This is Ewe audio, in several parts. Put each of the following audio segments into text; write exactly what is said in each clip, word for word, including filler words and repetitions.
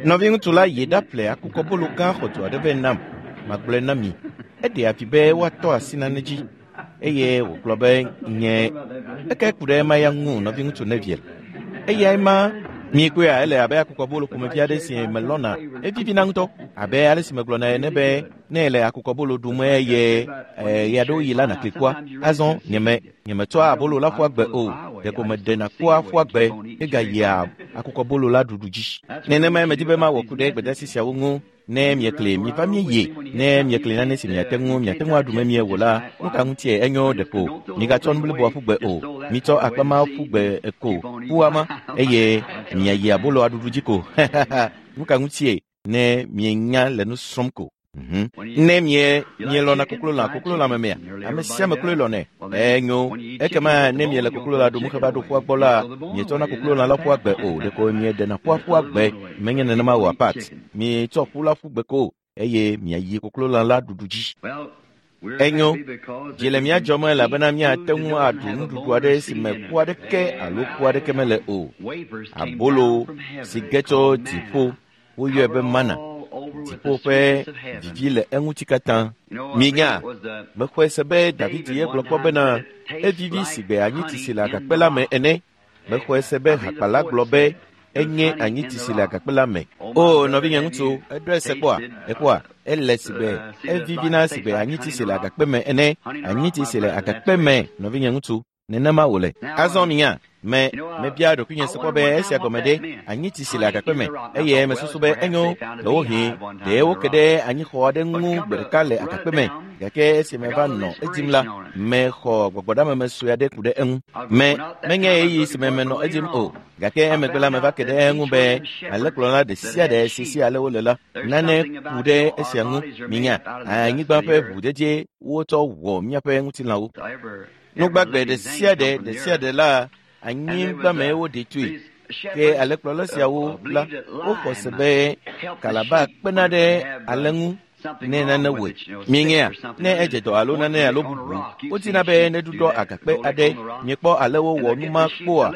Nɔviŋutsu la yi ɖaƒle akukɔbolo gã xɔdzo aɖe vɛ nam. Magblɔe na mi. Eɖe afi be woatɔ asi nane dzi eye wògblɔ be nye eke ku ɖe ema ya ŋu nɔviŋutsu Neville. Eyae ma mikpɔea ele abe akukɔbolo ƒomevi aɖe si melɔna evivina ŋutɔ abe ale si megblɔna ene be ne ele akukɔbolo ɖum eye ɣeaɖewoɣi la nàkli kua azɔ nyeme nyemetsɔa abolo la ƒua gbe o ɖeko meɖena kua ƒua gbe hegayia akukɔbolo la ɖuɖu dzi. Nenemae medi be mawɔ ku ɖe gbedeasi siawo ŋu. Ne miekli miva mieye ne miekli nane si miate ŋu miate ŋu aɖu memie wò la nu ka ŋutie enyo ɖeko migatsɔ nu bliboa ƒu gbe o mitsɔ akpa ma ƒu gbe ko ƒua ma eye miayi aboloa ɖuɖu dzi ko nu ka ŋutie ne mienya le nu srɔ̃m ko. Mhm. Ne mie mielɔna koklolã koklolã memea ame sia ame kloe lɔnɛ enyo ekema ne miele koklolã ɖum heva ɖo ƒua gbɔ la mietsɔna koklolã la ƒua gbe o ɖeko mieɖena ƒua ƒua gbe menye nenema o apat mietsɔ ƒu la ƒu gbe ko eye miayi koklolã la ɖuɖu dzi. Enyo dzi le mía dzɔm elabena míate ŋu aɖu nuɖuɖu aɖe si me ƒu aɖeke alo ƒu aɖeke mele o. Abolo si ge tso dziƒo woyɔe be mana. Dziƒo ƒe vivi le eŋuti katã. Minya, mexɔe se be David ye gblɔ kpɔ bena evivi si gbe anyitsi si le agakpe la me ene. Mexɔe se be hakpala gblɔ be enye anyitsi si le agakpe la me. O nɔvinye ŋutsu, eɖɔe se kpɔa? Ekpɔa? Ele si gbe evivina si gbe anyitsi si le agakpe me ene. Anyitsi si le agakpe me, nɔvinye ŋutsu. Nenema wòle. Azɔ minya, me mebia ɖokuinye se kpɔ be esia gɔme ɖe anyitsi si le agakpe me eye mesusu be enyo ɖewohĩ ɖe woke ɖe anyixɔ aɖe ŋu gbe ɖeka le agakpe me gake esi meva nɔ edzim la mexɔ gbɔgbɔɖameme sue aɖe ku ɖe eŋu. Me menye ɣeyiɣi si me menɔ edzim o gake emegbe la meva ke ɖe eŋu be alẽkplɔla ɖe sia ɖe si si ale wole la nane ku ɖe esia ŋu. Minya, anyigba ƒe ʋudzedze wotsɔ wɔ míaƒe ŋutilãwo. Nugbagbe ɖe sia ɖe ɖe sia ɖe la anyigba me woɖe tsoe. Ke alẽkplɔla siawo la woxɔ se be kalaba kpena ɖe alẽ ŋu ne nane wɔe. Mienya ne edze dɔ alo nane alo bubu wodina be neɖuɖɔ agakpe aɖe. Miekpɔ alewo wɔ nu ma kpoa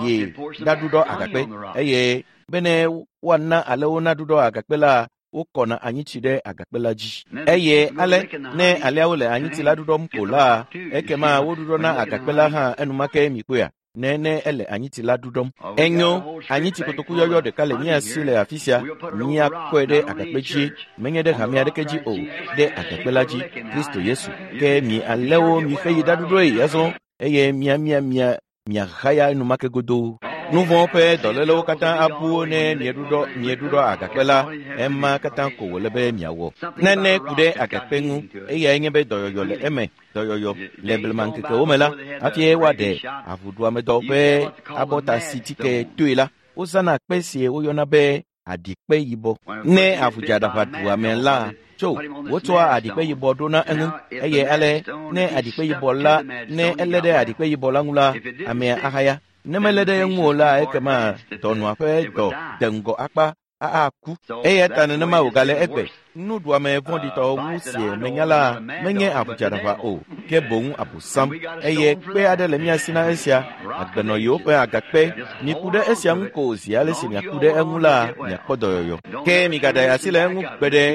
ye ɖaɖuɖɔ agakpe eye bene woana alewo naɖuɖɔ agakpe la wokɔna anyitsi ɖe agakpe la dzi. Eye ale ne aleawo le anyitsi la ɖuɖɔm ko la ekema woɖuɖɔna agakpe la hã enumake mikpɔea ne ne ele anyitsi la ɖuɖɔm. Enyo anyitsi kotoku yɔyɔ ɖeka le mía si le afi sia míakɔe ɖe agakpe dzi menye ɖe hame aɖeke dzi o ɖe agakpe la dzi Kristo Yesu. Ke mi alewo mixe yi ɖaɖuɖɔe azɔ eye mia mia mia miahaya enumake godoo. Nu vɔ̃ ƒe dɔlélewo katã abu ne mieɖuɖɔ mieɖuɖɔ agakpe la ema katã ko wòle be miawɔ. Nane ku ɖe agakpe ŋu eyae nye be dɔyɔyɔ le eme. Dɔyɔyɔ le blemaŋkekewo me la hafi woaɖe avuɖuamedɔ ƒe abɔtasitike toe la wozãna kpe si woyɔna be aɖikpe yibɔ. Ne avudzadaʋa ɖu ame la tso wotsɔa aɖikpe yibɔ ɖona eŋu eye ale ne aɖikpe yibɔ la ne elé ɖe aɖikpe yibɔ la ŋu la amea ahaya. Ne melé ɖe eŋu o la ekema dɔnɔa ƒe dɔ de ŋgɔ akpa aku. Eya ta nenema wògale egbe. Nuɖuame vɔ̃ɖitɔ wu si menya la menye avudzadaʋa o ke boŋ abosam eye kpe aɖe le mía si na esia agbenɔyiwo ƒe agakpe. Miku ɖe esia ŋu ko zi ale si miaku ɖe eŋu la miakpɔ dɔyɔyɔ. Ke migaɖe asi le eŋu gbe ɖe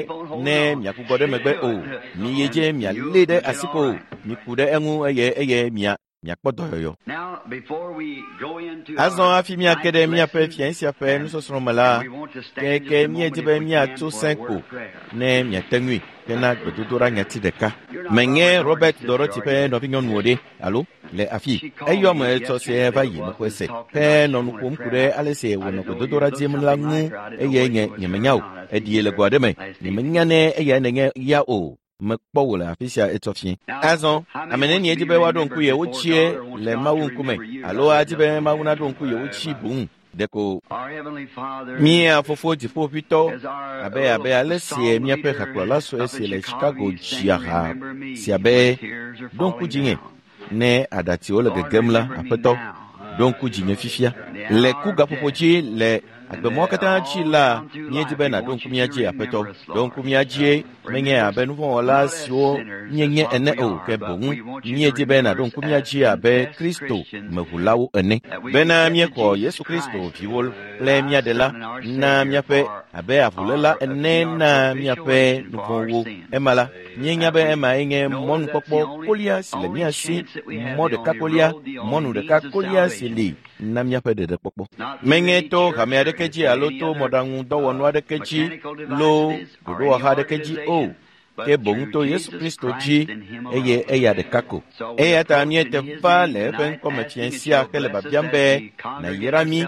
ne miagbugbɔ ɖe megbe o. Miyi dze mialé ɖe asi ko. Miku ɖe eŋu eye eye mia miakpɔ dɔyɔyɔ. Azɔ hafi míake ɖe míaƒe fiẽ sia ƒe nusɔsrɔ̃ me la keke míedi be míatso sẽ ko ne miate ŋui hena gbedodoɖa nyati ɖeka. Menye Robert Dorothy ƒe nɔvinyɔnu o ɖe alo le afi eyɔ me etsɔ sie va yi mexɔe se henɔ nu ƒom ku ɖe ale si wònɔ gbedodoɖa dim la ŋu eye nye nyemenya o eɖie le go aɖe me nyemenya ne eyae nenye ya o. Mekpɔ wò le afi sia etsɔ fie. Azɔ ame nenie di be woaɖo ŋku yewo dzie le Mawu ŋkume alo adi be Mawu naɖo ŋku yewo dzi boŋ ɖeko mía fofo dziƒoʋĩtɔ abe abe ale si míaƒe hakplɔla sue si le Chicago dzia ha sia be ɖo ŋku dzinye ne aɖatsiwo le gegem la aƒetɔ ɖo ŋku dzinye fifia le ku gaƒoƒo dzi le Agbemɔ katã dzi la, míedi be nàɖo ŋku mía dzi, Aƒetɔ. Ɖo ŋku mía dzie, menye abe nuvɔ̃wɔla siwo míenye ene o, ke boŋ míedi be nàɖo ŋku mía dzi abe Kristo meʋulawo ene. Bena míexɔ Yesu Kristo viwo kple mía ɖela na míaƒe abe avuléla ene na míaƒe nuvɔ̃wo. Ema la, míenya be emae nye mɔnukpɔkpɔ kolia si le mía si, mɔ ɖeka kolia, mɔnu ɖeka kolia si li na míaƒe ɖeɖekpɔkpɔ. Menye to hame aɖeke dzi alo to mɔɖaŋudɔwɔnu aɖeke dzi loo ɖoɖowɔha aɖeke dzi o, ke boŋ to Yesu Kristo dzi eye eya ɖeka ko. Eya ta míete va le eƒe ŋkɔme fiẽ sia hele biabiam be nàyra mí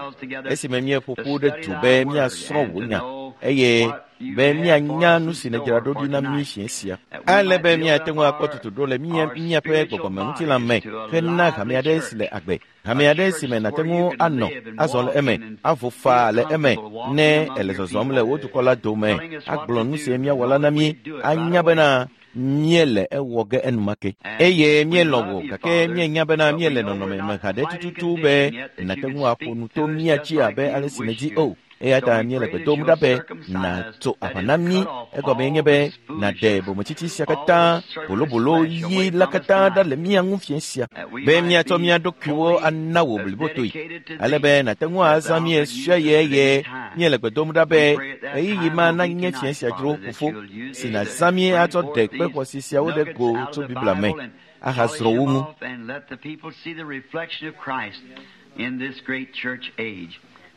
esime míeƒo ƒu ɖe du be míasrɔ̃ wò nya eye be míanya nu si nèdzra ɖo ɖi na mí fiẽ sia. Ale be míate ŋu akpɔ tutuɖo le mía míaƒe gbɔgbɔmeŋutilã me hena hame aɖe si le agbe. Hame aɖe si me nàte ŋu anɔ azɔ le eme, avo faa le eme ne ele zɔzɔm le wò dukɔ la dome, agblɔ nu si míawɔ la na mí, anya bena míele ewɔ ge enumake. Eye míelɔ̃ wò gake míenya bena míele nɔnɔme me haɖe tututu be nàte ŋu aƒo nu to mía dzi abe ale si nèdi o. Eya ta míele gbe dom ɖa be nàtso aʋa na mí, egɔmee nye be nàɖe bometsitsi sia katã, bolobolo ɣi la katã ɖa le mía ŋu fiẽ sia, be míatsɔ mía ɖokuiwo ana wò blibotoe, ale be nàte ŋu azã mí ɣesiaɣi eye míele gbe dom ɖa be ɣeyiɣi ma nanye fiẽ sia dzro fofo si nàzã mí atsɔ ɖe kpe xɔasi siawo ɖe go tso Biblia me ahazrɔ̃ wo ŋu.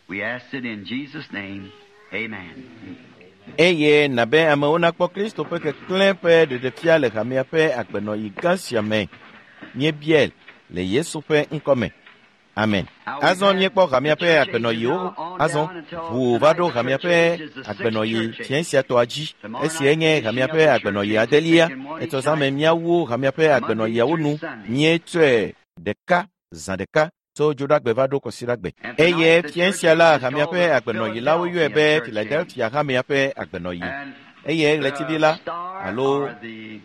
We ask it in Jesus' name. Amen. Eye nàbe amewo nakpɔ Kristo ƒe keklẽ ƒe ɖeɖefia le hamea ƒe agbenɔɣi gã sia me. Míebiae le Yesu ƒe ŋkɔme. Amen. Azɔ míekpɔ hamea ƒe agbenɔɣiwo. Azɔ ʋu va ɖo hamea ƒe agbenɔɣi fiẽ sia tɔa dzi. Esia nye hamea ƒe agbenɔɣi adelia. Etsɔ zã me míawu hamea ƒe agbenɔɣiawo nu. Míetsɔe ɖeka zã ɖeka tso dzoɖagbe va ɖo kɔsiɖagbe. Eye fiẽ sia la, hamea ƒe agbenɔɣi la woyɔe be Philadelphia hamea ƒe agbenɔɣi. Eye ɣletivi la alo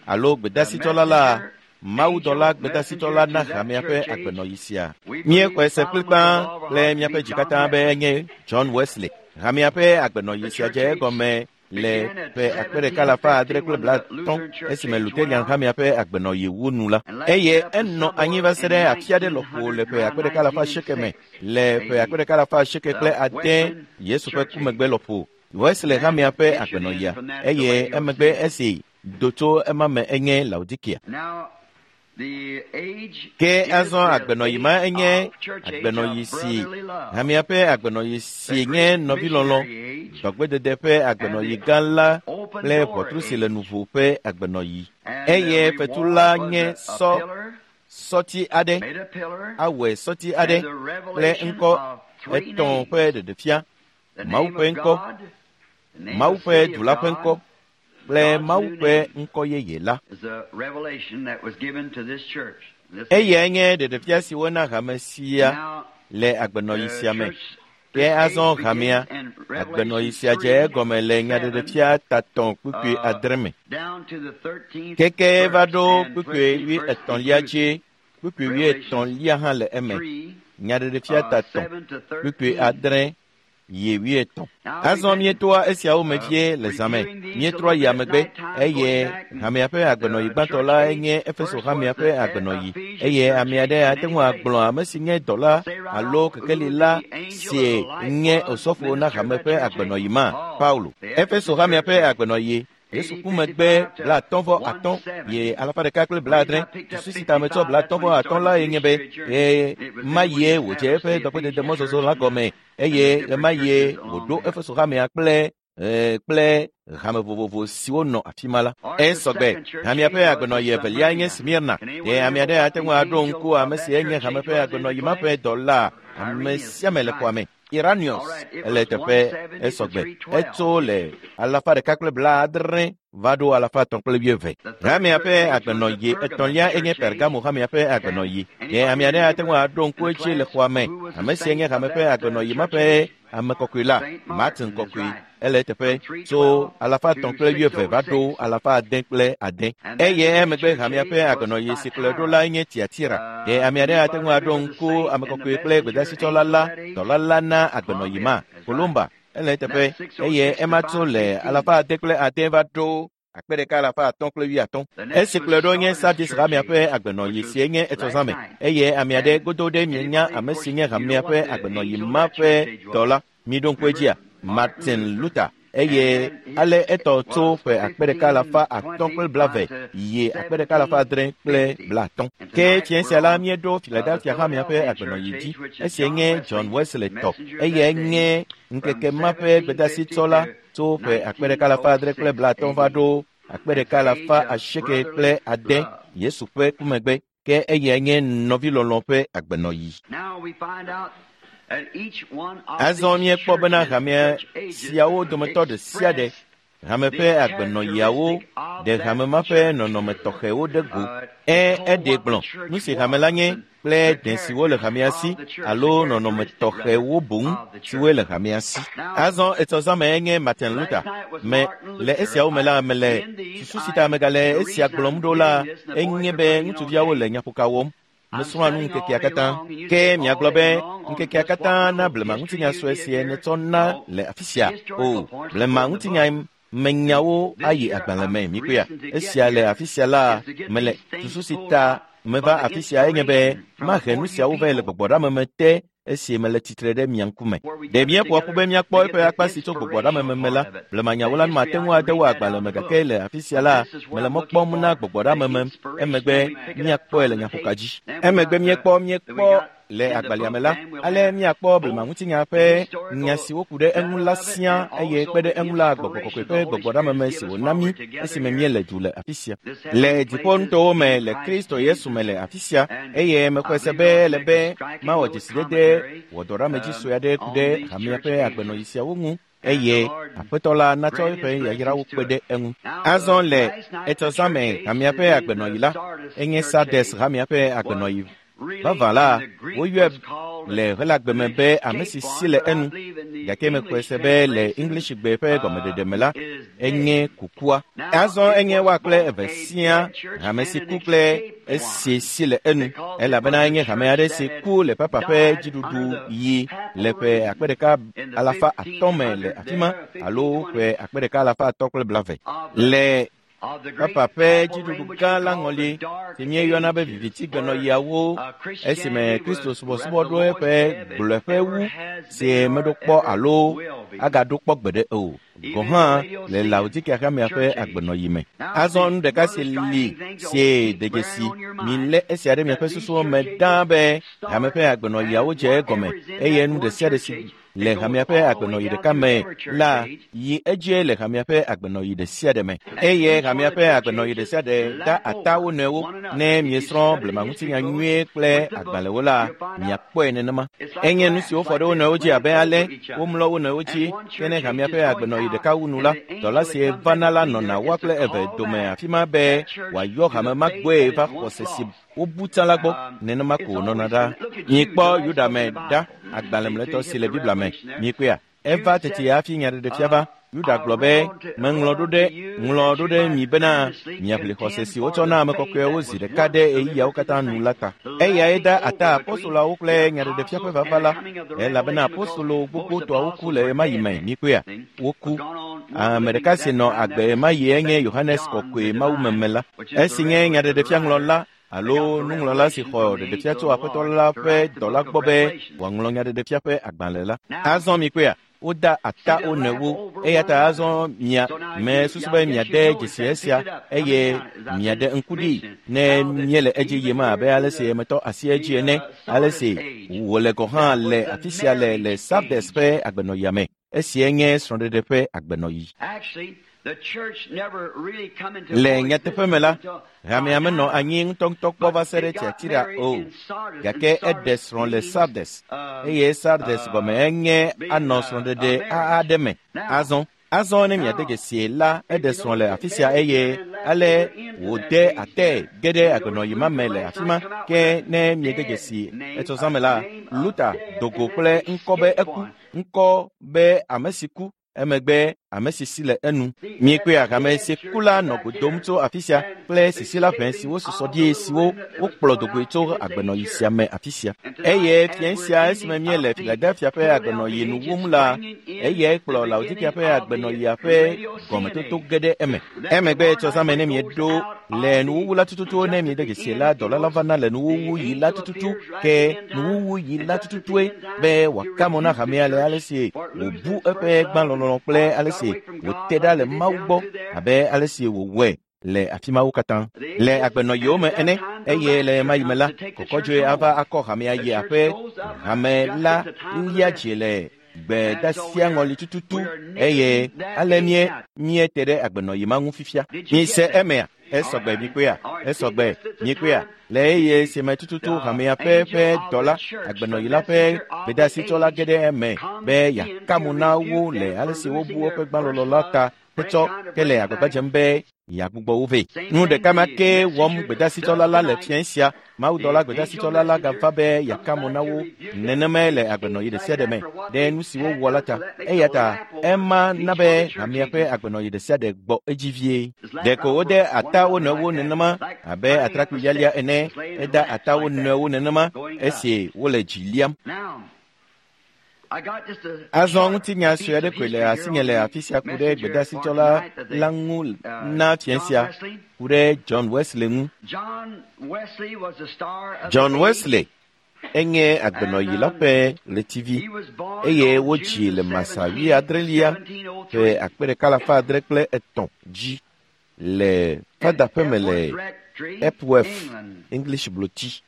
alo gbedasitsɔla la, mawudɔla gbedasitsɔla na hamea ƒe agbenɔɣi sia. Míexɔe se kplikpaa kple míaƒe dzi katã be enye John Wesley. Hamea ƒe agbenɔɣi sia dze egɔme le ƒe akpe ɖeka alafa adre kple blaatɔ̃ esime Lutheran hamea ƒe agbenɔɣi wu nu la. Eye enɔ anyi va se ɖe afi aɖe lɔƒo le ƒe akpe ɖeka alafa asieke me le ƒe akpe ɖeka alafa asieke kple ade Yesu ƒe ku megbe lɔƒo. Wesley hamea ƒe agbenɔɣia eye emegbe esi do tso ema me enye Laodikia. Ke azɔ agbenɔɣi ma enye agbenɔɣi si hamea ƒe agbenɔɣi si nye nɔvilɔlɔ̃, dɔgbedede ƒe agbenɔɣi gã la kple ʋɔtru si le nuvo ƒe agbenɔɣi. Eye fetu la nye sɔ sɔti aɖe, awɔe sɔti aɖe kple ŋkɔ etɔ̃ ƒe ɖeɖefia, Mawu ƒe ŋkɔ, Mawu ƒe du la ƒe ŋkɔ kple Mawu ƒe ŋkɔ yeye la. Eyae nye ɖeɖefia si wona hame sia le agbenɔɣi sia me. Ke azɔ hamea, agbenɔɣi sia dze egɔme le nyaɖeɖefia tatɔ̃ kpukpui adre me. Keke va ɖo kpukpui wuietɔ̃lia dzi, kpukpui wuietɔ̃lia hã le eme. Nyaɖeɖefia tatɔ̃ kpukpui adre yi wuietɔ̃. Azɔ míetoa esiawo me vie le zã me. Míetrɔ yia megbe eye hamea ƒe agbenɔɣi gbãtɔ la nye Efeso hamea ƒe agbenɔɣi. Eye ame aɖe ate ŋu agblɔ ame si nye dɔla alo kekeli la si nye osɔfo na hame ƒe agbenɔɣi ma, Paulo. Efeso hamea ƒe agbenɔɣi Yesu ku megbe blaatɔ̃ vɔ atɔ̃ ye alafa ɖeka kple blaadre. Susu si ta metsɔ blaatɔ̃ vɔ atɔ̃ la ye nye be ɣe ma yie wòdze eƒe dɔgbedede mɔzɔzɔ la gɔme eye ɣe ma yie wòɖo Efeso hamea kple kple hame vovovo siwo nɔ afi ma la. Esɔgbe hamea ƒe agbenɔɣi evelia nye Smirna. Ɖe ame aɖe ate ŋu aɖo ŋku ame si nye hame ƒe agbenɔɣi ma ƒe dɔla ame sia ame le xɔa me. Iranius ele teƒe esɔgbe. Etso le alafa ɖeka kple blaadre va ɖo alafa etɔ̃ kple wuieve. Hamea ƒe agbenɔɣi etɔ̃lia enye Pergamo hamea ƒe agbenɔɣi. Ɖe ame aɖe ate ŋu aɖo ŋku edzi le xɔa me. Ame si nye hame ƒe agbenɔɣi ma ƒe ame kɔkɔe la, Martin kɔkɔe, ele eteƒe tso alafa etɔ̃ kple wuieve va ɖo alafa ade kple ade. Eye emegbe hamea ƒe agbenɔɣi si kplɔe ɖo la nye Tiatira. Ɖe ame aɖe ate ŋu aɖo ŋku ame kɔkɔe kple gbedasitsɔla la, dɔla la na agbenɔɣi ma, Kolumba, ele eteƒe eye ema tso le alafa ade kple ade va ɖo akpe ɖeka alafa atɔ̃ kple wuiatɔ̃. Esi kplɔe ɖo nye Sardis hamea ƒe agbenɔɣi si nye etɔzãme eye ame aɖe godo ɖe mienya ame si nye hamea ƒe agbenɔɣi ma ƒe dɔla. Miɖo ŋku edzia, Martin Luther. Eye ale etɔ tso ƒe akpe ɖeka alafa atɔ̃ kple blave yi akpe ɖeka alafa adre kple blaatɔ̃. Ke fiẽ sia la míeɖo Philadelphia hamea ƒe agbenɔɣi dzi. Esia nye John Wesley tɔ. Eyae nye ŋkeke ma ƒe gbedasitsɔla tso ƒe akpe ɖeka alafa adre kple blaatɔ̃ va ɖo akpe ɖeka alafa asieke kple ade Yesu ƒe ku megbe. Ke eyae nye nɔvilɔlɔ̃ ƒe agbenɔɣi. Azɔ míekpɔ bena hamea siawo dometɔ ɖe sia ɖe hame ƒe agbenɔɣiawo ɖe hame ma ƒe nɔnɔme tɔxɛwo ɖe go. Ẽ eɖe gblɔ nu si hame la nye kple dẽ siwo le hamea si alo nɔnɔme tɔxɛwo boŋ siwoe le hamea si. Azɔ etɔzãme enye Martin Luther. Me le esiawo me la mele susu si ta megale esia gblɔm ɖo la enye be ŋutsuviawo le nyaƒoka wɔm. Mesrɔ̃a nu ŋkekea katã. Ke miagblɔ be ŋkekea katã na blema ŋutinya sue sie netsɔ na le afi sia. O, blema ŋutinya menyawo ayi agbalẽ me mikpɔea. Esia le afi sia la mele susu si ta meva afi sia enye be mahe nu siawo vɛ le gbɔgbɔɖameme te esi mele tsitre ɖe mia ŋkume. Ɖe míeƒoa ƒu be míakpɔ eƒe akpa si tso gbɔgbɔɖameme me la, blemanyawo la mate ŋu ade wo agbalẽ me gake le afi sia la mele mɔ kpɔm na gbɔgbɔɖameme emegbe míakpɔe le nyaƒoka dzi. Emegbe míekpɔ míekpɔ le agbalẽa me la, ale míakpɔ blema ŋutinya ƒe nya siwo ku ɖe eŋu la siaa eye kpe ɖe eŋu la gbɔgbɔ kɔkɔe ƒe gbɔgbɔɖameme si wòna mí esime míele du le afi sia. Le dziƒonutowo me le Kristo Yesu me le afi sia eye mexɔe se be ele be mawɔ dzesidede wɔdɔɖamedzi sue aɖe ku ɖe hamea ƒe agbenɔɣi siawo ŋu eye Aƒetɔ la natsɔ eƒe yayrawo kpe ɖe eŋu. Azɔ le etɔzãme hamea ƒe agbenɔɣi la, enye Sardes hamea ƒe agbenɔɣi. Vavã la, woyɔe le Helagbe me be ame si si le enu, gake mexɔe se be le Englishgbe ƒe gɔmeɖeɖe me la, enye kukua. Azɔ enye woa kple eve siaa, hame si ku kple esi si le enu, elabena enye hame aɖe si ku le papa ƒe dziɖuɖu yi le ƒe akpe ɖeka alafa atɔ̃ me le afi ma alo ƒe akpe ɖeka alafa atɔ̃ kple blave. Le papa ƒe dziɖuɖu gã la ŋɔli si míeyɔna be vivitigbenɔɣiawo esime Kristo subɔsubɔ ɖo eƒe gblɔeƒe wu si meɖo kpɔ alo agaɖo kpɔ gbeɖe o. Gɔ̃ hã le Laodikea hamea ƒe agbenɔɣi me. Azɔ nu ɖeka si li sie de dzesi milé esia ɖe miaƒe susuwo me ɖaa be hame ƒe agbenɔɣiawo dze egɔme eye nu ɖe sia ɖe si le hamea ƒe agbenɔɣi ɖeka me la yi edzie le hamea ƒe agbenɔɣi ɖe sia ɖe me. Eye hamea ƒe agbenɔɣi ɖe sia ɖe da ata wo nɔewo. Ne miesrɔ̃ blema ŋutinya nyuie kple agbalẽwo la, miakpɔe nenema. Enye nu siwo fɔ ɖe wo nɔewo dzi abe ale womlɔ wo nɔewo dzi. Ke ne hamea ƒe agbenɔɣi ɖeka wu nu la, dɔla si vana la nɔna woa kple eve dome afi ma be wòayɔ hame ma gbɔe va xɔse si wobu tsã la gbɔ. Nenema ko wònɔna ɖa. Mikpɔ Yuda me ɖa, agbalẽ mlɔetɔ si le Biblia me. Mikpɔea, eva tete hafi nyaɖeɖefia va. Yuda gblɔ be, meŋlɔ ɖo ɖe ŋlɔ ɖo ɖe mi bena miaʋli xɔse si wotsɔ na ame kɔkɔewo zi ɖeka ɖe ɣeyiɣiawo katã nu la ta. Eyae da ata apostoloawo kple nyaɖeɖefia ƒe vava la, elabena apostolo gbogbotɔawo ku le ɣemaɣi me. Mikpɔea, woku. Ame ɖeka si nɔ agbe ɣemaɣi enye Yohanes kɔkɔe mawumeme la, esi nye nyaɖeɖefia ŋlɔla alo nuŋlɔla si xɔ ɖeɖefia tso Aƒetɔ la ƒe dɔla gbɔ be wòaŋlɔ nyaɖeɖefia ƒe agbalẽ la. Azɔ mikpɔea, woda ata wo nɔewo. Eya ta azɔ mia me susu be miade dzesi esia eye miaɖe ŋku ɖi ne míele edzi yim abe ale si metɔ asi edzi ene, ale si wòle gɔ̃ hã le afi sia le le Sardes ƒe agbenɔɣia me. Esia nye srɔ̃ɖeɖe ƒe agbenɔɣi. Le nyateƒe me la, hamea menɔ anyi ŋutɔŋutɔ kpɔ va se ɖe Tiatira o, gake eɖe srɔ̃ le Sardes, eye Sardes gɔme enye anɔ srɔ̃ɖeɖe aɖe me. Azɔ Azɔ ne miade dzesi la, eɖe srɔ̃ le afi sia eye ale wòde ate ge ɖe agbenɔyi ma me le afi ma. Ke ne miede dzesi etsɔzãme la, Luther do go kple ŋkɔ be eku, ŋkɔ be ame si ku, emegbe ame si si le enu. Miekpɔe hame si ku la nɔ go dom tso afi sia kple sisila ʋɛ siwo susɔ ɖi siwo wokplɔ dogoe tso agbenɔyi sia me afi sia. Eye fiẽ sia esime míele Philadelphia ƒe agbenɔyi nu wum la, eyae kplɔ Laodikea ƒe agbenɔyia ƒe gɔmetoto ge ɖe eme. Emegbe tsɔzãme ne mieɖo le nuwuwu la tututu ne miede dzesi la, dɔla la vana le nuwuwu yi la tututu ke nuwuwu yi la tututue be wòaka mo na hamea le ale si wòbu eƒe gbãlɔlɔlɔ kple ale si wòte ɖa le Mawu gbɔ abe ale si wòwɔe le afi mawo katã le agbenɔyiwo me ene. Eye le ɣemaɣi me la, kɔkɔdzoe ava akɔ hamea yi aƒe. Hame la lia dzi le gbedasia ŋɔli tututu eye ale mie miete ɖe agbenɔyi ma ŋu fifia. Mise emea? Esɔgbe mikpɔea? Esɔgbe mikpɔea? Le eye si me tututu hamea ƒe ƒe dɔla agbenɔyi la ƒe gbedasitsɔla ge ɖe eme be yeaka mo na wo le ale si wobu woƒe gbãlɔlɔ la ta hetsɔ ke le agbagba dzem be yeagbugbɔ wo vɛ. Nu ɖeka ma ke wɔm gbedasitsɔla la le fiẽ sia. Mawudɔla gbedasitsɔla la gava be yeaka mo na wo nenemae le agbenɔyi ɖe sia ɖe me ɖe nu si wowɔ la ta. Eya ta ema na be hamea ƒe agbenɔyi ɖe sia ɖe gbɔ edzi vie. Ɖeko wode ata wo nɔewo nenema abe atrakpui lialia ene. Eda ata wo nɔewo nenema esi wole dzi liam. Azɔ ŋutinya sue aɖe koe le asinye le afi sia ku ɖe gbedasitsɔla la ŋu na fiẽ sia ku ɖe John Wesley ŋu. John Wesley enye agbenɔyi la ƒe ɣletivi eye wodzii le Masa wuiadrelia ƒe akpe ɖeka alafa adre kple etɔ̃ dzi le fadaƒeme le Epworth, English Bloti.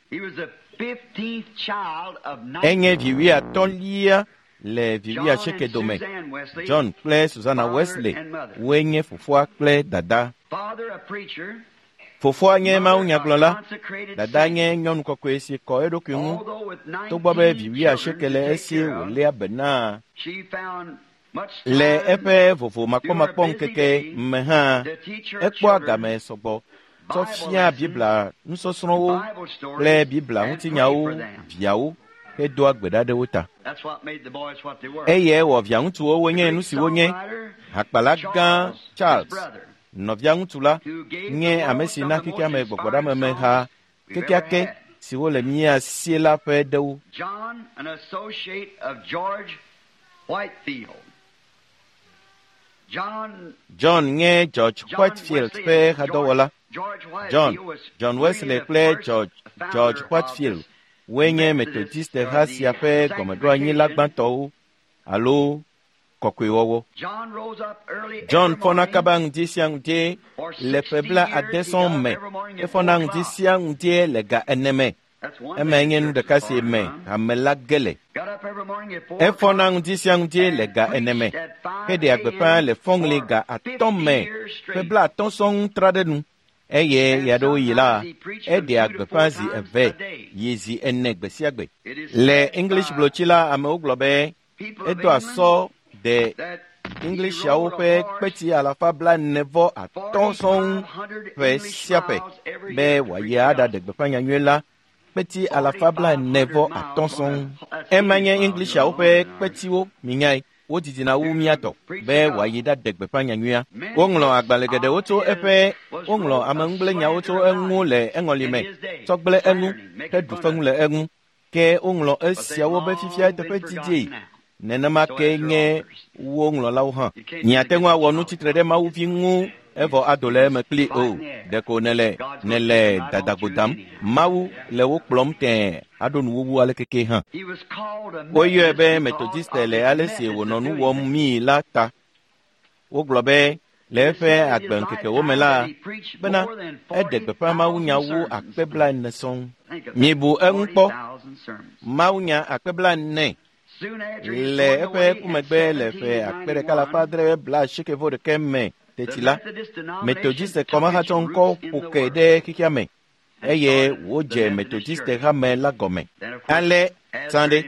Enye vi wuiatɔ̃lia le vi wuiasieke dome. John kple Susanna Wesley woe nye fofoa kple dada. Fofoa nye mawunyagblɔla, dada nye nyɔnu kɔkɔe si kɔ eɖokui ŋu togbɔ be vi wuiasieke le esi wòléa be na. Le eƒe vovomakpɔmakpɔ ŋkeke me hã, ekpɔa game sɔgbɔ tsɔ fia Biblia nusɔsrɔ̃wo kple Biblia ŋutinyawo viawo hedoa gbe ɖa ɖe wo ta. Eye wɔ viaŋutsuwo wonye nu si wonye. Hakpala gã Charles, nɔvia ŋutsu la, nye ame si na xexea me gbɔgbɔɖamemeha kekeake siwo le mía si la ƒe ɖewo. John nye George Whitefield ƒe hadɔwɔla. John, John Wesley kple George, George Whitefield woe nye Methodist ha sia ƒe gɔmeɖoanyila gbãtɔwo alo kɔkɔewɔwɔ. John fɔna kaba ŋdi sia ŋdi le ƒe bla ade sɔŋ me. Efɔna ŋdi sia ŋdi le ga ene me. Emae nye nu ɖeka si me hame la ge le. Efɔna ŋdi sia ŋdi le ga ene me heɖea gbeƒã le fɔŋli ga atɔ̃ me ƒe bla atɔ̃ sɔŋ tra ɖe nu. Eye ɣeaɖewoɣi la, eɖea gbeƒã zi eve yi zi ene gbe sia gbe. Le English blotsi la, amewo gblɔ be edo asɔ de Englishiawo ƒe kpeti alafa blaene vɔ atɔ̃ sɔŋ ƒe sia ƒe be wòayi aɖaɖe gbeƒã nyanyui la kpeti alafa blaene vɔ atɔ̃ sɔŋ. Ema nye Englishiawo ƒe kpetiwo minyae. Wodidina wu mía tɔ be wòayi ɖaɖe gbeƒã nyanyuia. Woŋlɔ agbalẽ geɖewo tso eƒe woŋlɔ ameŋugblẽnyawo tso eŋu le eŋɔli me tsɔ gblẽ eŋu heɖu feŋu le eŋu. Ke woŋlɔ esiawo be fifia eteƒe didie. Nenema ke nye wo ŋlɔlawo hã. Miate ŋu awɔ nu tsitre ɖe Mawu vi ŋu evɔ ado le eme kpli o. Ɖeko nele nele dadagbo dam. Mawu le wo kplɔm tẽe aɖo nuwuwu ale keke hã. Woyɔe be Methodiste le ale si wònɔ nu wɔm mii la ta. Wogblɔ be le eƒe agbeŋkekewo me la bena eɖe gbeƒã mawunya wu akpe blaene sɔŋ. Mibu eŋu kpɔ. Mawunya akpe blaene le eƒe kumegbe le ƒe akpe ɖeka alafa adre bla asieke vɔ ɖeke me teti la, Methodiste kɔmahatsɔŋkɔ ƒo ke ɖe xexea me eye wodze Metodiste hame la gɔme. Ale Sande,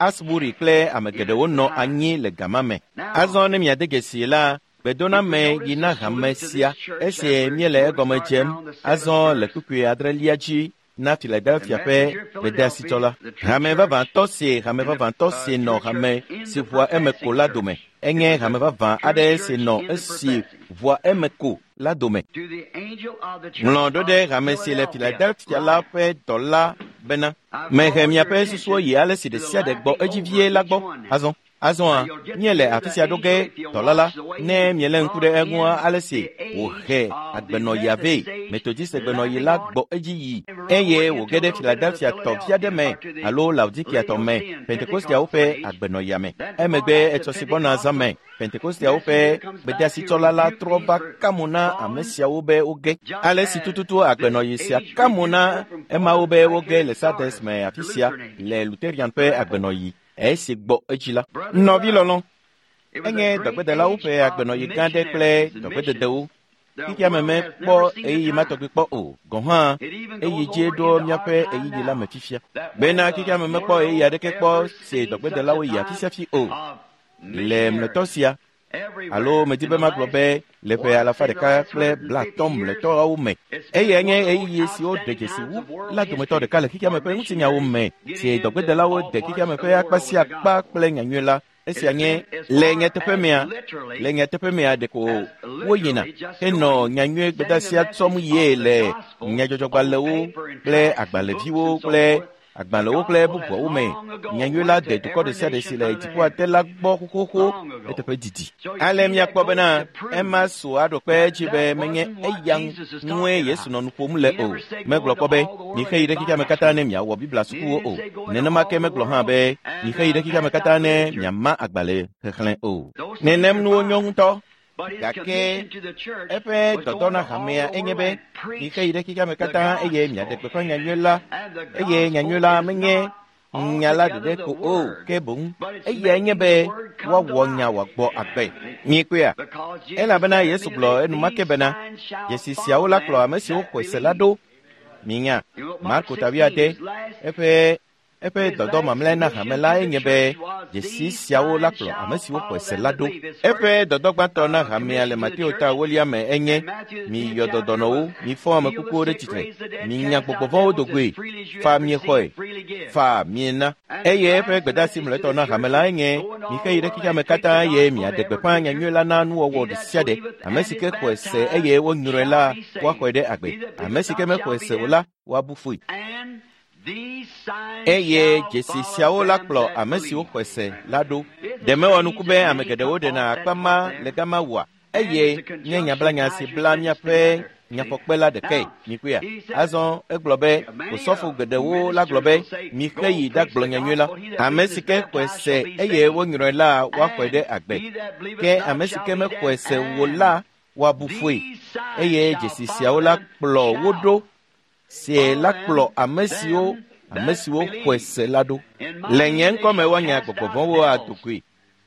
Asbury kple ame geɖewo nɔ anyi le gama me. Azɔ ne miade dzesi la, gbedoname yi na hame sia esi míele egɔme dzem azɔ le kpukpui adrelia dzi na Philadelphia ƒe gbedeasitsɔla. Hame vavãtɔ si hame vavãtɔ si nɔ hame si ʋua eme ko la dome. Enye hame vavã aɖe si nɔ esi ʋua eme ko la dome. Ŋlɔ ɖo ɖe hame si le Philadelphia la ƒe dɔla bena mehe miaƒe susuwo yi ale si ɖe sia ɖe gbɔ edzi vie la gbɔ azɔ. Azɔa míele afi sia ɖo ge dɔla la ne miele ŋku ɖe eŋua ale si wòhe agbenɔyia vɛ Metodiste gbenɔyi la gbɔ edzi yi eye wòge ɖe Philadelphia tɔ vi aɖe me alo Laodikia tɔ me Pentekosteawo ƒe agbenɔyia me. Emegbe etsɔ si gbɔna zã me Pentekosteawo ƒe gbedeasitsɔla la trɔ va ka mo na ame siawo be woge. Ale si tututu agbenɔyi sia ka mo na emawo be woge le Sardes me afi sia le Lutheran ƒe agbenɔyi esi gbɔ edzi la. Nɔvi lɔlɔ, enye dɔgbedelawo ƒe agbenɔyi gã ɖe kple dɔgbededewo. Xexea me mekpɔ ɣeyiɣi ma tɔgbi kpɔ o, gɔ̃ hã eyi dzie ɖo míaƒe ɣeyiɣi la me fifia. Bena xexea me mekpɔ ɣeyiɣi aɖeke kpɔ si dɔgbedelawo yi afi sia fi o. Le mlɔetɔ sia, alo medi be magblɔ be le ƒe alafa ɖeka kple blaatɔ̃ mlɔetɔawo me. Eyae nye ɣeyiɣi siwo ɖe dzesi wu la dometɔ ɖeka le xexea me ƒe ŋutinyawo me si dɔgbedelawo de xexea me ƒe akpa sia akpa kple nyanyui la. Esia nye le nyateƒe mea, le nyateƒe mea ɖeko woyina henɔ nyanyui gbedeasia tsɔm yie le nyadzɔdzɔgbalẽwo kple agbalẽviwo kple agbalẽwo kple bubuawo me. Nyanyui la de dukɔ ɖe sia ɖe si le dziƒoa te la gbɔ xoxoxo eteƒe didi. Ale míakpɔ bena ema su aɖo kpe edzi be menye eya ŋue Yesu nɔ nu ƒom le o. Megblɔ kpɔ be mixe yi ɖe xexea me katã ne miawɔ Biblia sukuwo o. Nenema ke megblɔ hã be mixe yi ɖe xexea me katã ne miama agbalẽ xexlẽ o. Nenem nuwo nyo ŋutɔ. Gake eƒe dɔdɔ na hamea enye be mixe yi ɖe xexea me katã eye miaɖe gbeƒã nyanyui la eye nyanyui la menye nya la ɖeɖe ko o ke boŋ eyae nye be woawɔ nya wòagbɔ agbe. Miekpɔea? Elabena Yesu gblɔ enumake bena dzesi siawo la kplɔ ame siwo xɔe se la ɖo. Minya Marko ta wuiade eƒe eƒe dɔdɔ mamlɛ na hame la enye be dzesi siawo la kplɔ ame siwo xɔe se la ɖo. Eƒe dɔdɔ gbãtɔ na hamea le Mateo ta ewolia me enye miyɔ dɔdɔnɔwo, mifɔ ame kukuwo ɖe tsitre, minya gbɔgbɔ vɔ̃wo do goe, fa miexɔe, fa miena. Eye eƒe gbedeasi mlɔetɔ na hame la enye mixe yi ɖe xexea me katã eye miaɖe gbeƒã nyanyui la na nuwɔwɔ ɖe sia ɖe. Ame si ke xɔe se eye wonyrɔe la, woaxɔe ɖe agbe. Ame si ke mexɔe se o la, woabu fui. Eye dzesi siawo la kplɔ ame siwo xɔe se la ɖo. Ɖe mewɔ nuku be ame geɖewo ɖena akpa ma le gama wua? Eye nye nyablanya si bla míaƒe nyafɔkpe la ɖekae. Mikpɔea? Azɔ egblɔ be osɔfo geɖewo la gblɔ be mixe yi ɖagblɔ nyanyui la. Ame si ke xɔe se eye wonyrɔe la woaxɔe ɖe agbe. Ke ame si ke mexɔe se o la woabu fui. Eye dzesi siawo la kplɔ wo ɖo. Sie la kplɔ ame siwo ame siwo xɔe se la ɖo. Le nye ŋkɔme woanya gbɔgbɔ vɔ̃wo ado goe.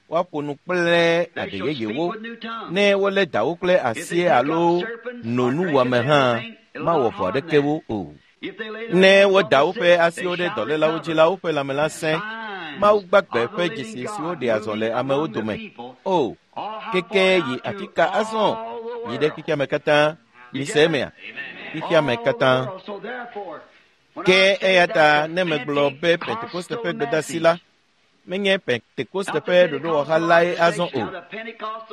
Woaƒo nu kple aɖe yeyewo. Ne wolé dawo kple asi alo no nuwɔame hã, mawɔ vɔ aɖeke wo o. Ne woda woƒe asiwo ɖe dɔlélawo dzi la, woƒe lãme la sẽ. Mawu gbagbe ƒe dzesi siwo ɖea zɔ le amewo dome. O, keke yi afi ka azɔ? Yi ɖe xexea me katã. Mise emea? Xexea me katã. Ke eya ta ne megblɔ be Pentekoste ƒe gbedeasi la, menye Pentekoste ƒe ɖoɖowɔha lae azɔ o.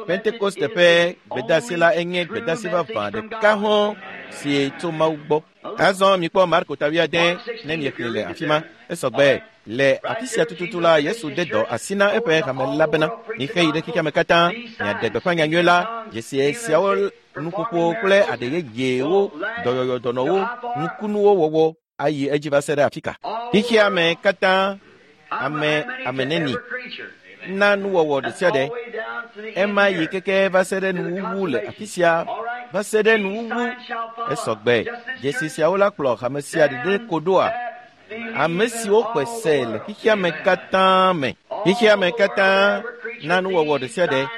Pentekoste ƒe gbedeasi la enye gbedeasi vavã ɖeka hɔ̃ si tso Mawu gbɔ. Azɔ mikpɔ Marko ta wuiade ne miexlẽ le afi ma. Esɔgbe le afi sia tututu la Yesu de dɔ asi na eƒe hame la bena mixe yi ɖe xexea me katã miaɖe gbeƒã nyanyui la. Dzesi siawo nuƒoƒo kple aɖe yeyewo, dɔyɔyɔ dɔnɔwo, nukunuwo wɔwɔ ayi edzi va se ɖe afi ka. Xexea me katã ame ame neni na nuwɔwɔ ɖe sia ɖe. Ema yi keke va se ɖe nuwuwu le afi sia va se ɖe nuwuwu. Esɔgbe dzesi siawo la kplɔ hame sia ɖeɖe ko ɖoa? Ame siwo xɔe se le xexea me katã me. Xexea me katã na nuwɔwɔ ɖe sia ɖe.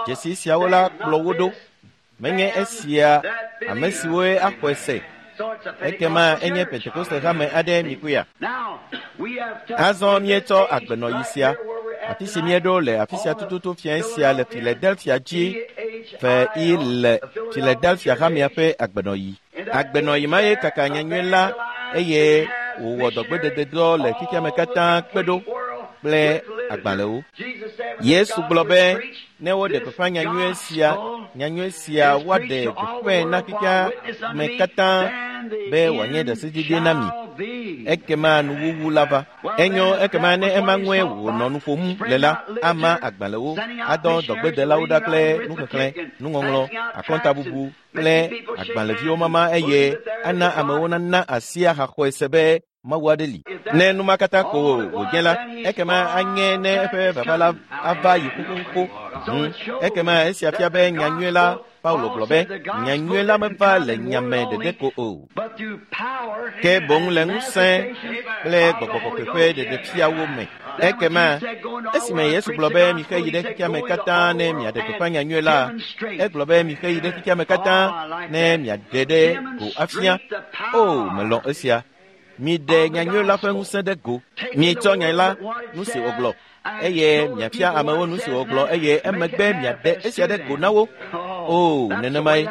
Dzesi siawo la kplɔ wo ɖo. Menye esia ame siwoe axɔe se Ekema enye Pentekoste hame aɖe mikuya. Azɔ míetsɔ agbenɔyi sia, afi si míeɖo le afi sia tututu fiẽ sia le Philadelphia dzi fe i le Philadelphia hamea ƒe agbenɔyi. Agbenɔyi ma ye kaka nyanyui la eye wòwɔ dɔgbedededɔ le xexeame katã kpe ɖo kple agbalẽwo. Yesu gblɔ be ne woɖe gbeƒã nyanyui sia, nyanyui sia woaɖe gbeƒãe na xexeame katã be wòanye ɖaseɖiɖi na mi. Ekema nuwuwu la va. Enyo ekema ne ema ŋue wònɔ nu ƒom le la, ama agbalẽwo, adɔ dɔgbedelawo ɖa kple nuxexlẽ, nuŋɔŋlɔ, akɔntabubu kple agbalẽviwo mama eye ana amewo nana asi ahaxɔe se be Mawu aɖe li. Ne nu ma katã ko wòdze la, ekema anye ne eƒe vava la ava yi xoxoxo. Hmm. Ekema esia fia be nyanyui la, Paulo gblɔ be nyanyui la meva le nyame ɖeɖe ko o, ke boŋ le ŋusẽ kple gbɔgbɔ kɔkɔe ƒe ɖeɖefiawo me. Ekema esime Yesu gblɔ be mixe yi ɖe xexeame katã ne miaɖe gbeƒã nyanyui la, egblɔ be mixe yi ɖe xexeame katã ne miaɖe ɖe go afia. O, melɔ̃ esia. Miɖe nyanyui la ƒe ŋusẽ ɖe go. Mietsɔ nya la, nu si wògblɔ, eye miafia amewo nu si wògblɔ, eye emegbe miaɖe esia ɖe go na wo. O, nenemae,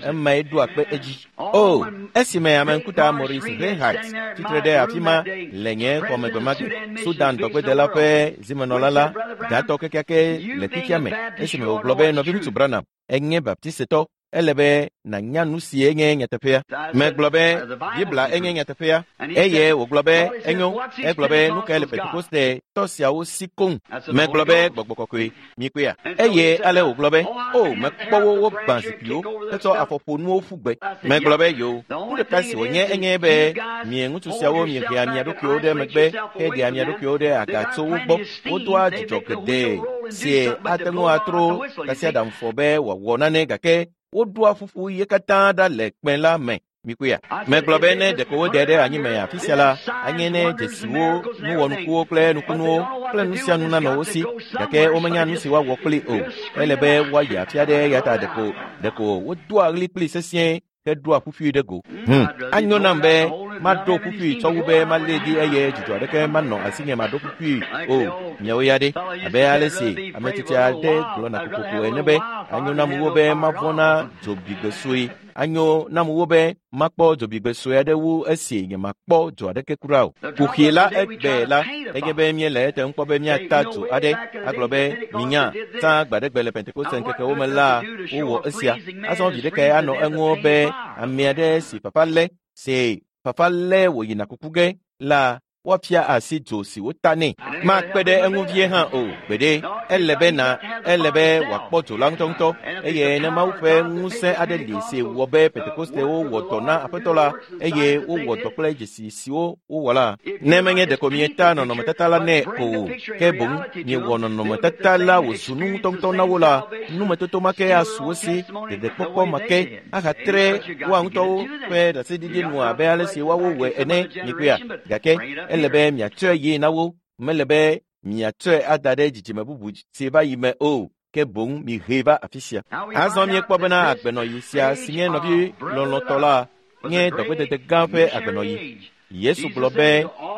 emae ɖo akpe edzi. O, esime ame ŋkuta Maurice Reinhardt tsitre ɖe afi ma le nye xɔme gbe ma gbe, Sudan dɔgbedela ƒe zimenɔla la, gatɔ kekeake le xexea me, esime wògblɔ be nɔviŋutsu Branham enye baptistetɔ, ele be nànya nu si enye nyateƒea. Megblɔ be Biblia enye nyateƒea, eye wògblɔ be enyo. Egblɔ be nu kae le Pentekoste tɔ siawo si koŋ. Megblɔ be gbɔgbɔ kɔkɔe mikpea. Eye ale wògblɔ be o mekpɔ wo wogbã zikpuiwo hetsɔ afɔƒonuwo ƒu gbe. Megblɔ be yo, nu ɖeka si wònye enye be mie ŋutsu siawo miehea mia ɖokuiwo ɖe megbe heɖea mia ɖokuiwo ɖe aga tso wo gbɔ. Wodoa dzidzɔ geɖe si ate ŋu atro tasiaɖamfɔ be wòawɔ nane gake woɖoa ƒuƒu ye katã ɖa le kpẽ la me. Mikuya. Megblɔ be ne ɖeko woɖe ɖe anyime afi sia la, anye ne dzesiwo, nuwɔnukuwo kple nukunuwo kple nu sia nu nanɔ wo si, gake womenya nu si woawɔ kpli o. Ele be woayi afi aɖe ya ta ɖeko ɖeko wodoa ɣli kpli sesĩe heɖoa ƒuƒui ɖe go. Hmm. Anyo nam be maɖo ƒuƒui tsɔ wu be malée ɖi eye dzidzɔ aɖeke manɔ asinye maɖo ƒuƒui o. Miawo ya ɖe, abe ale si ame tsitsi aɖe gblɔna kokoko ene be anyo nam wo be mavɔ̃ na dzobigbe sue. Anyo nam wo be makpɔ dzobigbe sue aɖe wu esi nyemakpɔ dzo aɖeke kura o. Kuxi la egbe la enye be míele ete kpɔ be míata dzo aɖe agblɔ be minya tsã gbaɖegbe le Pentekoste ŋkekewo me la wowɔ esia. Azɔ vi ɖekae anɔ eŋu be ame aɖe si fafa lé si fafa lé wòyina kuku ge la woafia asi dzo si wota nɛ. Makpe ɖe eŋu vie hã o. Gbeɖe, ele be na ele be wòakpɔ dzo la ŋutɔŋutɔ eye ne Mawu ƒe ŋusẽ aɖe li si wɔ be Pentekostewo wɔ dɔ na Aƒetɔ la eye wowɔ dɔ kple dzesi siwo wowɔ la, ne menye ɖeko mieta nɔnɔmetata la nɛ o, ke boŋ miewɔ nɔnɔmetata la wòzu nu ŋutɔŋutɔ na wo la, numetoto ma ke asu wo si, ɖeɖekpɔkpɔ ma ke ahatre woa ŋutɔwo ƒe ɖaseɖiɖi nu abe ale si woawo wɔe ene. Mikpɔea? Gake ele be miatsɔe yi na wo, mele be miatsɔe ada ɖe dzidzime bubu si va yi me o, ke boŋ mihee va afi sia. Azɔ míekpɔ bena agbenɔyi sia si nye nɔvi lɔlɔ̃tɔ la nye dɔgbedede gã ƒe agbenɔyi. Yesu gblɔ be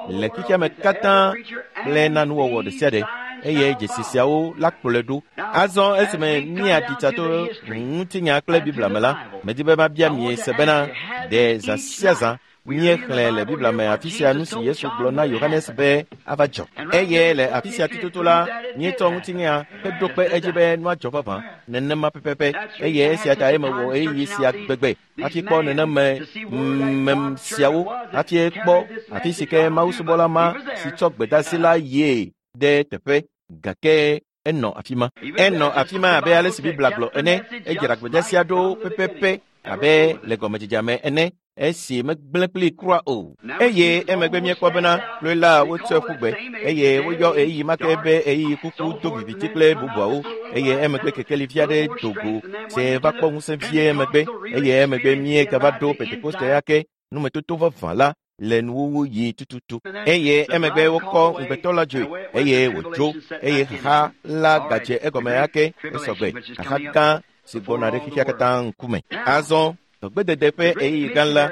le xexeame katã kple na nuwɔwɔ ɖe sia ɖe eye dzesi siawo la kplɔe ɖo. Azɔ esime míaɖi tsa to ŋutinya kple Biblia me la, medi be mabia mi se bena ɖe zã sia zã míexlẽ le Biblia me afi sia nu si Yesu gblɔ na Yohanes be ava dzɔ. Eye le afi sia tututu la, míetsɔ ŋutinya heɖo kpe edzi be nua dzɔ vavã nenema pɛpɛpɛ. Eye esia ta ye mewɔ ɣeyiɣi sia gbegbe hafi kpɔ neneme mem siawo hafi kpɔ afi si ke mawusubɔla ma si tsɔ gbedeasi la yie ɖe teƒe gake enɔ afi ma. Enɔ afi ma abe ale si Biblia gblɔ ene. Edzra gbedeasia ɖo pɛpɛpɛ abe le gɔmedzedzea me ene. Esi megblẽ kpli kura o. Eye emegbe míekpɔ bena kloe la wotsɔe ƒu gbe eye woyɔ ɣeyiɣi ma ke be ɣeyiɣi kuku do viviti kple bubuawo. Eye emegbe kekelivi aɖe do go si va kpɔ ŋusẽ vie emegbe eye emegbe míegava ɖo Pentekoste ya ke numetoto vavã la le nuwuwu yi tututu. Eye emegbe wokɔ ŋugbetɔ la dzoe eye wòdzo eye xaxa la gadze egɔme ake esɔgbe xaxa gã si gbɔna ɖe xexea katã ŋkume. Azɔ Dɔgbedede ƒe ɣeyiɣi gã la,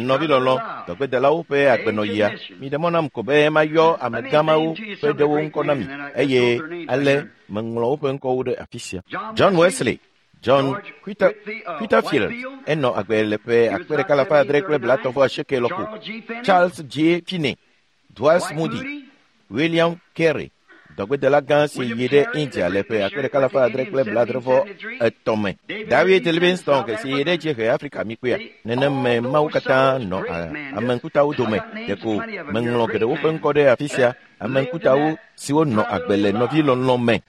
nɔvilɔlɔ̃, dɔgbedelawo ƒe agbenɔɣia, miɖe mɔ nam ko be mayɔ amegã mawo ƒe ɖewo ŋkɔ na mi eye ale meŋlɔ woƒe ŋkɔwo ɖe afi sia. John Wesley, John Whitfield enɔ agbe le ƒe akpe ɖeka alafa adre kple blaetɔ̃ vɔ asieke lɔƒo. Charles J. Finney, Dwight Moody, William Carey, dɔgbedela gã si yi ɖe India le ƒe akpe ɖeka alafa adre kple blaadre vɔ etɔ̃ me. David Livingstone si yi ɖe Dziehe Afrika mikpea. Neneme mawo katã nɔ ame ŋkutawo dome. Ɖeko meŋlɔ geɖewo ƒe ŋkɔ ɖe afi sia. Ame ŋkutawo siwo nɔ agbe le nɔvilɔlɔ̃ me.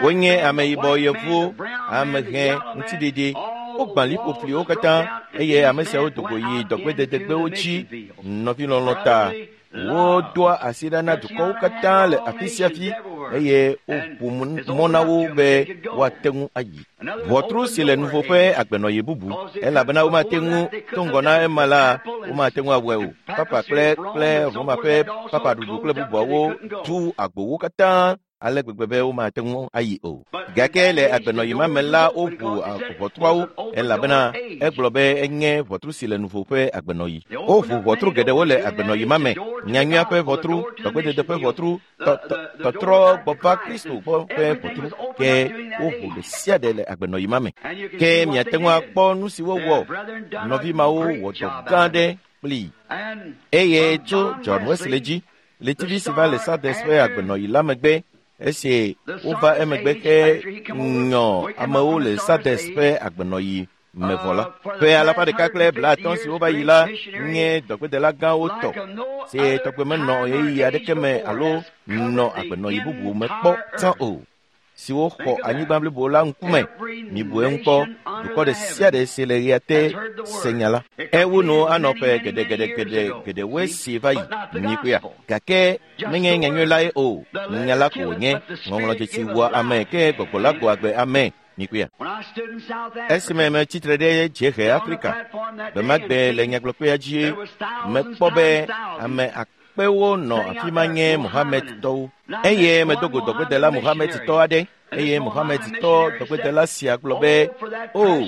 Wonye ameyibɔ yevuwo, ame hẽ ŋutiɖiɖi. Wogbã liƒoƒliwo katã eye ame siawo do go yi dɔgbededegbewo dzi nɔvilɔlɔ̃ ta. Wodoa asi ɖa na dukɔwo katã le afi sia fi eye woʋu mɔ na wo be woate ŋu ayi. Ʋɔtru si le nuvo ƒe agbenɔɣi bubu elabena womate ŋu to ŋgɔ na ema la, womate ŋu awɔe o. Papa kple kple Roma ƒe papaɖuɖu kple bubuawo tu agbowo katã ale gbegbe be womate ŋu ayi o. Gake le agbenɔɣi ma me la, woʋu ʋɔtruawo elabena egblɔ be enye ʋɔtru si le nuvo ƒe agbenɔɣi. Woʋu ʋɔtru geɖewo le agbenɔɣi ma me. Nyanyuia ƒe ʋɔtru, dɔgbedede ƒe ʋɔtru, tɔtrɔ gbɔ va Kristo gbɔ ƒe ʋɔtru. Ke woʋu ɖe sia ɖe le agbenɔɣi ma me. Ke miate ŋu akpɔ nu si wowɔ. Nɔvi mawo wɔ dɔ gã aɖe kplii. Eye tso John Wesley dzi, ɣletivi si va le Sardes ƒe agbenɔɣi la megbe, esi wova emegbe ke nyɔ amewo le Sardes ƒe agbenɔɣi me vɔ la, ƒe alafa ɖeka kple blaatɔ̃ siwo va yi la nye dɔgbedela gãwo tɔ si tɔgbe menɔ ɣeyiɣi aɖeke me alo nɔ agbenɔɣi bubu me kpɔ tsã o, siwo xɔ anyigba blibo la ŋkume. Mibu eŋu kpɔ, dukɔ ɖe sia ɖe si le ɣea te se nya la. Ewu nu anɔ ƒe geɖegeɖegeɖe geɖewoe si va yi mikpɔea. Gake menye nyanyui lae o, nya la ko wònye. Ŋɔŋlɔdzesi wua ame ke gbɔgbɔ la gbɔ agbe ame. Mikpɔea. Esime metsitre ɖe Dziehe Afrika gbe ma gbe le nyagblɔkpea dzi, mekpɔ be ame akpewo nɔ afi ma nye Mohamedtɔwo. Eye medo go dɔgbedela Mohamedtɔ aɖe. Eye Mohamedtɔ dɔgbedela sia gblɔ be, "O,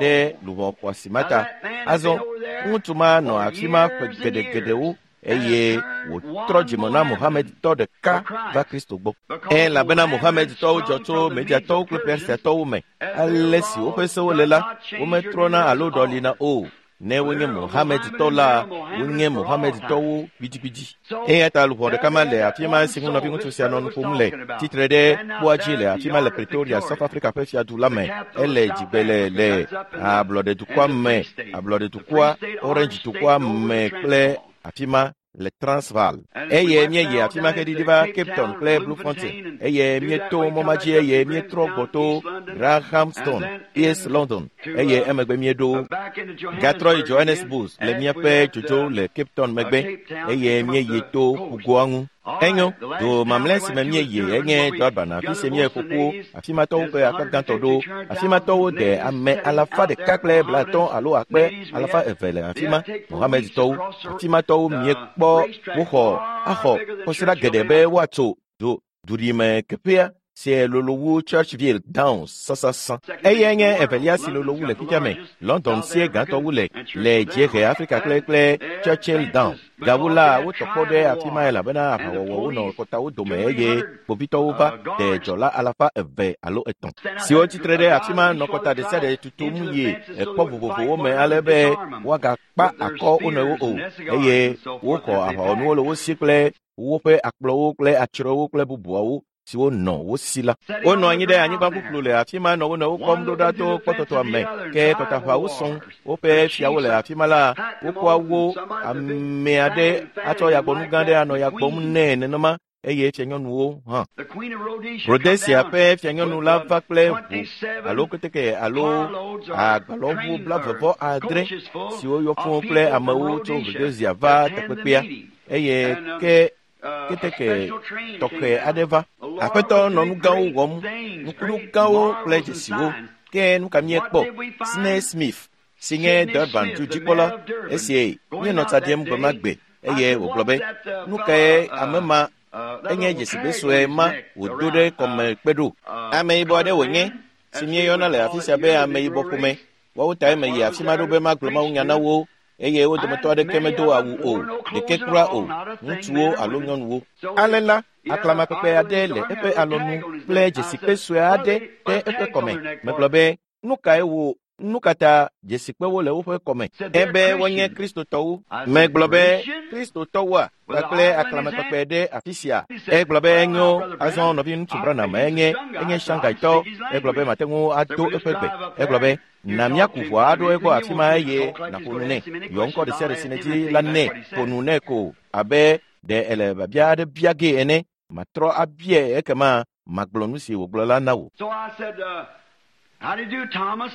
ɖe luʋɔ xɔasi ma ta." Azɔ ŋutsu ma nɔ afi ma ƒe geɖegeɖewo eye wòtrɔ dzime na Mohamedtɔ ɖeka va Kristo gbɔ. Elabena Mohamedtɔwo dzɔ tso Mediatɔwo kple Persiatɔwo me. Ale si woƒe sewo le la, wometrɔna alo ɖɔlina o. Ne wonye Mohamedtɔ la, wonye Mohamedtɔwo gbidigbidi. Eya ta luʋɔ ɖeka ma le afi ma si ŋu nɔviŋutsu sia nɔ nu ƒom le, tsitre ɖe kpoa dzi le afi ma le Pretoria, South Africa ƒe fiadu la me. Ele dzigbe le le ablɔɖedukɔa me, ablɔɖedukɔa, Orange dukɔa me kple afi ma le Transvaal. Eye míeyi afi ma heɖiɖi va Cape Town kple Bloemfontein. Eye míeto mɔ ma dzi eye míetrɔ gbɔ to Grahamstown, East London. Eye emegbe míeɖo gatrɔ yi Johannesburg le míaƒe dzodzo le Cape Town megbe eye míeyi to ƒugoa ŋu. Enyo, do mamlɛ si me míeyi enye Durban, afi si míeƒo ƒu afi ma tɔwo ƒe akpa gãtɔ ɖo. Afi ma tɔwo de ame alafa ɖeka kple blaetɔ̃ alo akpe alafa eve le afi ma. Mohamedtɔwo, afi ma tɔwo míekpɔ woxɔ axɔ kɔsiɖa geɖe be woatso do duɖime keƒea si lolo wu Churchville Downs sasasã. Eyae nye evelia si lolo wu le fifia me. London sie gãtɔ wu le le Dziehe Afrika kple kple Churchill Downs. Gawu la, wotɔ kpɔ ɖe afi ma elabena aʋawɔwɔwo nɔ kɔtawo dome eye kpovitɔwo va de dzɔla alafa eve alo etɔ̃ siwo tsitre ɖe afi ma nɔ kɔta ɖe sia ɖe tutum yi ekpɔ vovovowo me ale be woagakpa akɔ wo nɔewo o eye woxɔ aʋawɔnuwo le wo si kple woƒe akplɔwo kple atsrɔewo kple bubuawo siwo nɔ wo si la. Wonɔ anyi ɖe anyigba ƒuƒlu le afi ma nɔ wo nɔewo kpɔm ɖo ɖa to kpɔtɔtɔa me. Ke kɔtaʋawo sɔŋ woƒe fiawo le afi ma la, wokɔa wo ame aɖe atsɔ yagbɔnu gã aɖe anɔ ya gbɔm nɛ nenema eye fianyɔnuwo hã. Rhodesia ƒe fianyɔnu la va kple ʋu alo keteke alo agbalɔʋu blaeve vɔ adre siwo yɔ fũu kple amewo tso Rhodesia va takpekpea eye ke keteke tɔxɛ aɖe va. Aƒetɔ nɔ nu gãwo wɔm, nukunu gãwo kple dzesiwo. Ke nu ka míekpɔ? Sidney Smith si nye Durban dudzikpɔla esi míenɔ tsa ɖim gbe ma gbe eye wògblɔ be, "Nu kae ame ma enye dzesigbe sue ma wòdo ɖe kɔme kpe ɖo?" Ameyibɔ aɖe wònye si míeyɔna le afi sia be ameyibɔ ƒome. Woawo tae meyi afi ma ɖo be magblɔ mawunya na wo eye wo dometɔ aɖeke medo awu o, ɖeke kura o, ŋutsuwo alo nyɔnuwo. Ale la, aklamakpekpe aɖe le eƒe alɔnu kple dzesikpe sue aɖe ɖe eƒe kɔme. Megblɔ be, nu kae wo nu ka ta dzesikpewo le woƒe kɔme? Ebe wonye Kristotɔwo. Megblɔ be Kristotɔwoa kpakple aklamakpekpe ɖe afi sia. Egblɔ be enyo azɔ nɔviŋutsu Branham enye enye Shangaitɔ. Egblɔ be mate ŋu ado eƒe gbe. Egblɔ be na míaku ʋua aɖo egbɔ afi ma eye nàƒo nu nɛ. Yɔ ŋkɔ ɖe sia ɖe si nèdi la nɛ. Ƒo nu nɛ ko abe ɖe ele biabia aɖe bia gee ene. Matrɔ abiae ekema magblɔ nu si wògblɔ la na wò. So I said, uh, how do you do, Thomas?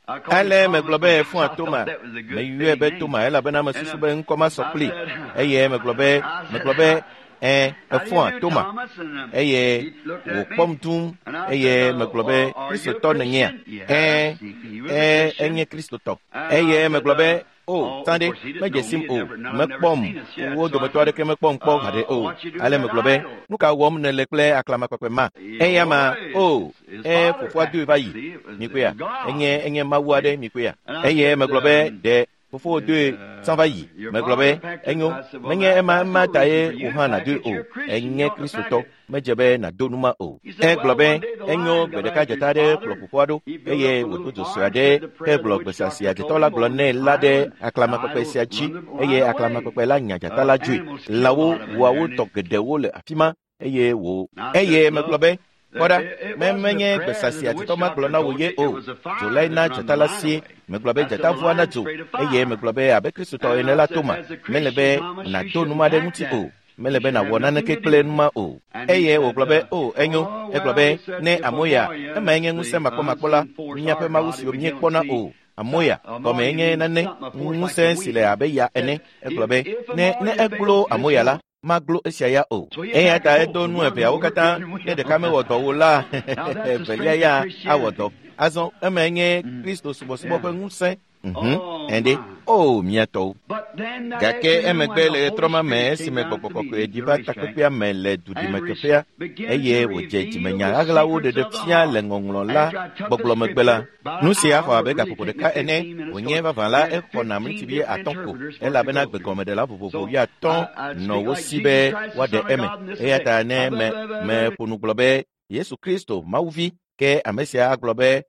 I called him Ale Thomas megblɔ be because efɔa I Toma. thought that was a good Meyɔe fitting be name. Toma elabena And mesusu uh, be ŋkɔ ma sɔ I kpli. said, Eye megblɔ be I said, megblɔ be ẽ how do you efɔa do, Toma. Thomas? And um, Eye he looked at me, wòkpɔm dũm and I said, eye uh, megblɔ be uh, are you a Kristotɔ nènyea? Christian? Yes, Ẽ he, he was a ẽ Christian. enye Kristotɔ. And I Eye said, megblɔ uh, be o oh, of tsã ɖe course, he didn't medze know sim me, o, never, none of them never mekpɔm. seen us yet. Wo So I dometɔ said, aɖeke mekpɔm kpɔ uh, haɖe o. what you do with Ale that megblɔ be idol? nu ka wɔm nèle kple aklamakpekpe ma? Eya ma o His ẽ father fofoa packed doe it. va yi. See, it was, it Mikpɔea was God. enye enye mawu aɖe mikpɔea. And I Eye said, megblɔ be um, ɖe fofowò doe tsã va yi. your Megblɔ father be packed it. enyo I said, well, menye that, ema that's ema no ta reason ye for you wò to hã pack nàdoe it. o. You're a Christian. You Enye ought to pack Kristotɔ it. medze be nàdo nu ma o. He said, Egblɔ well, be one day the enyo lion gbe got ɖeka after his dzata aɖe kplɔ father. fofoa ɖo He built eye up a wòdo little dzo sue barn, aɖe said the prayer the hegblɔ witch gbesasi doctor adzetɔ told la him gblɔ on nɛ the la ɖe idol, and the aklamakpekpe idol sia dzi run the eye lion away. aklamakpekpe la nya dzata Uh, la dzoe. animals killed a Lãwo lot of them wua there. wo And tɔ it, geɖewo le afi ma eye wò and I said, eye megblɔ look, be kpɔ that ɖa it, it me wasn't the menye prayer that gbesasi the witch adzetɔ ma gblɔ doctor na wò told ye you, it o. was the Dzo fire lae that na run the dzata la lion sie. away. Megblɔ be I said, dzata the vua na lion's dzo afraid of eye fire. megblɔ be abe Kristotɔ And ene I la said, Toma as a mele Christian, be Thomas, you nàdo nu shouldn't ma ɖe pack ŋuti that. o. Mele You be should have nàwɔ nothing naneke to do kple with nu it. ma o. And he Eye said, wògblɔ be uh, o enyo. oh, Egblɔ well, be he said, ne if amoya Amoya, emae nye ŋusẽ the makpɔmakpɔ la unseen force, míaƒe our mawu God siwo that we don't míekpɔna see, o. Amoya gɔme Amoya enye means nane something, a force like the ŋusẽ si le wind. abe ya Said, ene. Egblɔ if, be if ne ne Amoya eglo fails this amoya la one, maglo esia ya o. so he Eya packed ta both, edo the nu one eveawo worked katã and ne ɖeka mewɔ dɔ o la Now that's the evelia strength of ya awɔ Christianity. dɔ. Azɔ emae nye Mm. Kristo subɔsubɔ Yeah. ƒe ŋusẽ. Mhm. Oh Ɛnde my. o mía tɔwo. But then that Gake afternoon when emegbe the le Holy ɣetrɔ ma me Spirit came esime down to gbɔgbɔ the kɔkɔe meeting, ɖi the va racetrack, takpekpea me le and duɖimeteƒea re- began eye to wòdze reveal dzimenya the ɣaɣlawo secrets ɖeɖe of the fia heart. le ŋɔŋlɔ la After I took the gbɔgblɔ megbe la scripture, about nu an sia hour xɔ would abe really gaƒoƒo take me ɖeka ene fifteen minutes wònye so vavã la I had exɔna fifteen miniti different atɔ̃ ko interpreters for to elabena go through. gbegɔmeɖela vovovo So wuiatɔ̃ I, I'd nɔ speak wo like si Jesus be Christ, the woaɖe Son of eme God, and this eya is it. ta ne me meƒo nu gblɔ be Yesu Kristo Mawuvi ke ame sia agblɔ be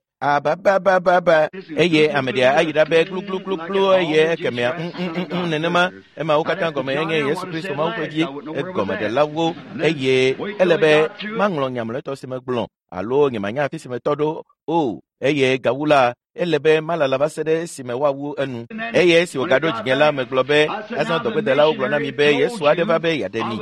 ababababa eye ame ɖea ayi ɖa be gluglugbluglu eye ekemɛa ŋŋŋŋ nenema emawo katã gɔme enye Yesu Kristo Mawu ƒe vi egɔmeɖelawo eye ele be maŋlɔ nya mlɔetɔ si megblɔ alo nyemanya afi si metɔ ɖo o eye gawu la ele be malala va se ɖe esime woawu enu eye esi wògaɖo dzinye la megblɔ be azɔ dɔgbedelawo gblɔ na mi be Yesu aɖe va be yeaɖe mi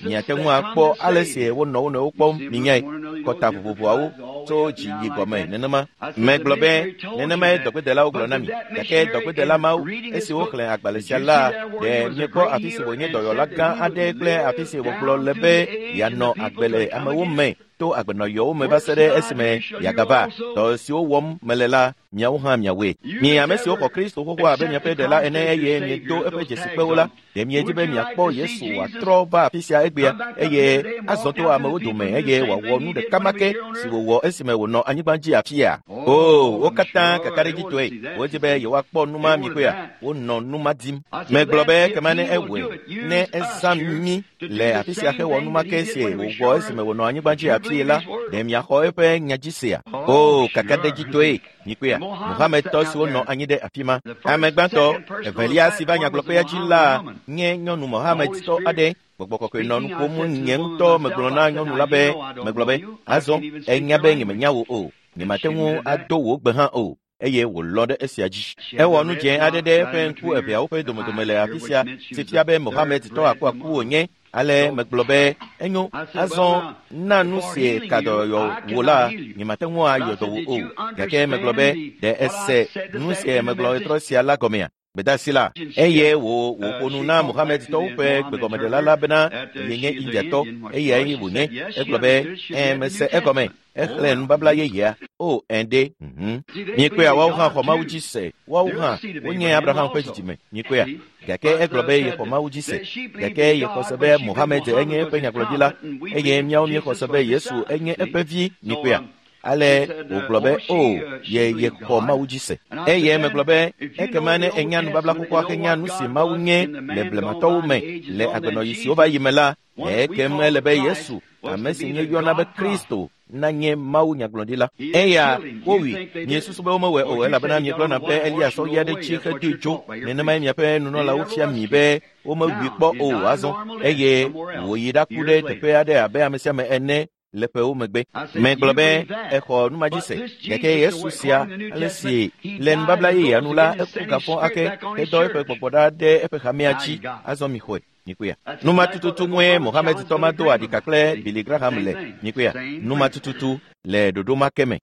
miate ŋu akpɔ ale si wonɔ wo nɔewo kpɔm minyae kɔta vovovoawo tso dzi yi gɔme nenema megblɔ be nenemae dɔgbedelawo gblɔ na mi gake dɔgbedela mawo esi woxlẽ agbalẽ sia la ɖe miekpɔ afi si wònye dɔyɔla gã aɖe kple afi si wògblɔ le be yeanɔ agbe le amewo me to agbenɔyɔwo me va se ɖe esime yeagava dɔ siwo wɔm mele la miawo hã miawoe mi ame siwo xɔ Kristo xoxo abe miaƒe ɖela ene eye miedo eƒe dzesikpewo la ɖe miedi be miakpɔ Yesu wòatrɔ va afi sia egbea eye azɔ to amewo dome eye wòawɔ nu ɖeka ma ke si wòwɔ esime wònɔ anyigba dzi afia o wo katã kakaɖedzitɔe wodzi be yewoakpɔ nu ma mikpɔea wonɔ nu ma dim megblɔ be kema ne ewɔe ne ezã mí le afi sia hewɔ nu ma ke si wòwɔ esime wònɔ anyigba dzi afie la ɖe miaxɔ eƒe nya dzi sea o kakaɖedzitɔe mikpɔea Mohamedtɔ siwo nɔ anyi ɖe afi ma ame gbãtɔ evelia si va nyagblɔƒea dzi la nye nyɔnu Mohamedtɔ aɖe gbɔgbɔ kɔkɔe nɔ nu ƒom nye ŋutɔ megblɔ na nyɔnu la be megblɔ be azɔ enya be nyemenya wò o nyemate ŋu ado wò gbe hã o eye wòlɔ̃ ɖe esia dzi ewɔ nu dzẽ aɖe ɖe eƒe ŋku eveawo ƒe domedome le afi sia si fia be Mohamedtɔ akuaku wònye ale megblɔ be enyo azɔ na nu si ka dɔyɔ wò la nyemate ŋu ayɔ dɔ wò o gake megblɔ be ɖe ese nu si megblɔ ɣetrɔ sia la gɔmea gbedasi la eye wò wòƒo nu na Mohamedtɔwo ƒe gbegɔmeɖela la bena yenye Indiatɔ eyae wònye egblɔ be ẽ mese egɔme exlẽ nubabla yeyea o ẽ ɖe mhm miekpɔea woawo hã xɔ Mawu dzi se woawo hã wonye Abraham ƒe dzidzime miekpɔea gake egblɔ be yexɔ Mawu dzi se gake yexɔ se be Mohamed enye eƒe nyagblɔɖila eye míawo míexɔ se be Yesu enye eƒe vi miekpɔea Ale wògblɔ be o ye yexɔ Mawu dzi se. Eye megblɔ be ekema ne enya nubabla xoxoa henya nu si Mawu nye le blematɔwo me le agbenɔɣi siwo va yi me la, ekem ele be Yesu, ame si míeyɔna be Kristo, nanye Mawu nyagblɔɖila. Eya wowui. Miesusu be womewɔe o elabena miegblɔna be Elias sɔ ɣi aɖe tsi hedoe tso. Nenemae miaƒe nunɔlawo fia mi be womewui kpɔ o azɔ eye wòyi ɖaku ɖe teƒe aɖe abe ame sia ame ene le ƒewo megbe. Megblɔ be exɔ nu ma dzi se. Gake Yesu sia ale si le nubabla yeyea nu la eku gafɔ ake hedɔ eƒe gbɔgbɔ ɖa ɖe eƒe hamea dzi. Azɔ mixɔe. Mikuya. Numa tututu ŋue Mohammed tɔ ma do aɖika kple Billy Graham le. Mikuya. Numa tututu le ɖoɖo ma ke me.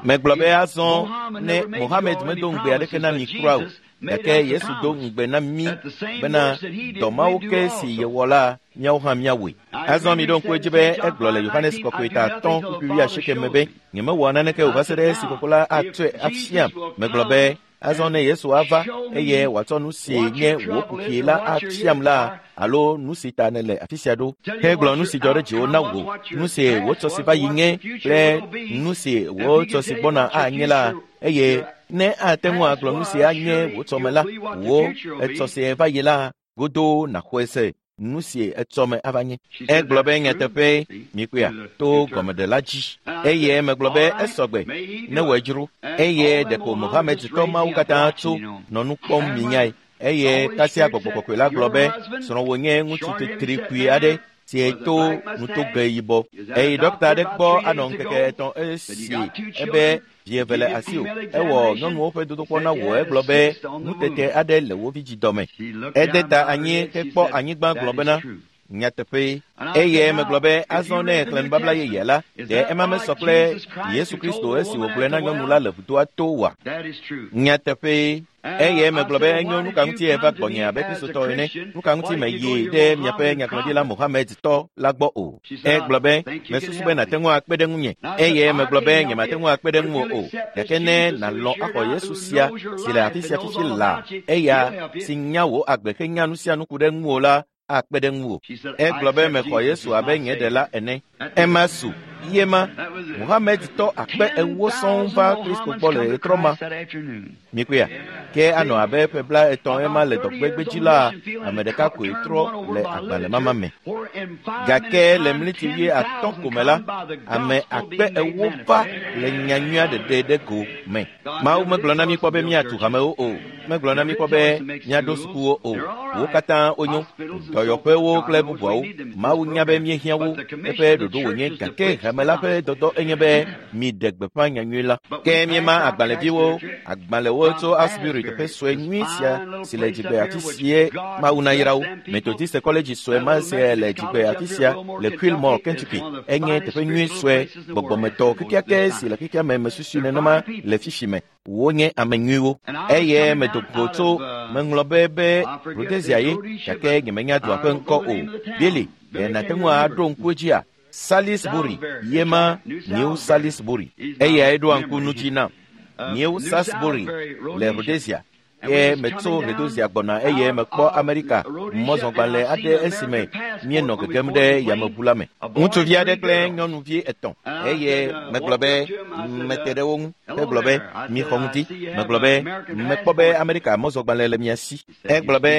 Megblɔ be azɔ ne Mohammed medo ŋugbe aɖeke na mi kura o, gake Yesu do ŋugbe na mí bena dɔ mawo ke si yewɔ la míawo hã míawɔe. Azɔ miɖo ŋku edzi be egblɔ le Yohanes kɔkɔe ta atɔ̃ kpukpui wuiasieke me be nyemewɔ naneke o va se ɖe esi Fofo la atsɔe afiam. Megblɔ be azɔ ne Yesu ava eye wòatsɔ nu si nye wò kuxi la afiam la alo nu si ta nèle afi sia ɖo hegblɔ nu si dzɔ ɖe dziwò na wò, nu si wò tsɔ si va yi nye kple nu si wò tsɔ si gbɔna anye la, eye ne ate ŋu agblɔ nu si anye wò tsɔme la, wò etsɔ si va yi la godoo nàxɔe se nu si etsɔme ava nye. Egblɔ be nyateƒe mikuya to gɔmeɖela dzi. Eye megblɔ be esɔgbe ne wòe dzro. Eye ɖeko Mohammed tɔ mawo katã tso nɔ nu kpɔm minyae. Eye kasia gbɔgbɔ kɔkɔe la gblɔ be srɔ̃wò nye ŋutsu tetri kpui aɖe si to nutoge yibɔ. Eye ɖɔkta aɖe gbɔ anɔ ŋkeke etɔ̃ esi ebe vi eve le asiwò. Ewɔ nyɔnuwo ƒe dodokpɔ na wò. Egblɔ be nutete aɖe le wò vidzidɔme. Ede ta anyi hekpɔ anyigba gblɔ bena nyateƒe. Eye megblɔ be azɔ ne xlẽ nubabla yeyea la, ɖe ema mesɔ kple Yesu Kristo esi wògblɔe na nyɔnu la le vudoa to oa? Nyateƒe. Eye megblɔ be enyo nu ka ŋuti eva gbɔnye abe Kristotɔ ene, nu ka ŋuti meyi ɖe miaƒe nyagblɔɖila Mohammed tɔ la gbɔ o. Egblɔ be mesusu be nàte ŋu akpe ɖe ŋunye. Eye megblɔ be nyemate ŋu akpe ɖe ŋuwò o. Gake ne nàlɔ̃ axɔ Yesu sia si le afi sia fifi la, eya si nya wò agbe henya nu sia nu ku ɖe ŋuwò la akpe ɖe ŋuwò. Egblɔ be mexɔ Yesu abe nye ɖela ene. Ema su yema Mohammed tɔ akpe ewo sɔŋ va Kristo gbɔ le ɣetrɔ ma. Mikuya. Ke anɔ abe ƒe bla etɔ̃ ema le dɔgbegbe dzi la, ame ɖeka koe trɔ le agbalẽmama me. Gake le mliti wuie atɔ̃ ko me la, ame akpe ewo va le nyanyuia ɖeɖe ɖe go me. Mawu megblɔ na mí kpɔ be míatu hamewo o. Megblɔ na mí kpɔ be míaɖo sukuwo o. Wo katã wonyo, dɔyɔƒewo kple bubuawo. Mawu nya be míehiã wo. Eƒe ɖoɖo wònye gake hame la ƒe dɔdɔ enye be miɖe gbeƒã nyanyui la. Ke míema agbalẽviwo, agbalẽwo tso Asbury teƒe sue nyui sia si le dzigbe afi sie Mawu nayra wo. Methodist kɔledzi sue ma sia le dzigbe afi sia le Quilmore, Kentucky. Enye teƒe nyui sue gbɔgbɔmetɔ kekeake si le xexea me mesusui nenema le fifi me. Wonye ame nyuiwo. Eye medo go tso meŋlɔ be be Rhodesia ye gake nyemenya dua ƒe ŋkɔ o. Billy, ɖe nàte ŋu aɖo ŋku edzia? Salisbury yema New Salisbury. Eyae ɖoa ŋku nu dzi nam. New Salisbury le Rhodesia. Ke metso Rhodesia gbɔna eye mekpɔ Amerika mɔzɔgbalẽ aɖe esime míenɔ gegem ɖe yameʋu la me. Ŋutsuvi aɖe kple nyɔnuvi etɔ̃ eye megblɔ be mete ɖe wo ŋu hegblɔ be mixɔ ŋdi. Megblɔ be mekpɔ be Amerika mɔzɔgbalẽ le mia si. Egblɔ be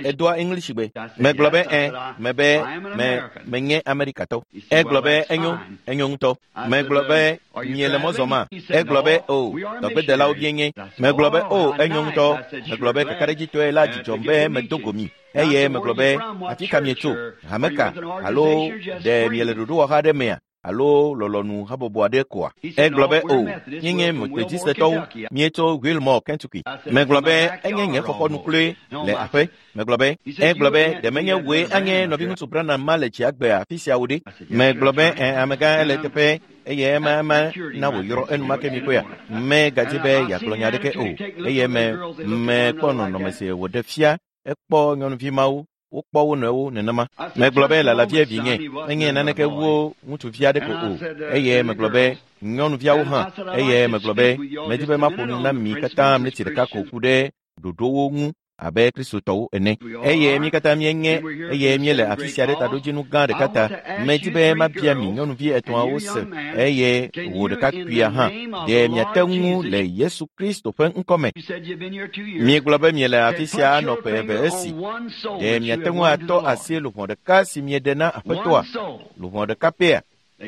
edoa English gbe. Megblɔ be ẽ, mebe me menye Amerikatɔ. Egblɔ be enyo, enyo ŋutɔ. Megblɔ be miele mɔ zɔma? Egblɔ be o, dɔgbedelawo míenye. Megblɔ be o, enyo ŋutɔ. Megblɔ be kakaɖedzitɔe la dzidzɔm be medo go mi. Eye megblɔ be afi ka mietso, hame ka, alo ɖe miele ɖoɖowɔha aɖe mea, alo lɔlɔ̃nu habɔbɔ aɖe koa? Egblɔ be o, míenye Methodistetɔwo, míetso Wilmore, Kentucky. Megblɔ be enye nye xɔxɔnu kloe le aƒe. Megblɔ be egblɔ be ɖe menye wòe anye nɔviŋutsu Branham ma le dziagbe afi sia o ɖe? Megblɔ be ẽ, amegã ele teƒe eye ema ema na wòyrɔ enumake mi kpɔea. Megadzi be yeagblɔ nya aɖeke o. Eye me mekpɔ nɔnɔme si wòɖe fia ekpɔ nyɔnuvi mawo wokpɔ wo nɔewo nenema. Megblɔ be lalavie vinye menye naneke wu ŋutsuvi aɖe ko o. Eye megblɔ be nyɔnuviawo hã. Eye megblɔ be medi be maƒo nu na mi katã mleti ɖeka ko ku ɖe ɖoɖowo ŋu abe Kristotɔwo ene. Eye mí katã míenye eye míele afi sia ɖe taɖodzinu gã ɖeka ta. Medi be mabia mi nyɔnuvi etɔ̃awo se eye wò ɖekakpuia hã. Ɖe miate ŋu le Yesu Kristo ƒe ŋkɔme. Miegblɔ be miele afi sia anɔ ƒe eve esi. Ɖe miate ŋu atɔ asi luʋɔ ɖeka si mieɖe na Aƒetɔa? Luʋɔ ɖeka pɛa?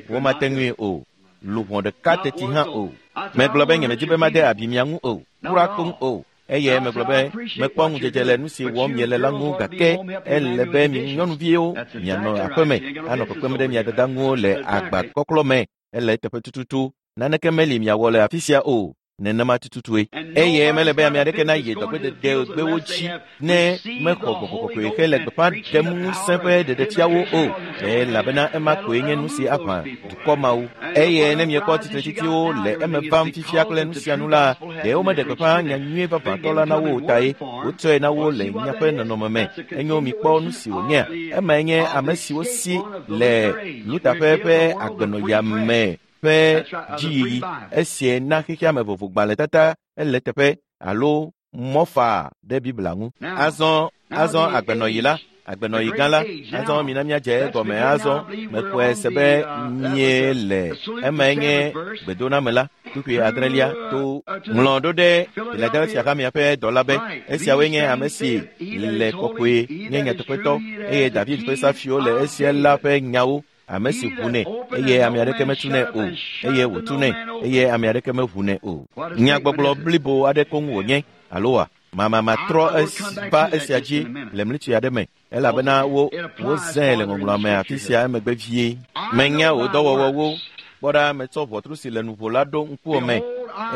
Womate ŋui o. Luʋɔ ɖeka teti hã o. Megblɔ be nyemedi be made abi mia ŋu o. Kura koŋ o. Eye megblɔ be mekpɔ ŋudzedze le nu si wɔm miele la ŋu gake ele be mi nyɔnuviwo mianɔ aƒeme anɔ kpekpem ɖe mia dada ŋu le agbakɔklɔ me. Ele eteƒe tututu. Naneke meli miawɔ le afi sia o. Nenema tututue. Eye mele be ame aɖeke nayi dɔgbededegbewo dzi ne mexɔ Gbɔgbɔ Kɔkɔe hele gbeƒã ɖem ŋusẽ ƒe ɖeɖefiawo o. Elabena ema koe nye nu si aʋã dukɔ mawo. Eye ne miekpɔ tsitretstsiwo le eme vam fifia kple nu sia nu la, ɖe womeɖe gbeƒã nyanyui vavãtɔ la na wo o tae wotsɔe na wo le miaƒe nɔnɔme me. Enyo mikpɔ nu si wònyea. Emae nye ame siwo si le Luther ƒe agbenɔya me ƒe dziyiyi. Esie na xexea me vovogbalẽtata ele teƒe alo mɔfa ɖe Biblia ŋu. Azɔ azɔ agbenɔyi la, agbenɔyi gã la, azɔ mina míadze egɔme azɔ. Mexɔe se be míele emae nye gbedoname la, kpukpui adrelia to ŋlɔ ɖo ɖe Philadelphia hamea ƒe dɔla be esiawoe nye ame si le kɔkɔe nye nyateƒetɔ eye David ƒe safiwo le esia la ƒe nyawo. Ame si ʋunɛ eye ame aɖeke metunɛ o, eye wòtunɛ eye ame aɖeke meʋunɛ o. Nyagbɔgblɔ blibo aɖe koŋ wònye alo wa mamamatrɔ va esia dzi le mlitsi aɖe me elabena wo wozãe le ŋɔŋlɔa me afi sia emegbe vie. Menya wò dɔwɔwɔwo. Kpɔ ɖa, metsɔ ʋɔtru si le nuƒo la ɖo ŋkuwò me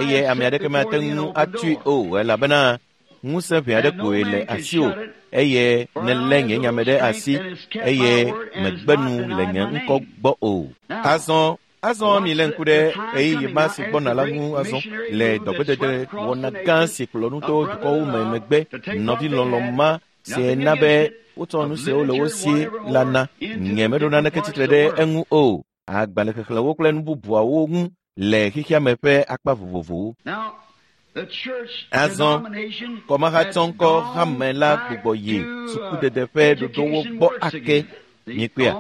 eye ame aɖeke mate ŋu atui o elabena ŋusẽ ʋɛ aɖe koe le asiwò eye nelé nye nyame ɖe asi eye megbe nu le nye ŋkɔ gbɔ o. Azɔ azɔ mi le ŋku ɖe ɣeyiɣi ma si gbɔna la ŋu azɔ le dɔgbedede wɔna gã si kplɔ nu to dukɔwo me megbe. Nɔvi lɔlɔ ma si na be wotsɔ nu siwo le wo si la na. Nye meɖo naneke tsitre ɖe eŋu o. Agbalẽxexlẽwo kple nu bubuawo ŋu le xexea me ƒe akpa vovovowo. Azɔ kɔmahatsɔŋkɔ hame la gbugbɔ yi sukudede ƒe ɖoɖowo gbɔ ake. Miekpɔea?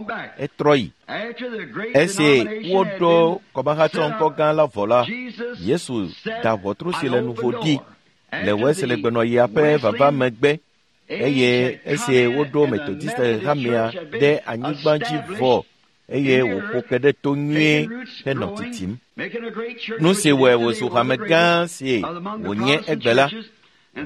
Etrɔ yi. Esi woɖo kɔmahatsɔŋkɔ gã la vɔ la, Yesu da ʋɔtru si le nuvo ɖi le Wesley gbenɔɣia ƒe vava megbe eye esi woɖo Methodist hamea ɖe anyigba dzi vɔ eye wòƒo ke ɖe to nyuie henɔ titim. Nu si wɔe wòzu hame gã si wònye egbe la,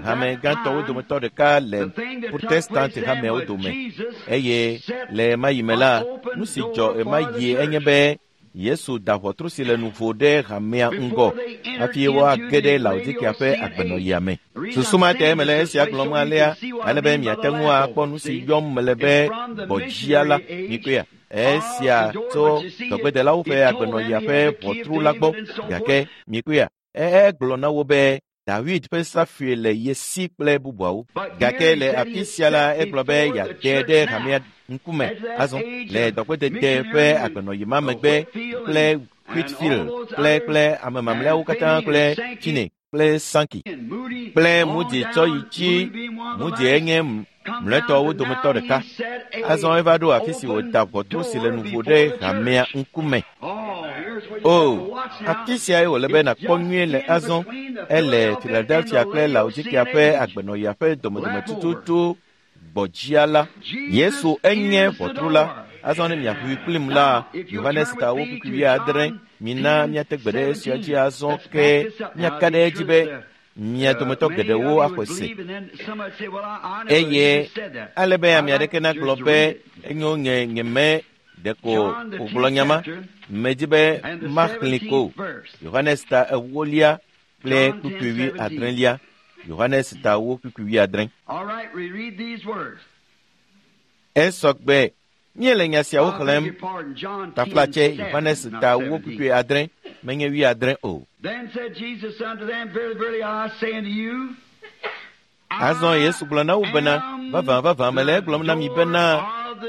hame gãtɔwo dometɔ ɖeka le Protestant hameawo dome. Eye le ɣemaɣi me la, nu si dzɔ ɣemaɣi enye be Yesu da ʋɔtru si le nuvo ɖe hamea ŋgɔ hafi woage ɖe Laodikea ƒe agbenɔɣia me. Susu ma tae mele esia gblɔm alea ale be miate ŋu akpɔ nu si yɔm mele be gbɔdzia la. Mikpɔea? Esia tso dɔgbedelawo ƒe agbenɔɣia ƒe ʋɔtru la gbɔ. Gake mikpɔea? Egblɔ na wo be David ƒe safui le ye si kple bubuawo. Gake le afi sia la, egblɔ be yeate ɖe hamea ŋkume azɔ le dɔgbedede ƒe agbenɔɣi ma megbe kple Whitfield kple kple ame mamlɛawo katã kple Finney kple Sankey kple Moody tsɔ yi dzi. Moody enye mlɔetɔwo dometɔ ɖeka. Azɔ eva ɖo afi si wòda ʋɔtru si le nuvo ɖe hamea ŋkume. O, afi siae wòle be nàkpɔ nyuie le azɔ. Ele Philadelphia kple Laodikea ƒe agbenɔɣia ƒe domedome tututu gbɔdzia la. Yesu enye ʋɔtru la. Azɔ ne miaʋui kplim la, Yohanes ta wo kpukpui wuiadre. Mina míate gbe ɖe esia dzi azɔ ke míaka ɖe edzi be mia dometɔ geɖewo axɔe se. Eye ale be ame aɖeke nagblɔ be enyo nye nyeme ɖeko wògblɔ nya ma. Medzi be maxlẽ ko. Yohanes ta ewolia kple kpukpui wuiadrelia. Yohanes ta ewo kpukpui wuiadre. Esɔgbe míele nya siawo xlẽm. Taflatse Yohanes ta ewo kpukpui adre menye wuiadre o. Azɔ Yesu gblɔ na wo bena, vavã vavã mele egblɔm na mi bena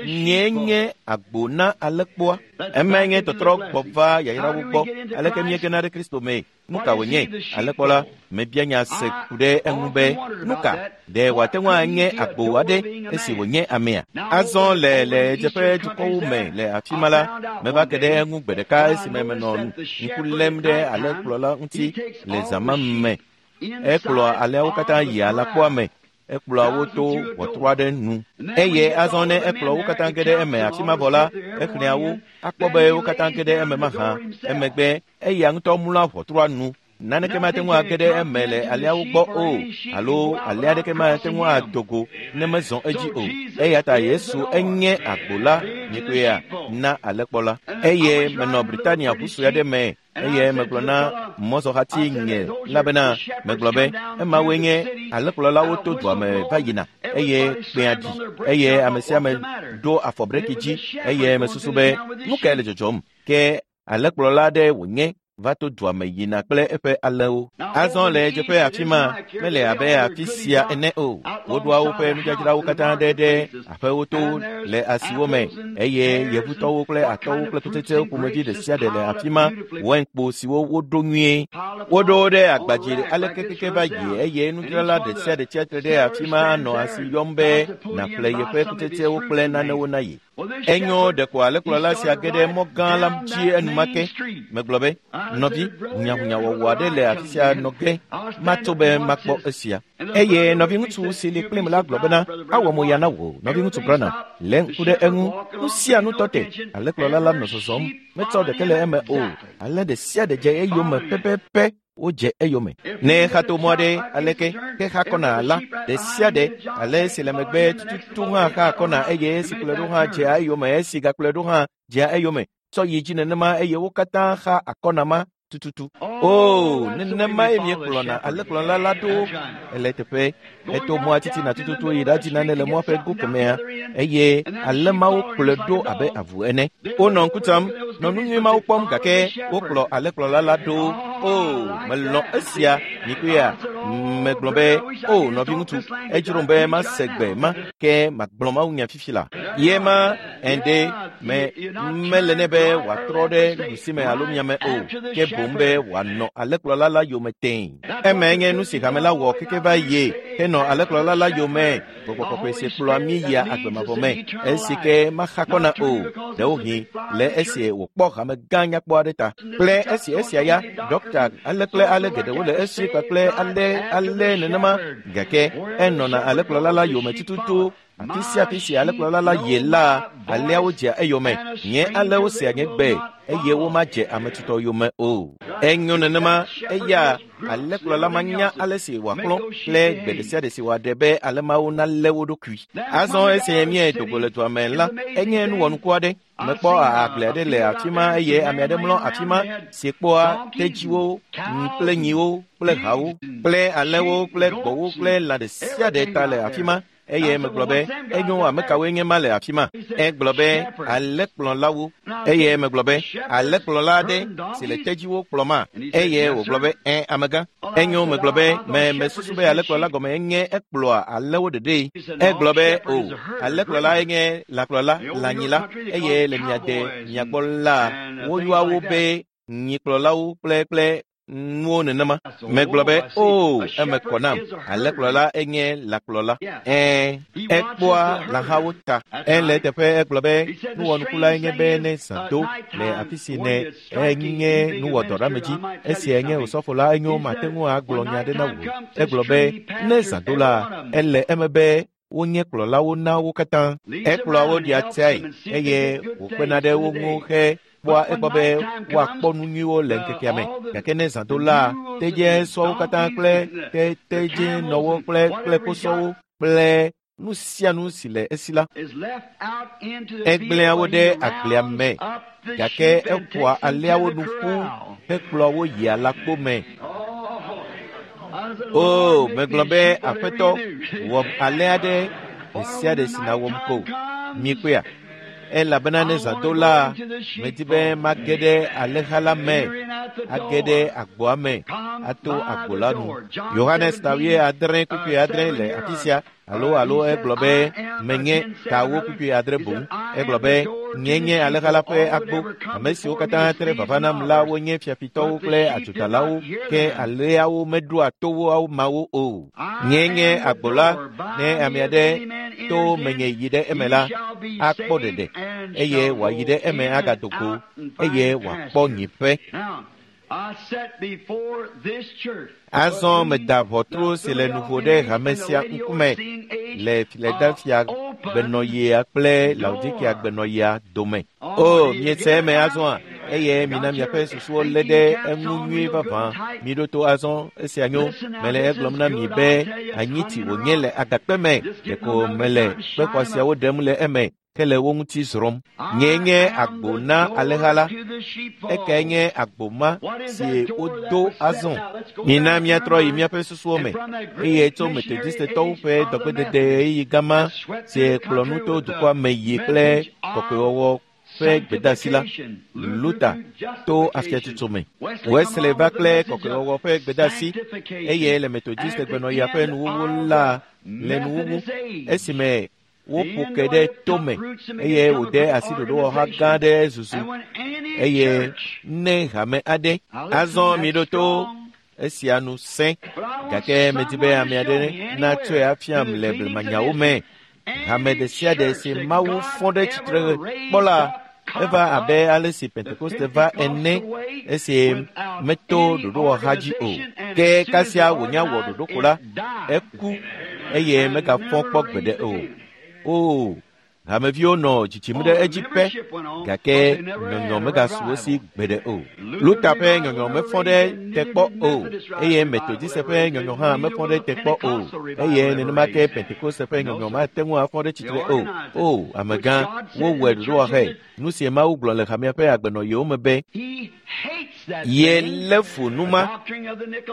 Nye nye agbo na alẽkpoa. Emae nye tɔtrɔ gbɔ va yayrawo gbɔ. Aleke míegena ɖe Kristo mee? Nu ka wònye? Alẽkplɔla, mebia nya se ku ɖe eŋu be, nu ka? Ɖe wòate ŋu anye agbo aɖe esi wònye amea? Azɔ le le ɣedzeƒe dukɔwo me le afi ma la, meva ke ɖe eŋu gbe ɖeka esime menɔ ŋku lém ɖe alẽkplɔla ŋuti le zã ma me. Ekplɔa alẽawo katã yia alãkpoa me. Ekplɔa wo to ʋɔtru aɖe nu. Eye azɔ ne ekplɔ wo katã ge ɖe eme afi ma vɔ la, exlẽa wo, akpɔ be wo katã ge ɖe eme mahã. Emegbe eya ŋutɔ mlɔa ʋɔtrua nu. Naneke mate ŋu age ɖe eme le alẽawo gbɔ o, alo alẽ aɖeke mate ŋu ado go ne mezɔ edzi o. Eya ta Yesu enye agbo la nyikpea na alẽkplɔla. Eye menɔ Britania ʋu sue aɖe me. Eye megblɔ na mɔzɔhati nye la bena, megblɔ be, emawoe nye alẽkplɔlawo to dua me va yina, eye kpẽa ɖi, eye ame sia ame ɖo afɔ breki dzi, eye mesusu be, nu kae le dzɔdzɔm? Ke alẽkplɔla aɖe wònye va to dua me yina kple eƒe alẽwo. Azɔ le ɣedzeƒe afi ma mele abe afi sia ene o. Woɖoa woƒe nudzadzrawo katã ɖe ɖe aƒewo to le asiwo me, eye yevutɔwo kple atɔwo kple kutsetsewo ƒomevi ɖe sia ɖe le afi ma, wainkpo siwo woɖo nyuie. Woɖo wo ɖe agbadzi aleke keke va yi, eye nudzrala ɖe sia ɖe tsia tre ɖe afi ma anɔ asi yɔm be nàƒle yeƒe kutsetsewo kple nanewo na ye. Enyo ɖeko alẽkplɔla sia ge ɖe mɔ gã la dzi enumake. Megblɔ be, nɔvi, hunyahunyawɔwɔ aɖe le afi sia nɔ ge, matso be makpɔ esia. Eye nɔviŋutsu si li kplim la gblɔ bena, awɔ mo ya na wò, nɔviŋutsu Branham, lé ŋku ɖe eŋu. Nu sia nu tɔ te. Alẽkplɔla la nɔ zɔzɔm, metsɔ ɖeke le eme o. Alẽ ɖe sia ɖe dze eyome pɛpɛpɛ. Wodze eyome. Ne xa to mɔ aɖe aleke ke xa kɔna la, ɖe sia ɖe, ale si le megbe tututu hã xa kɔna, eye esi kplɔe ɖo hã dzea eyome, esi gakplɔe ɖo hã dzea eyome. Tsɔ yi dzi nenema, eye wo katã xa akɔna ma tututu. O, nenemae míekplɔna alẽkplɔla la ɖo ele teƒe. Eto mɔa titina tututu yi ɖadzi nane le mɔa ƒe go kemɛa, eye alẽ mawo kplɔe ɖo abe avu ene. Wonɔ ŋku tsam, nɔ nu nyui mawo kpɔm, gake wokplɔ alẽkplɔla la ɖo. O, melɔ̃ esia, nyikpea. Megblɔ be, o, nɔviŋutsu, edzrom be mase gbe ma, ke magblɔ mawunya fifi la. Ye ma ende me mele nɛ be wòatrɔ ɖe ɖusime alo miame o, ke boŋ be wòanɔ alẽkplɔla la yome tẽe. Emae nye nu si hame la wɔ keke va yie henɔ alẽkplɔla la yome. Gbɔgbɔ kɔkɔe si kplɔa mí yia agbe mavɔ me, esi ke maxa kɔna o, ɖewohĩ le esi wòkpɔ hame gã nyakpɔ aɖe ta. Kple esi esia ya, ɖɔkta ale kple ale geɖewo le esi kpakple ale ale nenema, gake enɔna alẽkplɔla la yome tututu. Afi sia afi si alẽkplɔla la yi la, alẽawo dzea eyome. Nye alẽwo sea nye gbe, eye womadze ame tutɔ yome o. Enyo nenema, eya alẽkplɔla manya ale si wòakplɔ kple gbe ɖe sia ɖe si wòaɖe be alẽ mawo nalé wo ɖokui. Azɔ esi míedo go le dua me la, enye nuwɔnuku aɖe. Mekpɔ agble aɖe le afi ma, eye ame aɖe mlɔ afi ma si kpɔa tedziwo kple nyiwo kple hawo kple alẽwo kple gbɔ̃wo kple lã ɖe sia ɖe ta le afi ma. Eye megblɔ be, enyo, ame kawoe nye ma le afi ma? Egblɔ be, alẽkplɔlawo. Eye megblɔ be, alẽkplɔla aɖe si le tedziwo kplɔma. Eye wògblɔ be, ẽ, amegã. Enyo, megblɔ be, me mesusu be alẽkplɔla gɔme enye ekplɔa alẽwo ɖeɖee. Egblɔ be, o, alẽkplɔla enye lãkplɔla, lãnyila, eye le mia de mia gbɔ la, woyɔa wo be nyikplɔlawo kple kple nuwo nenema. Megblɔ be, o, eme kɔ nam. Alẽkplɔla enye lãkplɔla. Ẽ, ekpɔa lãhawo ta. Ele teƒe egblɔ be, nuwɔnuku enye be ne zã do le afi si ne enye nuwɔdɔɖeamedzi. Esia nye osɔfo la, enyo, mate ŋu agblɔ nya aɖe na wò. Egblɔ be, ne zã do la, ele eme be wonye kplɔlawo na wo katã. Ekplɔa wo ɖia tsiae, eye wòkpena ɖe wo ŋu he kpɔa egbɔ be woakpɔ nu nyuiwo le ŋkekea me. Gake ne zã do la, tedze sɔwo katã kple te tedzenɔwo kple kple kposɔwo kple nu sia nu si le esi la, egblẽa wo ɖe agblea me, gake eƒoa alẽawo nu ƒu hekplɔa wo yia lãkpo me. O, megblɔ be, Aƒetɔ, wɔm alẽ aɖe ɖe sia ɖe si nàwɔm ko. Mikpɔea? Elabena ne zã do la, medi be mage ɖe alẽha la me age ɖe agboa me ato agbo la nu. Yohanes tawie adre kpukpui adre le afi sia alo alo egblɔ be menye tawo kpukpui adre boŋ. Egblɔ be nye nye alẽha la ƒe agbo. Ame siwo katã tre vava nam la wonye fiafitɔwo kple adzodalawo, ke alẽawo meɖoa to wo mawo o. Nye nye agbo la, ne ame aɖe to menye yi ɖe eme la, akpɔ ɖeɖe eye wòayi ɖe eme agado go eye wòakpɔ nyiƒe. Azɔ meda ʋɔtru si le nuvo ɖe hame sia ŋkume le Filadelfia gbenɔɣia kple Laodikea gbenɔɣia dome. O, miese eme azɔa, eye mina miaƒe susuwo lé ɖe eŋu nyuie vavã. Miɖo to azɔ, esia nyo. Mele egblɔm na mi be anyitsi wònye le agakpe me, ɖeko mele kpe xɔasiawo ɖem le eme ke le wo ŋuti zrɔ̃m. Nye nye agbo na alẽha la. Ekae nye agbo ma si wodo azɔ. Mina míatrɔ yi míaƒe susuwo me eye tso Metodistetɔwo ƒe dɔgbedede ɣeyiɣi gama si kplɔ nu to dukɔa me yi kple kɔkɔewɔwɔ ƒe gbedeasi la, Luther to afiatsotso me. Wesley va kple kɔkɔewɔwɔ ƒe gbedeasi eye le Metodiste gbenɔɣia ƒe nuwuwu la le nuwuwu esime woƒo ke ɖe tome eye wòde asi ɖoɖowɔha gã ɖe zuzu eye ne hame aɖe. Azɔ miɖo to esia nu sẽ, gake medi be ame aɖe natsɔe afiam le blemanyawo me. Hame ɖe sia ɖe si Mawu fɔ ɖe tsitre kpɔ la, eva abe ale si Pentekoste va ene esi meto ɖoɖowɔha dzi o. Ke kasia wònya wɔ ɖoɖo ko la, eku eye megafɔ kpɔ gbeɖe o. O, hameviwo nɔ dzidzim ɖe edzi pɛ, gake nyɔnyɔ megasu wo si gbeɖe o. Luther ƒe nyɔnyɔ mefɔ ɖe te kpɔ o, eye Metodiste ƒe nyɔnyɔ hã mefɔ ɖe te kpɔ o, eye nenema ke Pentekoste ƒe nyɔnyɔ mate ŋu afɔ ɖe tsitre o. O, amegã, wowɔe ɖoɖowɔhae. Nu si Mawu gblɔ le hamea ƒe agbenɔɣiwo me be ye lé fu nu ma,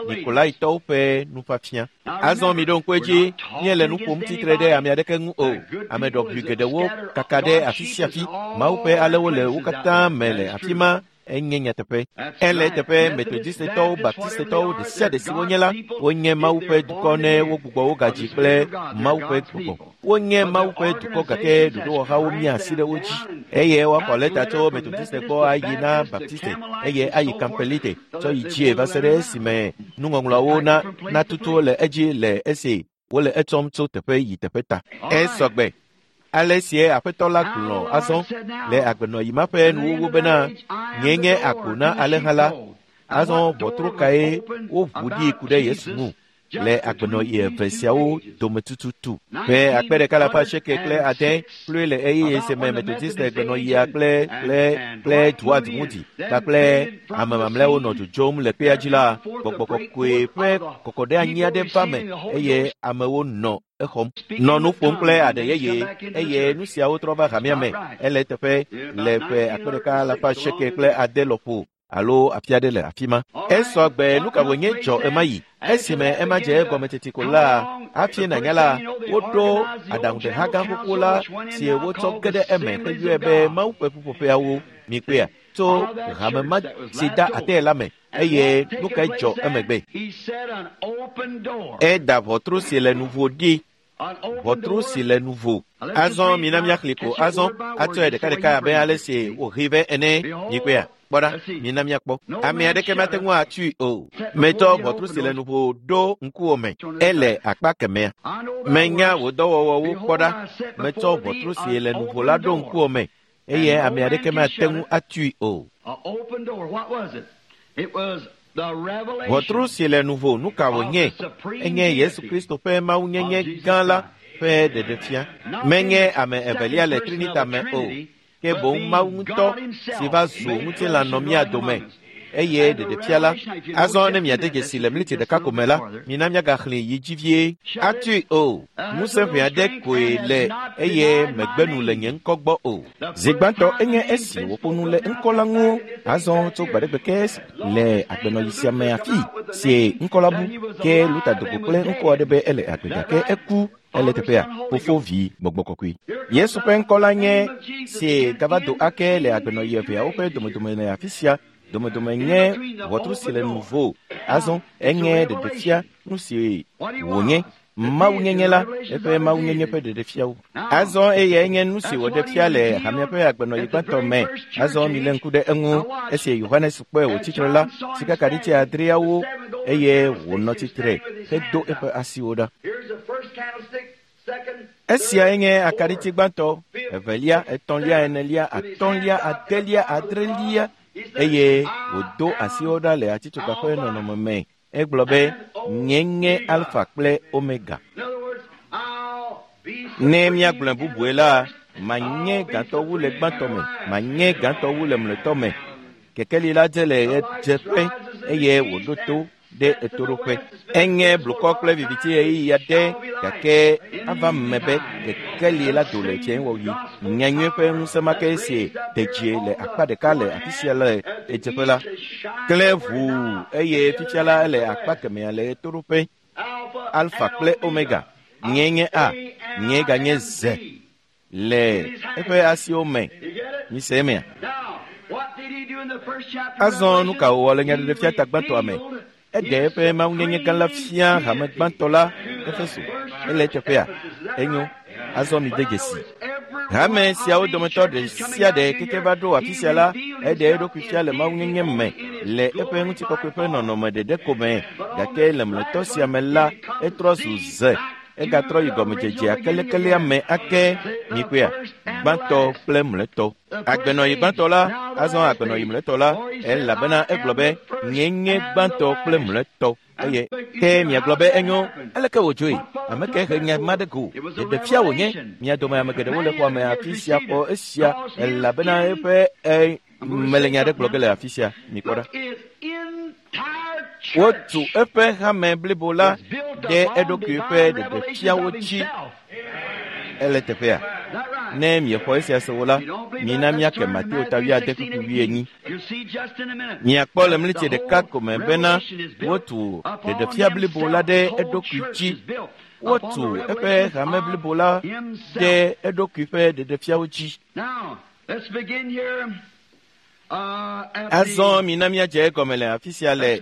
Nikolaitɔwo ƒe nufiafia. Azɔ miɖo ŋku edzi, míele nu ƒom tsitre ɖe ame aɖeke ŋu o. Ame ɖɔʋui geɖewo kaka ɖe afi sia afi. Mawu ƒe alẽwo le wo katã me le afi ma. Enye nyateƒe. Ele teƒe Metodistetɔwo, Baptistetɔwo, ɖe sia ɖe si wonye la, wonye Mawu ƒe dukɔ ne wogbugbɔ wo gadzi kple Mawu ƒe gbɔgbɔ. Wonye Mawu ƒe dukɔ gake ɖoɖowɔhawo mia asi ɖe wo dzi. Eye woaxɔ lɛta tso Metodiste gbɔ ayi na Baptiste eye ayi Kampelite tsɔ yi dzie va se ɖe esime nuŋɔŋlɔawo na natutu le edzi le esi wole etsɔm tso teƒe yi teƒe ta. Esɔgbe. Ale sie Aƒetɔ la gblɔ azɔ le agbenɔɣi ma ƒe nuwuwu bena nye nye agbo na alẽha la. Azɔ ʋɔtru kae woʋu ɖi ku ɖe Yesu ŋu le agbenɔɣi eve siawo dome tututu. Ƒe akpe ɖeka alafa asieke kple ade kloe le ɣeyiɣi si me Metodiste gbenɔɣia kple kple kple Dwight Moody kpakple ame mamlɛawo nɔ dzodzom le kpea dzi la, gbɔgbɔ kɔkɔe ƒe kɔkɔɖeanyi aɖe va me eye amewo nɔ exɔm. Nɔ nu ƒom kple aɖe yeye eye nu siawo trɔ va hamea me. Ele teƒe le ƒe akpe ɖeka alafa asieke kple ade lɔƒo alo afi aɖe le afi ma. Esɔ gbe nu ka wònye dzɔ ema yi. Esime ema dze egɔme teti ko la, hafi nànya la, woɖo aɖaŋuɖeha gã xoxo la si wotsɔ ge ɖe eme heyɔe be Mawu ƒe ƒuƒoƒeawo mikpea tso hame ma si da ate la me eye nu kae dzɔ emegbe. Eda ʋɔtru si le nuvo ɖi. Ʋɔtru si le nuvo. Azɔ mina míaxlẽ ko azɔ atsɔe ɖekaɖeka abe ale si wòhee vɛ ene. Mikpea. Kpɔ ɖa, mina míakpɔ. Ame aɖeke mate ŋu atui o. Metsɔ ʋɔtru si le nuvo ɖo ŋkuwò me. Ele akpa kemɛa. Menya wò dɔwɔwɔwo kpɔ ɖa. Metsɔ ʋɔtru si le nuvo la ɖo ŋkuwò me eye ame aɖeke mate ŋu atui o. Ʋɔtru si le nuvo nu ka wònye? Enye Yesu Kristo ƒe mawunyenye gã la ƒe ɖeɖefia. Menye ame evelia le Trinita me o. Ke boŋ Mawu ŋutɔ si va zu ŋutilã nɔ mía dome eye ɖeɖefia la. Azɔ ne miade dzesi le mliti ɖeka ko me la, mina míagaxlẽ yi dzi vie. Atui o, ŋusẽ ʋɛ aɖe koe le eye megbe nu le nye ŋkɔ gbɔ o. Zi gbãtɔ enye esi wòƒo nu le ŋkɔ la ŋu. Azɔ tso gbaɖegbe ke le agbenɔɣi sia me afi si ŋkɔ la bu ke Luther do go kple ŋkɔ aɖe be ele agbe gake eku. Ele teƒea, fofo vi gbɔgbɔ kɔkɔe. Yesu ƒe ŋkɔ la nye si gava do ake le agbenɔɣi eveawo ƒe domedome le afi sia Domedome nye ʋɔtru si le nuvo. Azɔ enye ɖeɖefia nu si wònye. Mawunyenye la, eƒe mawunyenye ƒe ɖeɖefiawo. Azɔ eyae nye nu si wòɖe fia le hamea ƒe agbenɔɣi gbãtɔ me. Azɔ milé ŋku ɖe eŋu esi Yohanes kpɔe wòtsi tre la, sikakaɖitsi adreawo eye wònɔ tsitre hedo eƒe asiwo ɖa. Esiae nye akaɖitsi gbãtɔ, evelia, etɔ̃lia, enelia, atɔ̃lia, adelia, adrelia eye wòdo asiwo ɖa le atitsoga ƒe nɔnɔme me. Egblɔ be nye nye Alfa kple Omega. Ne míagblɔe bubue la, manye gãtɔ wu le gbãtɔ me, manye gãtɔ wu le mlɔetɔ me. Kekeli la dze le ɣedzeƒe eye wòɖo to ɖe etoɖoƒe. Enye blukɔ kple viviti ɣeyiɣi aɖe gake ava me be kekeli la do le tsiẽwɔɣi. Nyanyui ƒe ŋusẽ ma ke si de dzi le akpa ɖeka le afi sia le ɣedzeƒe la klẽ ʋuu eye fifia la ele akpa kemɛa le ɣetoɖoƒe. Alfa kple Omega, nye nye A, nye ganye Z le eƒe asiwo me. Mise emea? Azɔ nu ka wòwɔ le nyaɖeɖefia ta gbãtɔa me? Eɖe eƒe mawunyenye gã la fia hame gbãtɔ la Efeso. Ele eteƒea? Enyo. Azɔ mi de dzesi. Hame siawo dometɔ ɖe sia ɖe keke va ɖo afi sia la, eɖe eɖokui fia le mawunyenye me le eƒe ŋutikɔkɔe ƒe nɔnɔme ɖeɖe ko me. Gake le mlɔetɔ sia me la, etrɔ zu ze. Egatrɔ yi gɔmedzedzea kelekelea me ake mikpɔea gbãtɔ kple mlɔetɔ. Agbenɔɣi gbãtɔ la, azɔ agbenɔɣi mlɔetɔ la, elabena egblɔ be nye nye gbãtɔ kple mlɔetɔ. Eye ke miagblɔ be enyo, aleke wòdzoe? Ame ke he nya ma ɖe go. Ɖeɖefia wònye. Mia dome ame geɖewo le xɔa me afi sia xɔ esia elabena eƒe e mele nya ɖe gblɔ ge le afi sia. Mikpɔ ɖa. Wotu eƒe hame blibo la ɖe eɖokui ƒe ɖeɖefiawo dzi. Ele teƒea? Ne miexɔ esia se wo la, mina míake Mateo ta wuiade kpukpui wuienyi. Miakpɔ le mlitsi ɖeka ko me bena wotu ɖeɖefia blibo la ɖe eɖokui dzi. Wotu eƒe hame blibo la ɖe eɖokui ƒe ɖeɖefiawo dzi. Azɔ mina míadze egɔme le afi sia le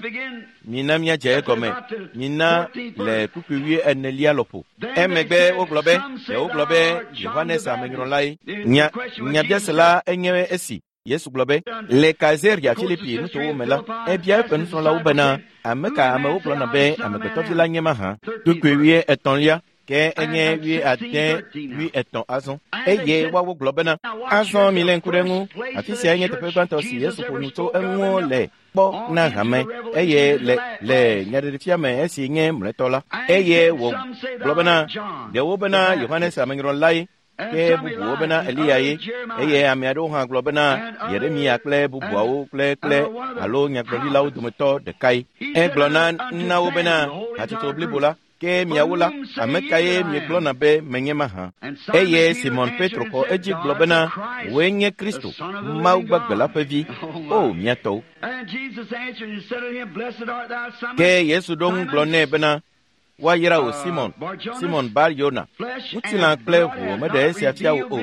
mina míadze egɔme mina le kpukpui wuienelia lɔƒo. Emegbe wogblɔ be ɖewo gblɔ be Yohanes amenyrɔlae. Nya nyabiase la enye esi. Yesu gblɔ be le Kaisarea Filipi nutowo me la, ebia eƒe nusrɔ̃lawo bena ame ka amewo gblɔna be amegbetɔvi la nye mahã. Kpukpui wuietɔ̃lia ke enye wuiade wuietɔ̃ azɔ. Eye woawo gblɔ bena azɔ milé ŋku ɖe eŋu. Afi sia nye teƒe gbãtɔ si Yesu ƒo nu tso eŋu le kpɔ na hame eye le le nyaɖeɖefia me esi nye mlɔetɔ la. Eye wògblɔ bena ɖewo bena Yohanes amenyrɔlae, ke bubuwo bena Eliya ye, eye ame aɖewo hã gblɔ bena Yeremia kple bubuawo kple kple alo nyagblɔɖilawo dometɔ ɖekae. Egblɔ na na wo bena hatsotso blibo la, ke miawo la, ame kae miegblɔna be menye mahã? Eye Simon Petro xɔ edzi gblɔ bena wòe nye Kristo, Mawu gbagbe la ƒe vi. O mía tɔwo. Ke Yesu ɖo ŋu gblɔ nɛ bena woayra wò Simon, Simon Bar Yona. Ŋutilã kple ʋu meɖe esia fia wò o,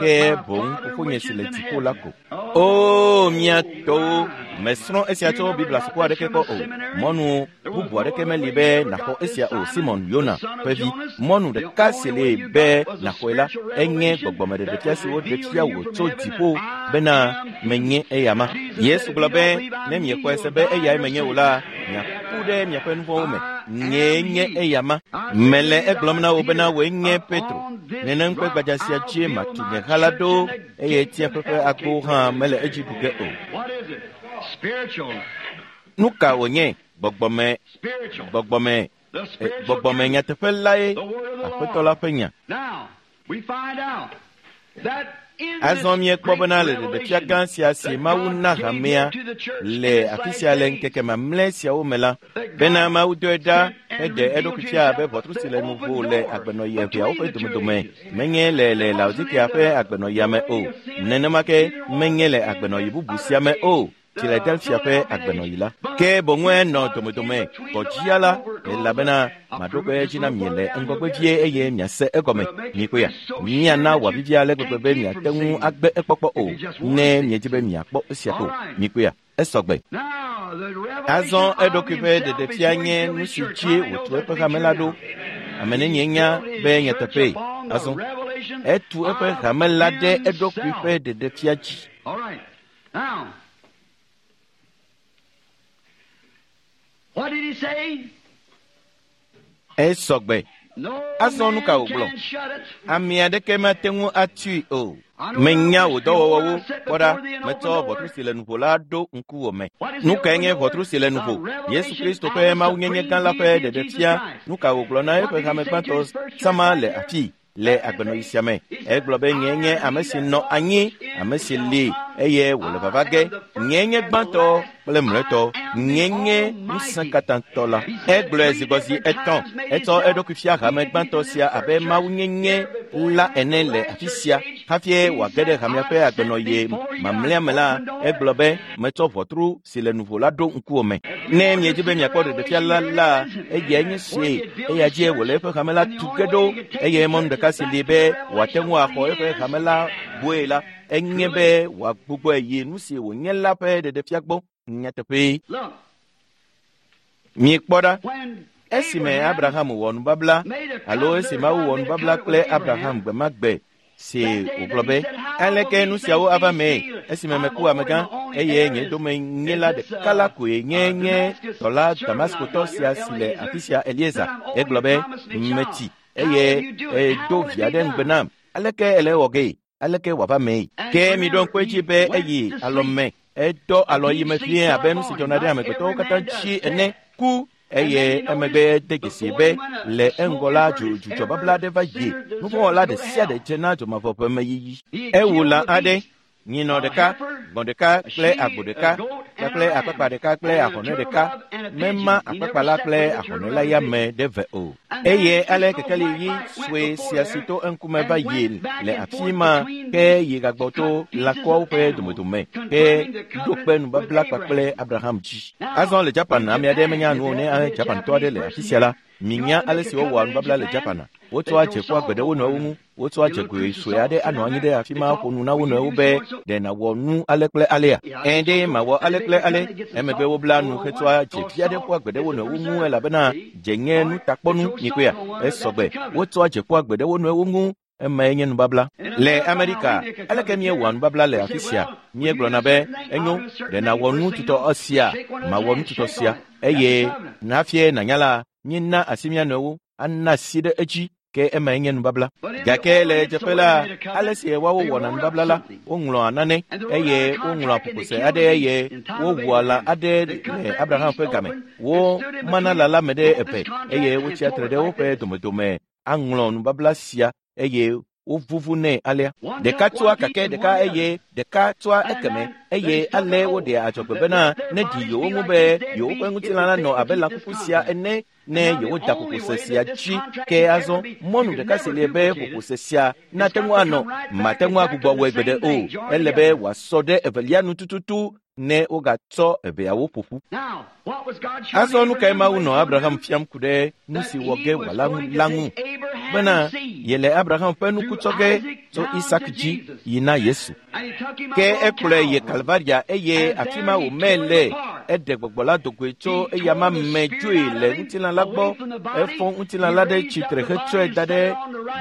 ke boŋ fofonye si le dziƒo la ko. O mía tɔwo, mesrɔ̃ esia tso Biblia suku aɖeke kpɔ o. Mɔnu bubu aɖeke meli be nàxɔ esia o, Simon Yona ƒe vi. Mɔnu ɖeka si li be nàxɔe la, enye gbɔgbɔmeɖeɖefia si woɖe fia wò tso dziƒo bena menye eyama. Yesu gblɔ be ne miexɔe se be eyae menye o la, miaku ɖe miaƒe nu vɔ̃wo me. Nyee nye eyama. Mele egblɔm na wò bena wòe nye Petro. Nenem ƒe gbadza sia dzie matu nye ha la ɖo eye tsiẽƒe ƒe agbowo hã mele edzi ɖu ge o. Nu ka wònye? Gbɔgbɔme, gbɔgbɔme, gbɔgbɔme nyateƒe lae Aƒetɔ la ƒe nya. Azɔ míekpɔ bena le ɖeɖefia gã sia si Mawu na hamea le afi sia le ŋkeke mamlɛ siawo me la, bena Mawu dɔe ɖa heɖe eɖokui fia abe ʋɔtru si le nuvo le agbenɔɣi eveawo ƒe domedome, menye le le Laodikea ƒe agbenɔɣia me o, nenema ke menye le agbenɔɣi bubu sia me o, Filadelfia ƒe agbenɔɣi la. Ke boŋue nɔ domedome gbɔdzia la, elabena maɖo kpe edzi na mi le ŋgɔgbe vie eye miase egɔme. Mikpɔea, miana wòavivi ale gbegbe be miate ŋu agbe ekpɔkpɔ o, ne miedi be miakpɔ esia ko. Mikpɔea, Esɔgbe. Azɔ eɖokui ƒe ɖeɖefia nye nu si dzi wòtu eƒe hame la ɖo. Ame nenye nya be nyateƒee. Azɔ etu eƒe hame la ɖe eɖokui ƒe ɖeɖefia dzi. Esɔgbe. Azɔ nu ka wògblɔ? Ame aɖeke mate ŋu atui o. Menya wò dɔwɔwɔwo. Kpɔ ɖa, metsɔ ʋɔtru si le nuƒo la ɖo ŋkuwò me. Nu kae nye ʋɔtru si le nuƒo? Yesu Kristo ƒe mawunyenye gã la ƒe ɖeɖefia. Nu ka wògblɔ na eƒe hame gbãtɔ sama le afii le agbenɔɣi sia me? Egblɔ be nye nye ame si nɔ anyi, ame si li eye wòle vava ge. Nye nye gbãtɔ kple mlɔetɔ. Nye nye ŋusẽkatãtɔ la. Egblɔe zi gbɔ zi etɔ̃. Etsɔ eɖokui fia hame gbãtɔ sia abe mawunyenye la ene le afi sia. Hafi wòage ɖe hamea ƒe agbenɔɣi mamlɛa me la, egblɔ be metsɔ ʋɔtru si le nuƒo la ɖo ŋkuwò me. Ne miedzi be miakpɔ ɖeɖefia la la, eyae nye sie. Eya dzie wòle eƒe hame la tu ge ɖo. Eye mɔnu ɖeka si li be wòate ŋu axɔ eƒe hame la gbɔe la, enye be wòagbugbɔe yi nu si wònye la ƒe ɖeɖefia gbɔ. Nyateƒee. Miekpɔ ɖa, esime Abraham wɔ nubabla alo esi Mawu wɔ nubabla kple Abraham gbe ma gbe si wògblɔ be, aleke nu siawo ava mee esime meku amegã eye nye domenyila ɖeka la koe nye nye dɔla Damaskotɔ sia si le afi sia Eliezer. Egblɔ be, metsi eye edo via ɖe ŋugbe nam. Aleke ele wɔ gee? Aleke wòava mee? Ke miɖo ŋku edzi be eyi alɔme, edɔ alɔ yi me fie abe nu si dzɔna ɖe amegbetɔwo katã dzi ene ku. Eye emegbe de dzesi be le eŋgɔ la dzudzɔ babla aɖe va yi. Nuvɔ̃wɔla ɖe sia ɖe dze na dzomavɔ ƒe meyiyi. Ewu lã aɖe, nyinɔ ɖeka, gbɔ̃ ɖeka kple agbo ɖeka kpakple akpakpa ɖeka kple ahɔnɛ ɖeka. Mema akpakpa la kple ahɔnɛ la ya me ɖe ve o. Eye ale kekeli ɣi sue sia si to eŋkume va yi le afi ma ke yi gagbɔ to lãkɔawo ƒe domedome ke ɖo kpe nubabla kpakple Abraham dzi. Azɔ le Japan, ame aɖe menya nu o ne Japantɔ aɖe le afi sia la, minya ale si wowɔa nubabla le Japana. Wotsɔa dze ƒua gbe ɖe wo nɔewo ŋu. Wotsɔa dzegoe sue aɖe anɔ anyi ɖe afi ma ƒo nu na wo nɔewo be ɖe nàwɔ nu ale kple alea. Ẽ ɖe mawɔ ale kple ale. Emegbe wobla nu hetsɔa dzevi aɖe ƒua gbe ɖe wo nɔewo ŋu elabena dze nye nutakpɔnu nyikoea. Esɔgbe. Wotsɔa dze ƒua gbe ɖe wo nɔewo ŋu. Emae nye nubabla. Le Amerika, aleke míewɔa nubabla le afi sia? Míegblɔna be, enyo, ɖe nàwɔ nu tutɔ sia, mawɔ nu tutɔ sia. Eye nafie nànya la, míena asi mía nɔewo, ana asi ɖe edzi. Ke emae nye nubabla. Gake le dzeƒe la, ale si woawo wɔna nubabla la, woŋlɔa nane eye woŋlɔa ƒoƒose aɖe eye wowua lã aɖe le Abraham ƒe game. Womana lã la me ɖe eve eye wotsia tre ɖe woƒe domedome aŋlɔ nubabla sia eye wovuvu nɛ alea. Ɖeka tsoa kake ɖeka eye ɖeka tsoa ekeme eye ale woɖea adzɔgbe bena ne ɖi yewo ŋu be yewoƒe ŋutilã la nɔ abe lãkuku sia ene ne yewoda ƒoƒose sia dzi. Ke azɔ mɔnu ɖeka si li be ƒoƒose sia nate ŋu anɔ, mate ŋu agbugbɔ wɔe gbeɖe o. Ele be wòasɔ ɖe evelia nu tututu ne wogatsɔ eveawo ƒo ƒu. Azɔ nu kae Mawu nɔ Abraham fiam ku ɖe nu si wɔ ge wòala la ŋu? Bena yele Abraham ƒe nuku tsɔ ge tso Isak dzi yi na Yesu. Ke ekplɔe yi Kalvaria eye afi ma wòmee le. Eɖe gbɔgbɔ la dogoe tso eyama me dzoe le ŋutilã la gbɔ. Efɔ ŋutilã la ɖe tsitre hetsɔe da ɖe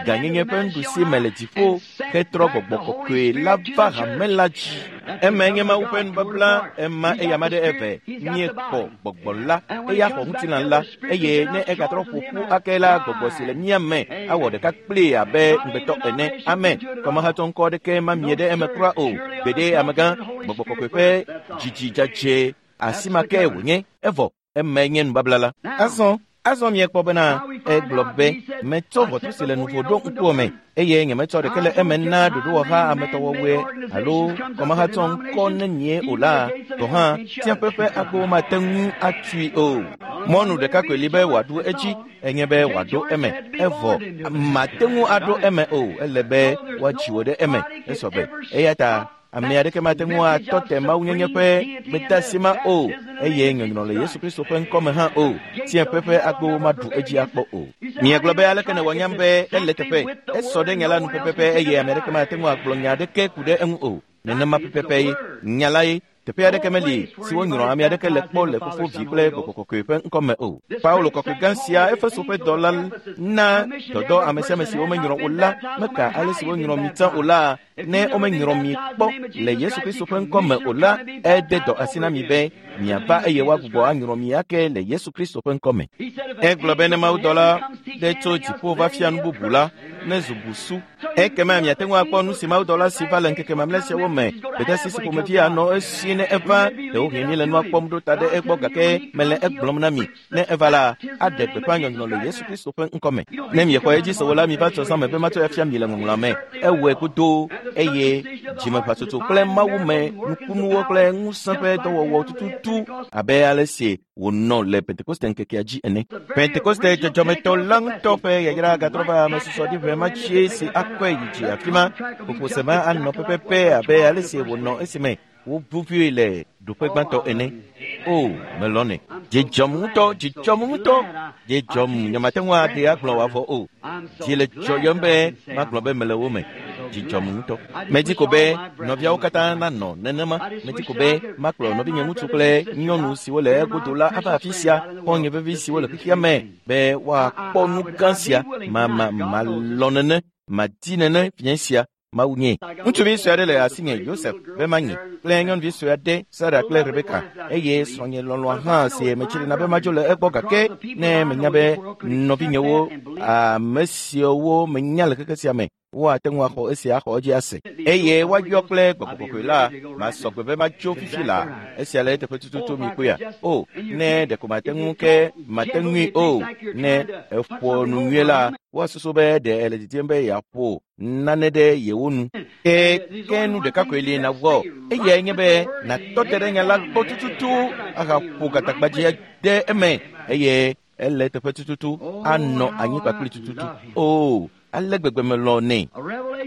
gãnyenye ƒe nuɖusi me le dziƒo hetrɔ gbɔgbɔ kɔkɔe la va hame la dzi. Emae nye Mawu ƒe nubabla. Ema eyama ɖe eve. Míekpɔ gbɔgbɔ la, eya xɔ ŋutilã la, eye ne egatrɔ ƒo ƒu ake la, gbɔgbɔ si le mía me awɔ ɖeka kplii abe ŋugbetɔ ene. Amen. Kɔmahatsɔ ŋkɔ aɖeke mamie ɖe eme kura o. Gbeɖe amegã, gbɔgbɔ kɔkɔe ƒe dzidzi dzadzɛ asi ma ke wònye. Evɔ emae nye nubabla la. Azɔ azɔ miekpɔ bena egblɔ be metsɔ ʋɔtru si le nuƒo ɖo ŋkuwò me eye nyemetsɔ ɖeke le eme na ɖoɖowɔha ametɔwɔwɔe alo kɔmahatsɔ ŋkɔ nenie o la, gɔ̃ hã tiaƒe ƒe agbowo mate ŋu atui o. Mɔnu ɖeka koe li be wòaɖu edzi enye be wòaɖo eme. Evɔ mate ŋu aɖo eme o. Ele be woadzi wò ɖe eme. Esɔgbe. Eya ta ame aɖeke mate ŋu atɔ te mawunyenye ƒe gbedeasi ma o eye nyɔnyrɔ le Yesu Kristo ƒe ŋkɔme hã o. Tiaƒe ƒe agbowo maɖu edzi akpɔ o. Miegblɔ be aleke nèwɔ nyam be ele teƒe. Esɔ ɖe nya la nu pɛpɛpɛ eye ame aɖeke mate ŋu agblɔ nya aɖeke ku ɖe eŋu o. Nenema pɛpɛpɛ ye nya la ye. Teƒe aɖeke meli si wonyrɔ ame aɖeke le kpɔ le Fofo, Vi kple Gbɔgbɔ Kɔkɔe ƒe ŋkɔme o. Paulo kɔkɔe gã sia, Efeso ƒe dɔla na dɔdɔ ame sia ame si womenyrɔ o la, meka ale si wonyrɔ mi tsã o la, ne womenyrɔ mi kpɔ le Yesu Kristo ƒe ŋkɔme o la, ede dɔ asi na mi be miava eye woagbugbɔ anyrɔ mi ake le Yesu Kristo ƒe ŋkɔme. Egblɔ be ne mawudɔla ɖe tso dziƒo va fia nu bubu la, ne zu busu. Ekema miate ŋu akpɔ nu si mawudɔla si va le ŋkeke mamlɛ siawo me, gbedeasi si ƒomevi anɔ esi ne eva. Ɖewohĩ míele nua kpɔm ɖo ta ɖe egbɔ, gake mele egblɔm na mi, ne eva la, aɖe gbeƒã nyɔnyrɔ le Yesu Kristo ƒe ŋkɔme. Ne miexɔ edzi se o la, miva tsɔ zã me be matsɔe afia mi le ŋɔŋlɔa me. Ewɔe godoo eye dzimeʋatsotso kple Mawu me nukunuwo kple ŋusẽ ƒe dɔwɔwɔ tututu abe ale si wònɔ le Pentekoste ŋkekea dzi ene. Pentekoste dzɔdzɔmetɔ la ŋutɔ ƒe yayra gatrɔ va ame susɔ ɖi ʋe ma tsie si akɔe yi dzi afi ma. Ƒoƒose ma anɔ pɛpɛpɛ abe ale si wònɔ esime woʋuʋui le ɖoƒe gbãtɔ ene. O, melɔnɛ. Dzidzɔm ŋutɔ, dzidzɔm ŋutɔ, dzidzɔm. Nyemate ŋu aɖee agblɔ wòavɔ o. Dzi le dzɔyɔm be magblɔ be mele wo me. Dzidzɔm ŋutɔ. Medi ko be nɔviawo katã nanɔ nenema. Medi ko be makplɔ nɔvinye ŋutsu kple nyɔnu siwo le egodo la ava afi sia, xɔ̃nye vevi siwo le xexea me, be woakpɔ nu gã sia. Ma ma malɔ̃ nene, madi nene fiẽ sia. Mawu nye. Ŋutsuvi sue aɖe le asinye, Yosef, be manyi, kple nyɔnuvi sue aɖe, Sara kple Rebeka, eye srɔ̃nye lɔlɔ̃a hã si metsrina be madzo le egbɔ, gake ne menya be nɔvinyewo, ame siwo menya le xexe sia me, woate ŋu axɔ esia axɔ edzi ase, eye woayɔ kple Gbɔgbɔ Kɔkɔe la, masɔ gbe be matso fifi la. Esia le eteƒe tututu mi kpɔea. O, ne ɖeko mate ŋu ke mate ŋui o. Ne eƒo nu nyuie la, woasusu be ɖe ele didim be yeaƒo nane ɖe yewo nu. Ke ke nu ɖeka koe li nawɔ, eyae nye be nàtɔ te ɖe nya la gbɔ tututu ahaƒo gatagbadze ɖe eme, eye ele teƒe tututu anɔ anyi kpakpli tututu. O, ale gbegbe melɔ̃ nɛ.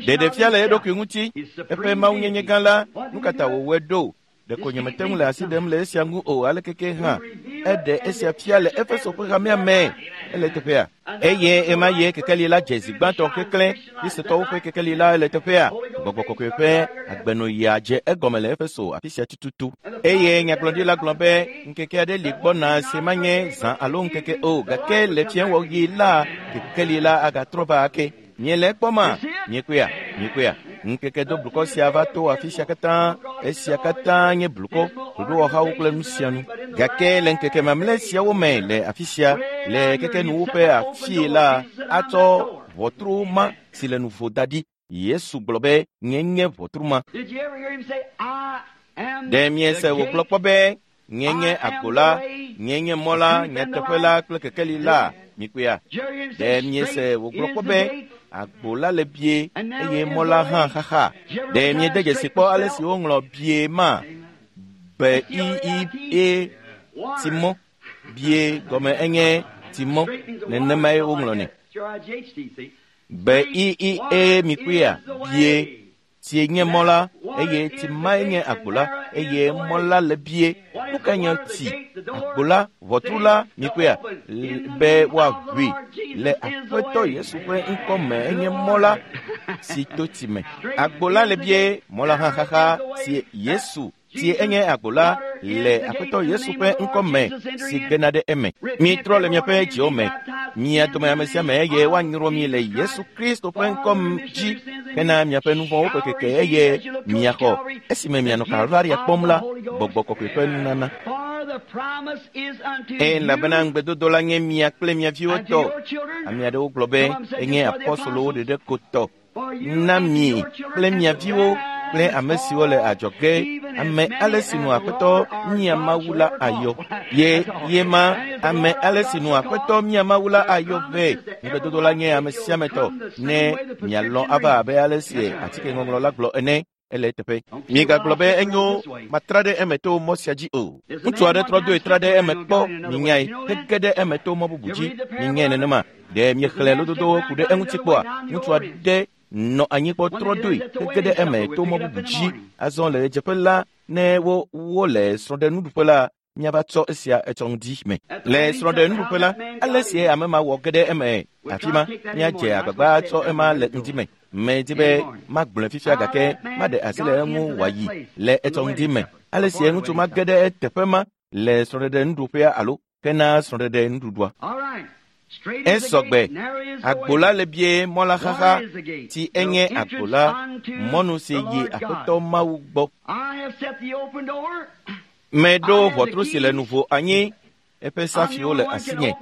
Ɖeɖefia le eɖokui ŋuti, eƒe mawunyenye gã la, nu ka ta wòwɔe ɖo? Ɖeko nyemete ŋu le asi ɖem le esia ŋu o, alekeke hã eɖe esia fia le Efeso ƒe hamea me. Ele teƒea. Eye ema ye kekeli la dze zi gbãtɔ keklẽ. Kristotɔwo ƒe kekeli la ele teƒea. Gbɔgbɔ Kɔkɔe ƒe agbenɔɣia dze egɔme le Efeso afi sia tututu. Eye nyagblɔɖila gblɔ be ŋkeke aɖe li gbɔna si manye zã alo ŋkeke o, gake le fiẽwɔɣi la kekeli la agatrɔ va ake. Miele ekpɔma? Miekpɔea? Miekpɔea? Ŋkeke do blukɔ sia va to afi sia katã. Esia katã nye blukɔ, ɖoɖowɔhawo kple nu sia nu. Gake le ŋkeke mamlɛ siawo me le afi sia, le kekenuwo ƒe afii la, atsɔ ʋɔtru ma si le nuvo da ɖi. Yesu gblɔ be nye nye ʋɔtru ma. Did you ever hear him say, I am Ɖe miese the wògblɔ gate? kpɔ be nye nye agbo la, nye nye mɔ la, nyateƒe la kple kekeli la? Mikpɔea? Did you ever hear him say, Ɖe miese straight wògblɔ is kpɔ the be gate? agbo la le bie eye mɔ la hã xaxa? Ɖe miede dzesi kpɔ ale si woŋlɔ bie ma? B I I E timɔ. Bie gɔme enye timɔ. Nenemae woŋlɔ nɛ. B I I E mikpɔea? Bie. Tie nye mɔ la, eye timae nye agbo la, eye mɔ la le bie. Nu kae nye ti? Agbo la, ʋɔtru la, mikpɔea? L- Be woaʋui le Aƒetɔ Yesu ƒe ŋkɔme enye mɔ la si to tsi me. Agbo la le bie, mɔ la hã xaxa si Yesu tie enye agbo la le Aƒetɔ Yesu ƒe ŋkɔme si gena ɖe eme. Mitrɔ le miaƒe dziwo me, mia dome ame sia ame eye woanyrɔ mi le Yesu Kristo ƒe ŋkɔ dzi hena miaƒe nu vɔ̃wo ƒe keke eye miaxɔ esime mianɔ Kalvaria kpɔm la, Gbɔgbɔ Kɔkɔe ƒe nunana. For the promise is unto Elabena you ŋugbedodo la nye mia kple mia viwo and to tɔ. your children, Ame aɖewo gblɔ be enye apɔstolowo ɖeɖe ko tɔ. for you Na and mi your children kple and mia to viwo kple those ame siwo le adzɔge, even as ame many ale si as nu the Aƒetɔ Lord our mia God Mawu shall la ever ayɔ. call. Ye That's all. ye ma And is the ame Lord our ale si God nu shall Aƒetɔ call. mia Mawu la The ayɔ promise vɛ. is that Ŋugbedodo la nye ame everyone sia ame will tɔ. come the same Ne way the mialɔ̃ prescription ava reads. abe ale si That's right. atikeŋɔŋlɔ la gblɔ ene. Ele eteƒe. Miegagblɔ be enyo matra ɖe eme to mɔ sia dzi o. Ŋutsu aɖe trɔ doe tra ɖe eme kpɔ minyae hege ɖe eme to mɔ bubu dzi. Minyae nenema. Ɖe miexlẽ lododowo ku ɖe eŋuti kpɔa? Ŋutsu aɖe nɔ anyi kpɔ trɔ doe hege ɖe eme to mɔ bubu dzi. Azɔ le ɣedzeƒe la, ne wo wole srɔ̃ɖenuɖuƒe la, míava tsɔ esia etsɔ ŋdi me. Le srɔ̃ɖenuɖuƒe la, ale si ame ma wɔ ge ɖe eme afi ma, míadze agbagba atsɔ ema le ŋdi me. Medi be magblɔe fifia gake maɖe asi le eŋu wòayi le etsɔ ŋdi me. Ale si ŋutsu mage ɖe eteƒe ma le srɔ̃ɖeɖe nuɖuƒea alo hena srɔ̃ɖeɖe nuɖuɖua. Esɔgbe agbo la le bie mɔ la xaxa ti enye agbo la mɔnu si yi Aƒetɔ Mawu gbɔ. Meɖo ʋɔtru si le nuvo anyi eƒe safiwo le asinye.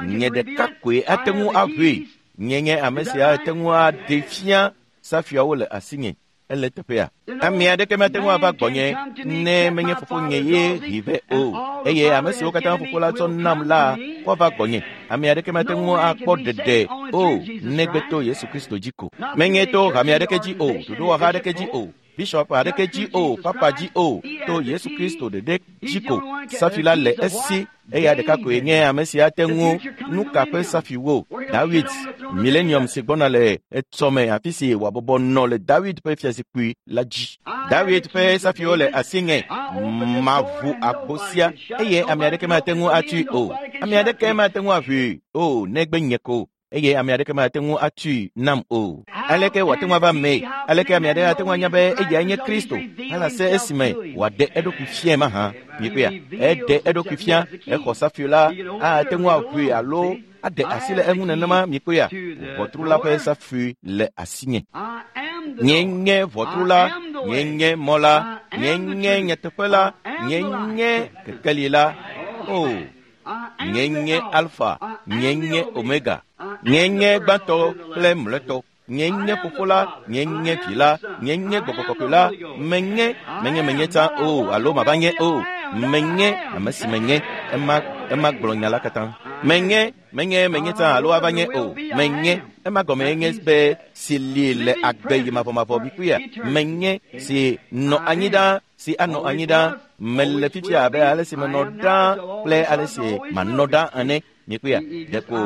Nye ɖeka koe ate ŋu aʋui. Nye nye ame sia ate ŋu aɖe fia safiawo le asinye. Ele teƒea. Ame aɖeke mate ŋu ava gbɔnye ne menye fofonye ye hee vɛ o. Eye ame siwo katã fofo la tsɔ nam la woava gbɔnye. Ame aɖeke mate ŋu akpɔ ɖeɖe o negbe to Yesu Kristo dzi ko. Menye to hame aɖeke dzi o, ɖoɖowɔha aɖeke dzi o, bishop aɖeke dzi o, papa dzi o, to Yesu Kristo ɖeɖe dzi ko. Safi la le esi eya ɖeka koe nye ame si ate ŋu nu ka ƒe safiwo. David millennium si gbɔna le etsɔme afi si wòabɔbɔ nɔ le David ƒe fiazikpui la dzi. David ƒe safiwo le asinye. Maʋu agbo sia eye ame aɖeke mate ŋu atui o. Ame aɖeke mate ŋu aʋui o negbe nye ko. Eye ame aɖeke mate ŋu atui nam o. Aleke wòate ŋu ava mee? Aleke ame aɖe ate ŋu anya be eyae nye Kristo? Halase esime wòaɖe eɖokui fiae mahã. Miekpɔea? Eɖe eɖokui fia, exɔ safi la, ate ŋu aʋui alo aɖe asi le eŋu nenema. Miekpɔea? Ʋɔtru la ƒe safi le asinye. Nye nye ʋɔtru la, nye nye mɔ la, nye nye nyateƒe la, nye nye kekeli la. O, nye nye Alfa, nye nye Omega, nye nye gbãtɔ kple mlɔetɔ. Nye nye fofo la, nye nye vi la, nye nye gbɔgbɔ kɔkɔe la. Menye, menye menye tsã o alo mava nye o. Menye ame si menye. Ema ema gblɔ nya la katã. Menye, menye menye tsã alo ava nye o. Menye ema gɔme nye be si li le agbe yi mavɔmavɔ bikuya. Menye si nɔ anyi ɖaa, si anɔ anyi ɖaa. Mele fifia abe ale si menɔ ɖaa kple ale si manɔ ɖaa ene. Miekpɔea? Ɖeko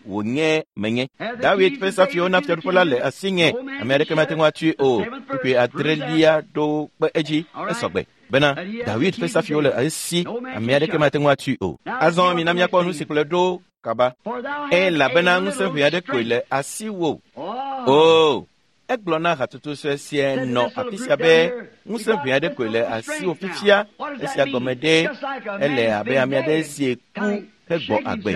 wònye menye. David ƒe safiwo na fiaɖuƒe la le asinye. Ame aɖeke mate ŋu atui o. Kpukpui adrelia ɖo kpe edzi esɔgbe bena David ƒe safiwo le esi. Ame aɖeke mate ŋu atui o. Azɔ mina míakpɔ nu si kplɔe ɖo kaba. Elabena ŋusẽ ʋɛ aɖe koe le asiwò. O, egblɔ na hatsotso sue sia nɔ afi sia be ŋusẽ ʋɛ aɖe koe le asiwò fifia. Esia gɔme ɖe ele abe ame aɖe si ku hegbɔ agbe.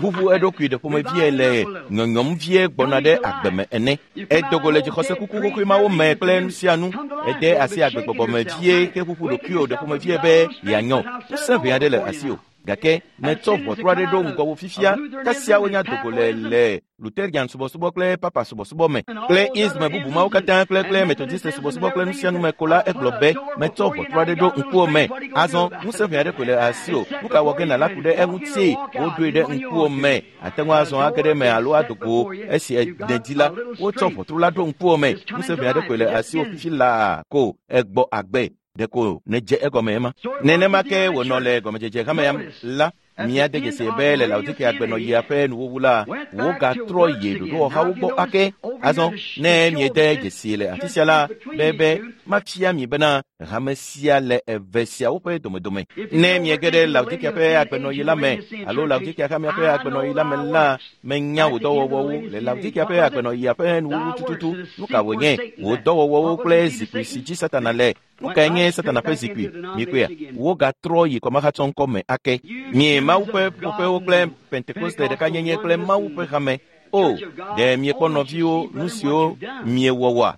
Ʋuʋu eɖokui ɖe ƒomevie le nyɔnyɔm vie gbɔna ɖe agbe me ene. Edogo le dzixɔse kuku xoxoe mawo me kple nu sia nu. Ede asi agbegbɔgbɔ me vie heʋuʋu ɖokuiwò ɖe ƒomevie be yeanyɔ. Ŋusẽ ʋɛ aɖe le asiwò. Gake netsɔ ʋɔtru aɖe ɖo ŋgɔwò fifia, kasia wonya dogo le le Lutherian subɔsubɔ kple papa subɔsubɔ me kple isme bubu mawo katã kple kple Methodist subɔsubɔ kple nu sia nu me ko la egblɔ be metsɔ ʋɔtru aɖe ɖo ŋkuwò me. Azɔ ŋusẽ ʋɛ aɖe koe le asiwò. Nu ka wɔ ge nàla ku ɖe eŋuti? Woɖoe ɖe ŋkuwò me. Ate ŋu azɔ age ɖe eme alo ado go esi nèdi la. Wotsɔ ʋɔtru la ɖo ŋkuwò me. Ŋusẽ ʋɛ aɖe koe le asiwò fifi laa ko egbɔ agbe. Ɖeko nedze egɔme ema. Nenema ke wònɔ le gɔmedzedze hamea la, míade dzesi be le Laodikea gbenɔɣia ƒe nuwuwu la, wogatrɔ yi ɖoɖowɔhawo gbɔ ake. Azɔ ne miede dzesi le afi sia la, be be mafia mi bena hame sia le eve siawo ƒe domedome. Ne miege ɖe Laodikea ƒe agbenɔɣi la me alo Laodikea hamea ƒe agbenɔɣi la me la, menya wò dɔwɔwɔwo le Laodikea ƒe agbenɔɣia ƒe nuwuwu tututu. Nu ka wònye? Wò dɔwɔwɔwo kple zikpui si dzi Satana le. Nu kae nye Satana ƒe zikpui? Miekpɔea? Wogatrɔ yi kɔmahatsɔŋkɔ me ake. Mie Mawu ƒe ƒuƒoƒewo kple Pentekoste ɖekanyenye kple Mawu ƒe hame. O, ɖe miekpɔ nɔviwo nu siwo miewɔ wɔa?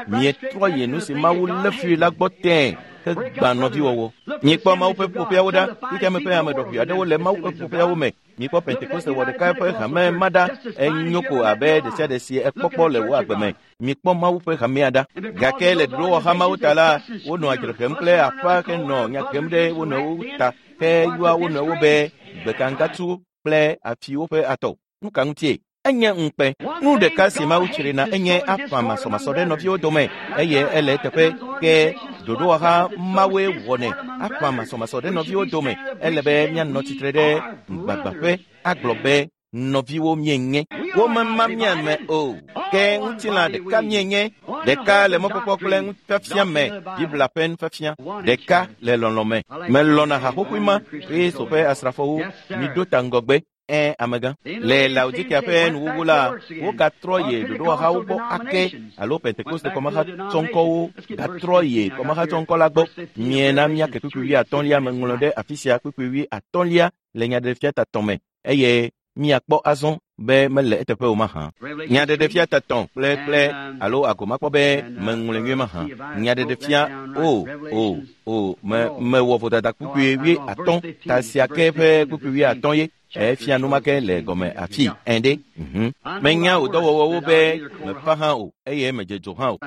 Mietrɔ yi nu si Mawu lé fui la gbɔ tẽe hegbã nɔviwɔwɔ. Miekpɔ Mawu ƒe ƒuƒoƒeawo ɖa. Xexeame ƒe ame ɖɔʋui aɖewo le Mawu ƒe ƒuƒoƒeawo me. Miekpɔ Pentekoste wɔ ɖeka ƒe hame ma ɖa. Enyo ko abe ɖe sia ɖe si ekpɔkpɔ le wò agbe me. Miekpɔ Mawu ƒe hamea ɖa. Gake le ɖoɖowɔha mawo ta la, wonɔ adzre hem kple aƒa henɔ nya hem ɖe wo nɔewo ta heyɔa wo nɔewo be gbekangatu kple afiwo ƒe atɔ. Nu ka ŋutie? Enye ŋukpe. Nu ɖeka si Mawu tsrina enye aƒã masɔmasɔ ɖe nɔviwo dome eye ele eteƒe ke ɖoɖowɔha mawoe wɔnɛ. Aƒã masɔmasɔ ɖe nɔviwo dome. Ele be míanɔ tsitre ɖe ŋugbagbaƒe agblɔ be nɔviwo mienye. Womema mía me o. Ke ŋutilã ɖeka mienye. Ɖeka le mɔkpɔkpɔ kple nufiafia me. Biblia ƒe nufiafia. Ɖeka le lɔlɔ̃ me. Melɔ̃na haxoxoe ma. Kristo ƒe asrafowo miɖo ta ŋgɔgbe. Ẽ amegã. Le Laodikea ƒe nuwuwu la, wogatrɔ yi ɖoɖowɔhawo gbɔ ake alo Pentekoste kɔmahatsɔŋkɔwo gatrɔ yi kɔmahatsɔŋkɔ la gbɔ. Miena míake kpukpui wuiatɔ̃lia meŋlɔ ɖe afi sia kpukpui wuiatɔ̃lia le Nyaɖeɖefia tatɔ̃ me eye míakpɔ azɔ be mele eteƒe o mahã. Nyaɖeɖefia tatɔ̃ kple kple alo agomakpɔ be meŋlɔe nyuie mahã. Nyaɖeɖefia o o o me mewɔ vodada kpukpui wuiatɔ̃ ta sia ke ƒe kpukpui wuiatɔ̃ ye. Efia numake le gɔme afi ẽ ɖe. Mhm. Menya wò dɔwɔwɔwo be mefa hã o eye medze dzo hã o.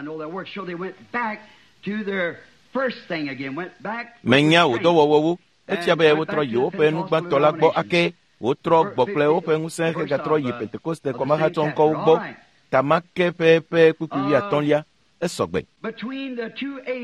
Menya wò dɔwɔwɔwo. Efia be wotrɔ yi woƒe nugbãtɔ la gbɔ ake. Wotrɔ gbɔ kple woƒe ŋusẽ hegatrɔ yi Pentekoste kɔmahatsɔŋkɔwo gbɔ. Tamake ƒe ƒe kpukpui wuiatɔ̃lia esɔgbe.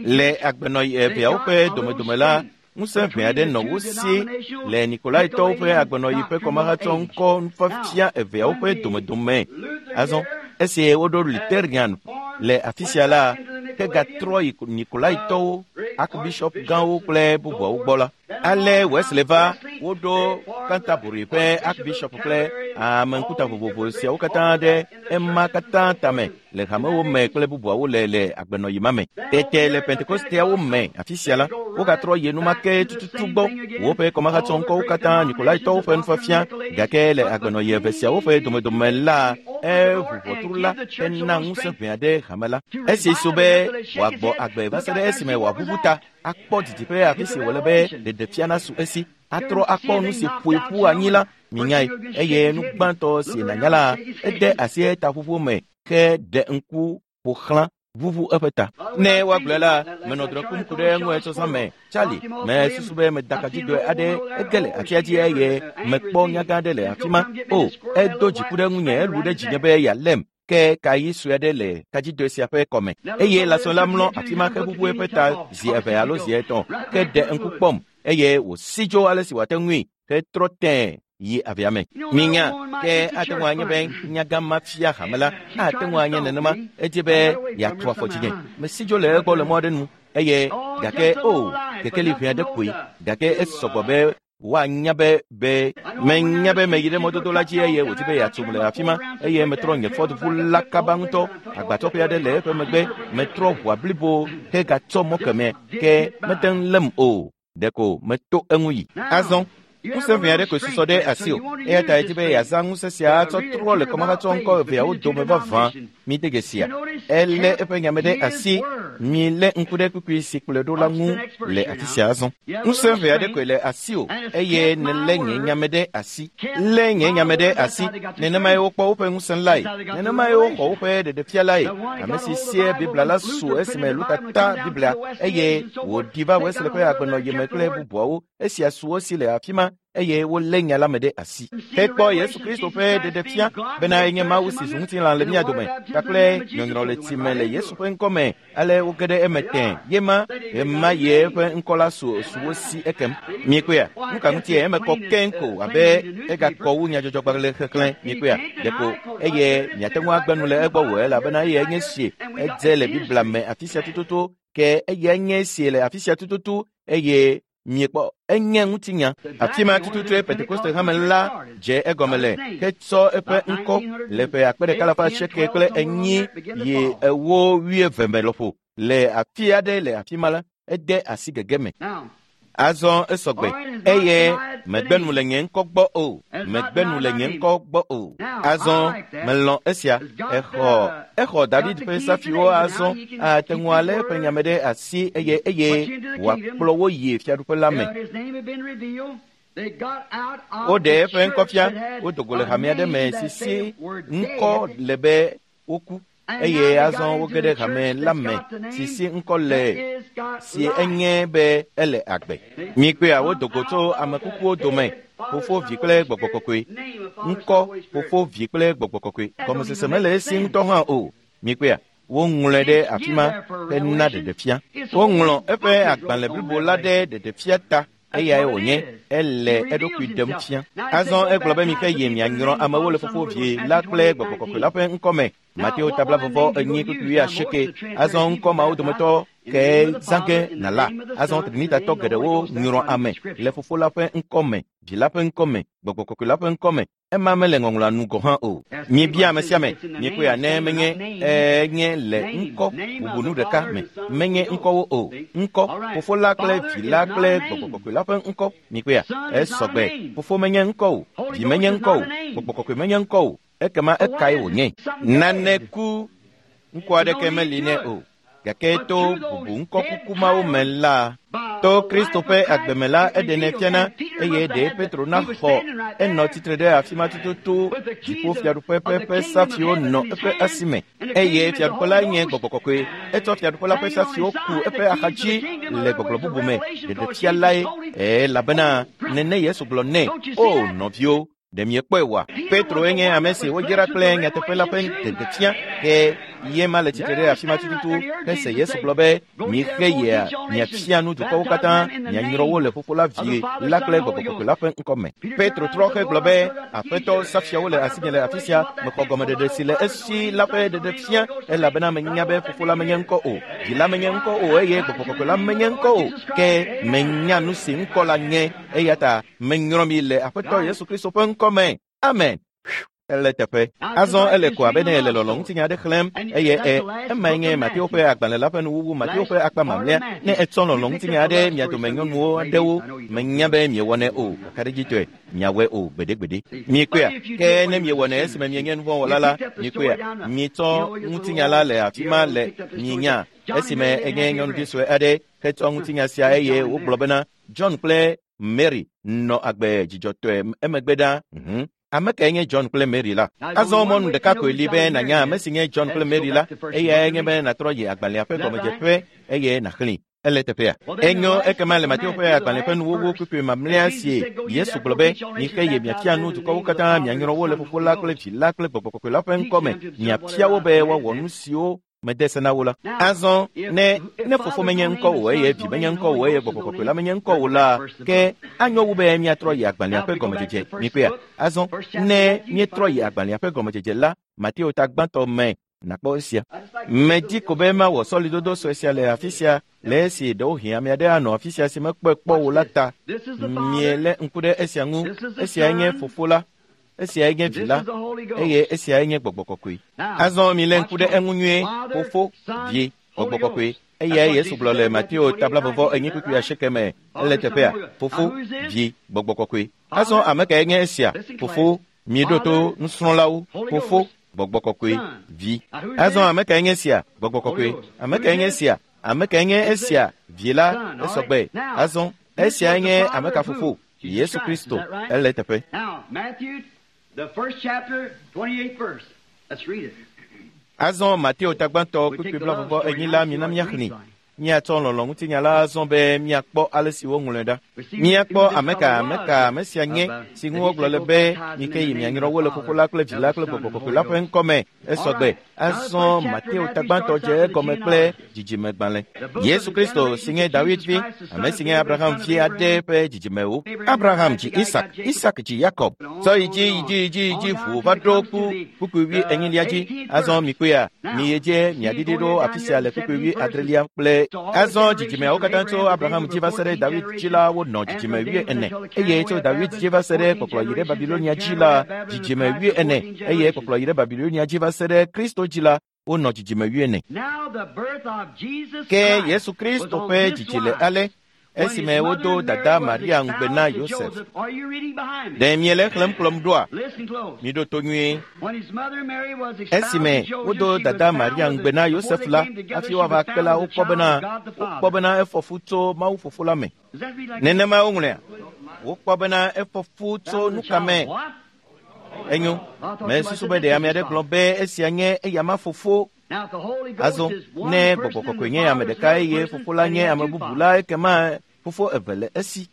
Le agbenɔɣi eveawo ƒe domedome la, ŋusẽ ʋɛ aɖe nɔ wo si le Nikolaitɔwo ƒe agbenɔɣi ƒe kɔmahatsɔŋkɔ nufiafia eveawo ƒe domedome. Azɔ esi woɖo Lutherian le afi sia la, hegatrɔ yi Nikolaitɔwo, Archbishop gãwo kple bubuawo gbɔ la. Ale Wesley va, woɖo Canterbury ƒe Archbishop kple ame ŋkuta vovovo siawo katã ɖe ema katã tame le hamewo me kple bubuawo le le agbenɔɣi ma me. Tete le Pentekosteawo me afi sia la, wogatrɔ yi enumake tututu gbɔ woƒe kɔmahatsɔŋkɔwo katã Nikolaitɔwo ƒe nufiafia gake le agbenɔɣi eve siawo ƒe domedome la, eʋu ʋɔtru la hena ŋusẽ ʋɛ aɖe hame la. Esi so be wòagbɔ agbe va se ɖe esime wòaʋuʋu ta akpɔ didiƒe afi si wòle be ɖeɖefia nasu esi atrɔ akpɔ nu si ƒoe ƒu anyi la minyae eye nu gbãtɔ si nànya la ede asi etaƒoƒo me ke ɖe ŋku ƒo xlã ʋuʋu eƒe ta. Ne woagblɔe la, menɔ drɔ̃e kum ku ɖe eŋu etsɔzã me. Charlie, mesusu be meda kadzidoe aɖe ege le atia dzi eye mekpɔ nyagã aɖe le afi ma. O, edo dziku ɖe ŋunye elu ɖe dzinye be yealém. Ke kayi sue aɖe le kadzidoe sia ƒe kɔme eye lãsɔ la mlɔ afi ma heʋuʋu eƒe ta zi eve alo zi etɔ̃ ke ɖe ŋku kpɔm eye wòsi dzo ale si wòate ŋui hetrɔ tẽe yi avea me. Minya ke ate ŋu anye be nyagã ma fia hame la ate ŋu anye nenema edzi be yeatu afɔ dzinye. Mesi dzo le egbɔ le mɔ aɖe nu eye gake o kekeli ʋɛ aɖe koe gake esɔgbɔ be woanya be be menya be meyi ɖe mɔdodo la dzi eye wòdi be yeatum le afi ma eye metrɔ nye fɔɖuʋu la kaba ŋutɔ. Agbatsɔƒe aɖe le eƒe megbe metrɔ ʋua blibo hegatsɔ mɔ kemɛ ke mete ŋu lém o. Ɖeko meto eŋu yi. Azɔ ŋusẽ ʋɛ aɖe koe susɔ ɖe asi o eya ta edzi be yeazã ŋusẽ sia atsɔ trɔ le kɔmahatsɔŋkɔ eveawo dome vavã. Mide gesia elé eƒe nyame ɖe asi. Milé ŋku ɖe kpukpui si kplɔe ɖo la ŋu le afi sia azɔ. Ŋusẽ ʋɛ aɖe koe le asi o eye nelé nye nyame ɖe asi. Lé nye nyame ɖe asi. Nenemae wokpɔ woƒe ŋusẽ lae. Nenemae woxɔ woƒe ɖeɖefia lae. Ame si sie Biblia la su esime Luka ta Biblia eye wòɖi va Wesley ƒe agbenɔɣi me kple bubuawo. Esia su wo si le afi ma eye wolé nya la me ɖe asi. Hekpɔ Yesu Kristo ƒe ɖeɖefia bena enye Mawu si zu ŋutilã le mía dome kpakple nyɔnyrɔ le tsi me le Yesu ƒe ŋkɔ me. Ale woge ɖe eme tẽ yema ema ye eƒe ŋkɔ la su su wo si ekem. Miekpɔea? Nu ka ŋutie eme kɔ keŋ ko abe egakɔ wu nyadzɔdzɔgbalẽ xexlẽ. Miekpɔea? Ɖeko eye miate ŋu agbe nu le egbɔ o elabena eyae nye sie edze le Biblia me afi sia tututu ke eyae nye sie le afi sia tututu eye miekpɔ enye ŋutinya. Afi ma tututue Pentekoste hame la dze egɔme le hetsɔ eƒe ŋkɔ le ƒe akpe ɖeka alafa asieke kple enyi yi ewo wuieve me lɔƒo le afi aɖe le afi ma la ede asi gege me. Azɔ esɔgbe eye megbe nu le nye ŋkɔ gbɔ o. Megbe nu le nye ŋkɔ gbɔ o. Azɔ melɔ̃ esia. Exɔ exɔ David ƒe safiwo azɔ ate ŋu alé eƒe nyame ɖe asi eye eye wòakplɔ wo yi fiaɖuƒe la me. Woɖe eƒe ŋkɔ fia. Wodo go le hame aɖe me si si ŋkɔ le be woku eye azɔ woge ɖe hame la me si si ŋkɔ le si enye be ele agbe. Mikpea wodo go tso ame kukuwo dome. Fofo, Vi kple Gbɔgbɔ Kɔkɔe. Ŋkɔ Fofo, Vi kple Gbɔgbɔ Kɔkɔe. Gɔmesese mele esi ŋutɔ hã o. Mikpea woŋlɔe ɖe afi ma hena ɖeɖefia. Woŋlɔ eƒe agbalẽ blibo la ɖe ɖeɖefia ta. Eyae wònye ele eɖokui ɖem fia. Azɔ egblɔ be mixe yi mianyrɔ amewo le Fofo, Vi la kple Gbɔgbɔ Kɔkɔe la ƒe ŋkɔ me. Mateo tabla vɔvɔ enyi kpukpui wuiasieke. Azɔ ŋkɔ mawo dometɔ ke zã ge nàla. Azɔ Trinitatɔ geɖewo nyrɔ ame le Fofo la ƒe ŋkɔme, Vi la ƒe ŋkɔme, Gbɔgbɔ Kɔkɔe la ƒe ŋkɔme. Ema mele ŋɔŋlɔa nu gɔ̃ hã o. Miebia ame sia ame, miekpɔe ne menye enye le ŋkɔ bubu nu ɖeka me, menye ŋkɔwo o. Ŋkɔ, Fofo la kple Vi la kple Gbɔgbɔ Kɔkɔe la ƒe ŋkɔ. Miekpɔea? Esɔgbe. Fofo menye ŋkɔ o, Vi menye ŋkɔ o, Gbɔgbɔ Kɔkɔe menye ŋkɔ o. Ekema ekae wònye? Nane ku ŋkɔ aɖeke meli nɛ o. Gake to bubu ŋkɔkuku mawo me la, to Kristo ƒe agbeme la eɖenɛ fiana eye ɖe Petro naxɔ enɔ tsitre ɖe afi ma tututu. Dziƒofiaɖuƒe ƒe ƒe safiwo nɔ eƒe asime eye fiaɖuƒe la nye Gbɔgbɔ Kɔkɔe. Etsɔ fiaɖuƒe la ƒe safiwo ku eƒe axadzi le gbɔgblɔ bubu me ɖeɖefia lae elabena nene Yesu gblɔ nɛ. O nɔviwo, ɖe miekpɔe oa? Petro nye ame si wodzra kple nyateƒe la ƒe ɖeɖefia ke ye ma le tsitre ɖe afi ma tututu hese Yesu gblɔ be mixe yia miafia nu dukɔwo katã, mianyrɔ wo le Fofo la, Vi la kple Gbɔgbɔ Kɔkɔe la ƒe ŋkɔme. Petro trɔ hegblɔ be Aƒetɔ, safiawo le asinye le afi sia, mexɔ gɔmeɖeɖe si le esi la ƒe ɖeɖefia elabena menya be Fofo la menye ŋkɔ o, Vi la menye ŋkɔ o eye Gbɔgbɔ Kɔkɔe la menye ŋkɔ o, ke menya nu si ŋkɔ la nye eya ta menyrɔ mi le Aƒetɔ Yesu Kristo ƒe ŋkɔme. Amen. Ele teƒe. Azɔ ele ko abe ne ele lɔlɔ ŋutinya aɖe xlẽm eye e emae nye Mateo ƒe agbalẽ la ƒe nuwuwu, Mateo ƒe akpa mamlɛa. Ne etsɔ lɔlɔ ŋutinya aɖe mia dome nyɔnuwo aɖewo, menya be miewɔnɛ o, kakaɖedzitɔe miawɔe o gbeɖegbeɖe. Miekpɔea? Ke ne miewɔnɛ esime mienye nuvɔ̃wɔla la, miekpɔea? Mietsɔ ŋutinya la le afi ma le mienya esime enye nyɔnuvi sue aɖe hetsɔ ŋutinya sia eye wogblɔ bena John kple Mary nɔ agbe dzidzɔtɔe emegbe ɖa. Mhm. Ame kae nye John kple Mary la? Azɔ mɔnu ɖeka koe li be nànya ame si nye John kple Mary la, eyae nye be nàtrɔ yi agbalẽa ƒe gɔmedzeƒe eye nàxlẽe. Ele teƒea. Enyo ekema le Mateo ƒe agbalẽ ƒe nuwuwu kpukpui mamlɛa si Yesu gblɔ be mixe ye miafia nu dukɔwo katã, mianyrɔ wo le Fofo la kple Vi la kple Gbɔgbɔ Kɔkɔe la ƒe ŋkɔme, miafia wo be woawɔ nu siwo mede se na wo la. Azɔ ne ne Fofo menye ŋkɔ o eye Vi menye ŋkɔ o eye Gbɔgbɔ Kɔkɔe la menye ŋkɔ o la, ke anyo wu be míatrɔ yi agbalẽa ƒe gɔmedzedze. Mikpɔea? Azɔ ne míetrɔ yi agbalẽa ƒe gɔmedzedze la, Mateo ta gbãtɔ me nàkpɔ esia. Medi ko be mawɔ sɔlidodo sue sia le afi sia le esi ɖewohĩ ame aɖe anɔ afi sia si mekpɔe kpɔ o la ta. Mielé ŋku ɖe esia ŋu. Esiae nye Fofo la, esiae nye Vi la eye esiae nye Gbɔgbɔ Kɔkɔe. Azɔ milé ŋku ɖe eŋu nyuie. Fofo, Vi, Gbɔgbɔ Kɔkɔe. Eyae Yesu gblɔ le Mateo ta blaeve enyi kpukpui asieke me. Ele teƒea. Fofo, Vi, Gbɔgbɔ Kɔkɔe. Azɔ ame kae nye esia? Fofo, mieɖo to nusrɔ̃lawo. Fofo, Gbɔgbɔ Kɔkɔe, Vi. Azɔ ame kae nye esia? Gbɔgbɔ Kɔkɔe. Ame kae nye esia? Ame kae nye esia? Vi la, esɔgbe. Azɔ esiae nye ame ka fofo? Yesu Kristo. Ele teƒe. Azɔ Mateo ta gbãtɔ kpukpui blaeve enyi la mina míaxlẽe. Míatsɔ lɔlɔ ŋutinya la azɔ be míakpɔ ale si woŋlɔe ɖa. Míakpɔ ame ka ame ka ame sia nye si ŋu wogblɔ le be mike yi mianyrɔ wo le Fofo la kple Vi la kple Gbɔgbɔ Kɔkɔe la ƒe ŋkɔme. Esɔgbe. Azɔ Mateo ta gbãtɔ dze egɔme kple dzidzimegbalẽ. Yesu Kristo si nye Dawid vi, ame si nye Abraham vi aɖe ƒe dzidzimewo. Abraham dzi Isak, Isak dzi Yakob. Sɔ yi dzi yi dzi yi dzi yi dzi ʋu va ɖo ku kpukpui wi enyilia dzi. Azɔ mikpɔea, miyi dzi miaɖiɖi ɖo afi sia le kpukpui wi adrelia kple azɔ dzidzimeawo katã tso Abraham dzi va se ɖe Dawid dzi la wonɔ dzidzime wi ene eye tso Dawid dzi va se ɖe kpɔkplɔ yi ɖe Babilonia dzi la dzidzime wi ene eye kpɔkplɔ yi ɖe Babilonia dzi va se ɖe Kristo dzi la wonɔ dzidzime wi ene. Ke Yesu Kristo ƒe dzidzi le ale esime wodo dada Maria ŋugbe na Yosef. Ɖe miele xlẽm kplɔm ɖoa? Miɖo to nyuie. Esime wodo dada Maria ŋugbe na Yosef la, hafi woava kpe la, wokpɔ bena wokpɔ bena efɔ fu tso Mawu Fofo la me. Nenema woŋlɔea? Wokpɔ bena efɔ fu tso nuka me? Enyo. Mesusu be ɖe ame aɖe gblɔ be esia nye eyama fofo. Azɔ ne Gbɔgbɔ Kɔkɔe nye ame ɖeka eye Fofo la nye ame bubu la, ekema fofo eve le esi.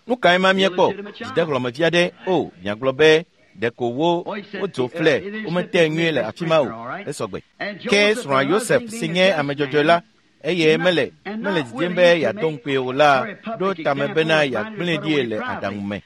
Nu kae ma miekpɔ? Dzidehlɔ̃mevi aɖe o, miagblɔ be ɖeko wo wodzo flɛ, womete nyuie le afi ma o. Esɔgbe. Ke srɔ̃a Yosef si nye ame dzɔdzɔe la, eye mele mele didim be yeado ŋukpee o la ɖo tame bena yeagblẽe ɖi le aɖaŋu me.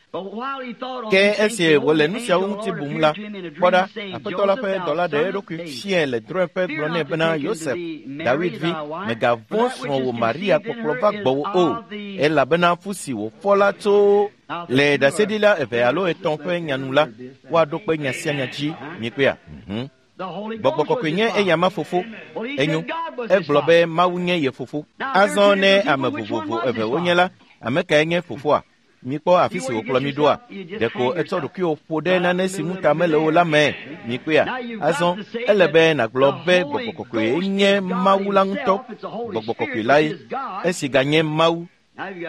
Ke esi wòle nu siawo ŋuti bum la, kpɔ ɖa, Aƒetɔ la ƒe dɔla ɖe eɖokui fiae le drɔ̃eƒe gblɔ nɛ bena, Yosef, David vi, mègavɔ̃ srɔ̃wò Maria kpɔkplɔ va gbɔwò o, elabena fu si wòfɔ la tso le ɖaseɖila eve alo etɔ̃ ƒe nya nu la, woaɖo kpe nya sia nya dzi. Miekpɔea? Mhm. Gbɔgbɔ kɔkɔe nye eyama fofo. Enyo, egblɔ be Mawu nye ye fofo. Azɔ ne ame vovovo eve wonye la, ame kae nye fofoa? Mikpɔ afi si wòkplɔ mi ɖoa? Ɖeko etsɔ ɖokuiwò ƒo ɖe nane si ŋu ta mele o la me. Mikpɔea? Azɔ ele be nàgblɔ be gbɔgbɔ kɔkɔe nye Mawu la ŋutɔ. Gbɔgbɔ kɔkɔe lae, esi ganye Mawu.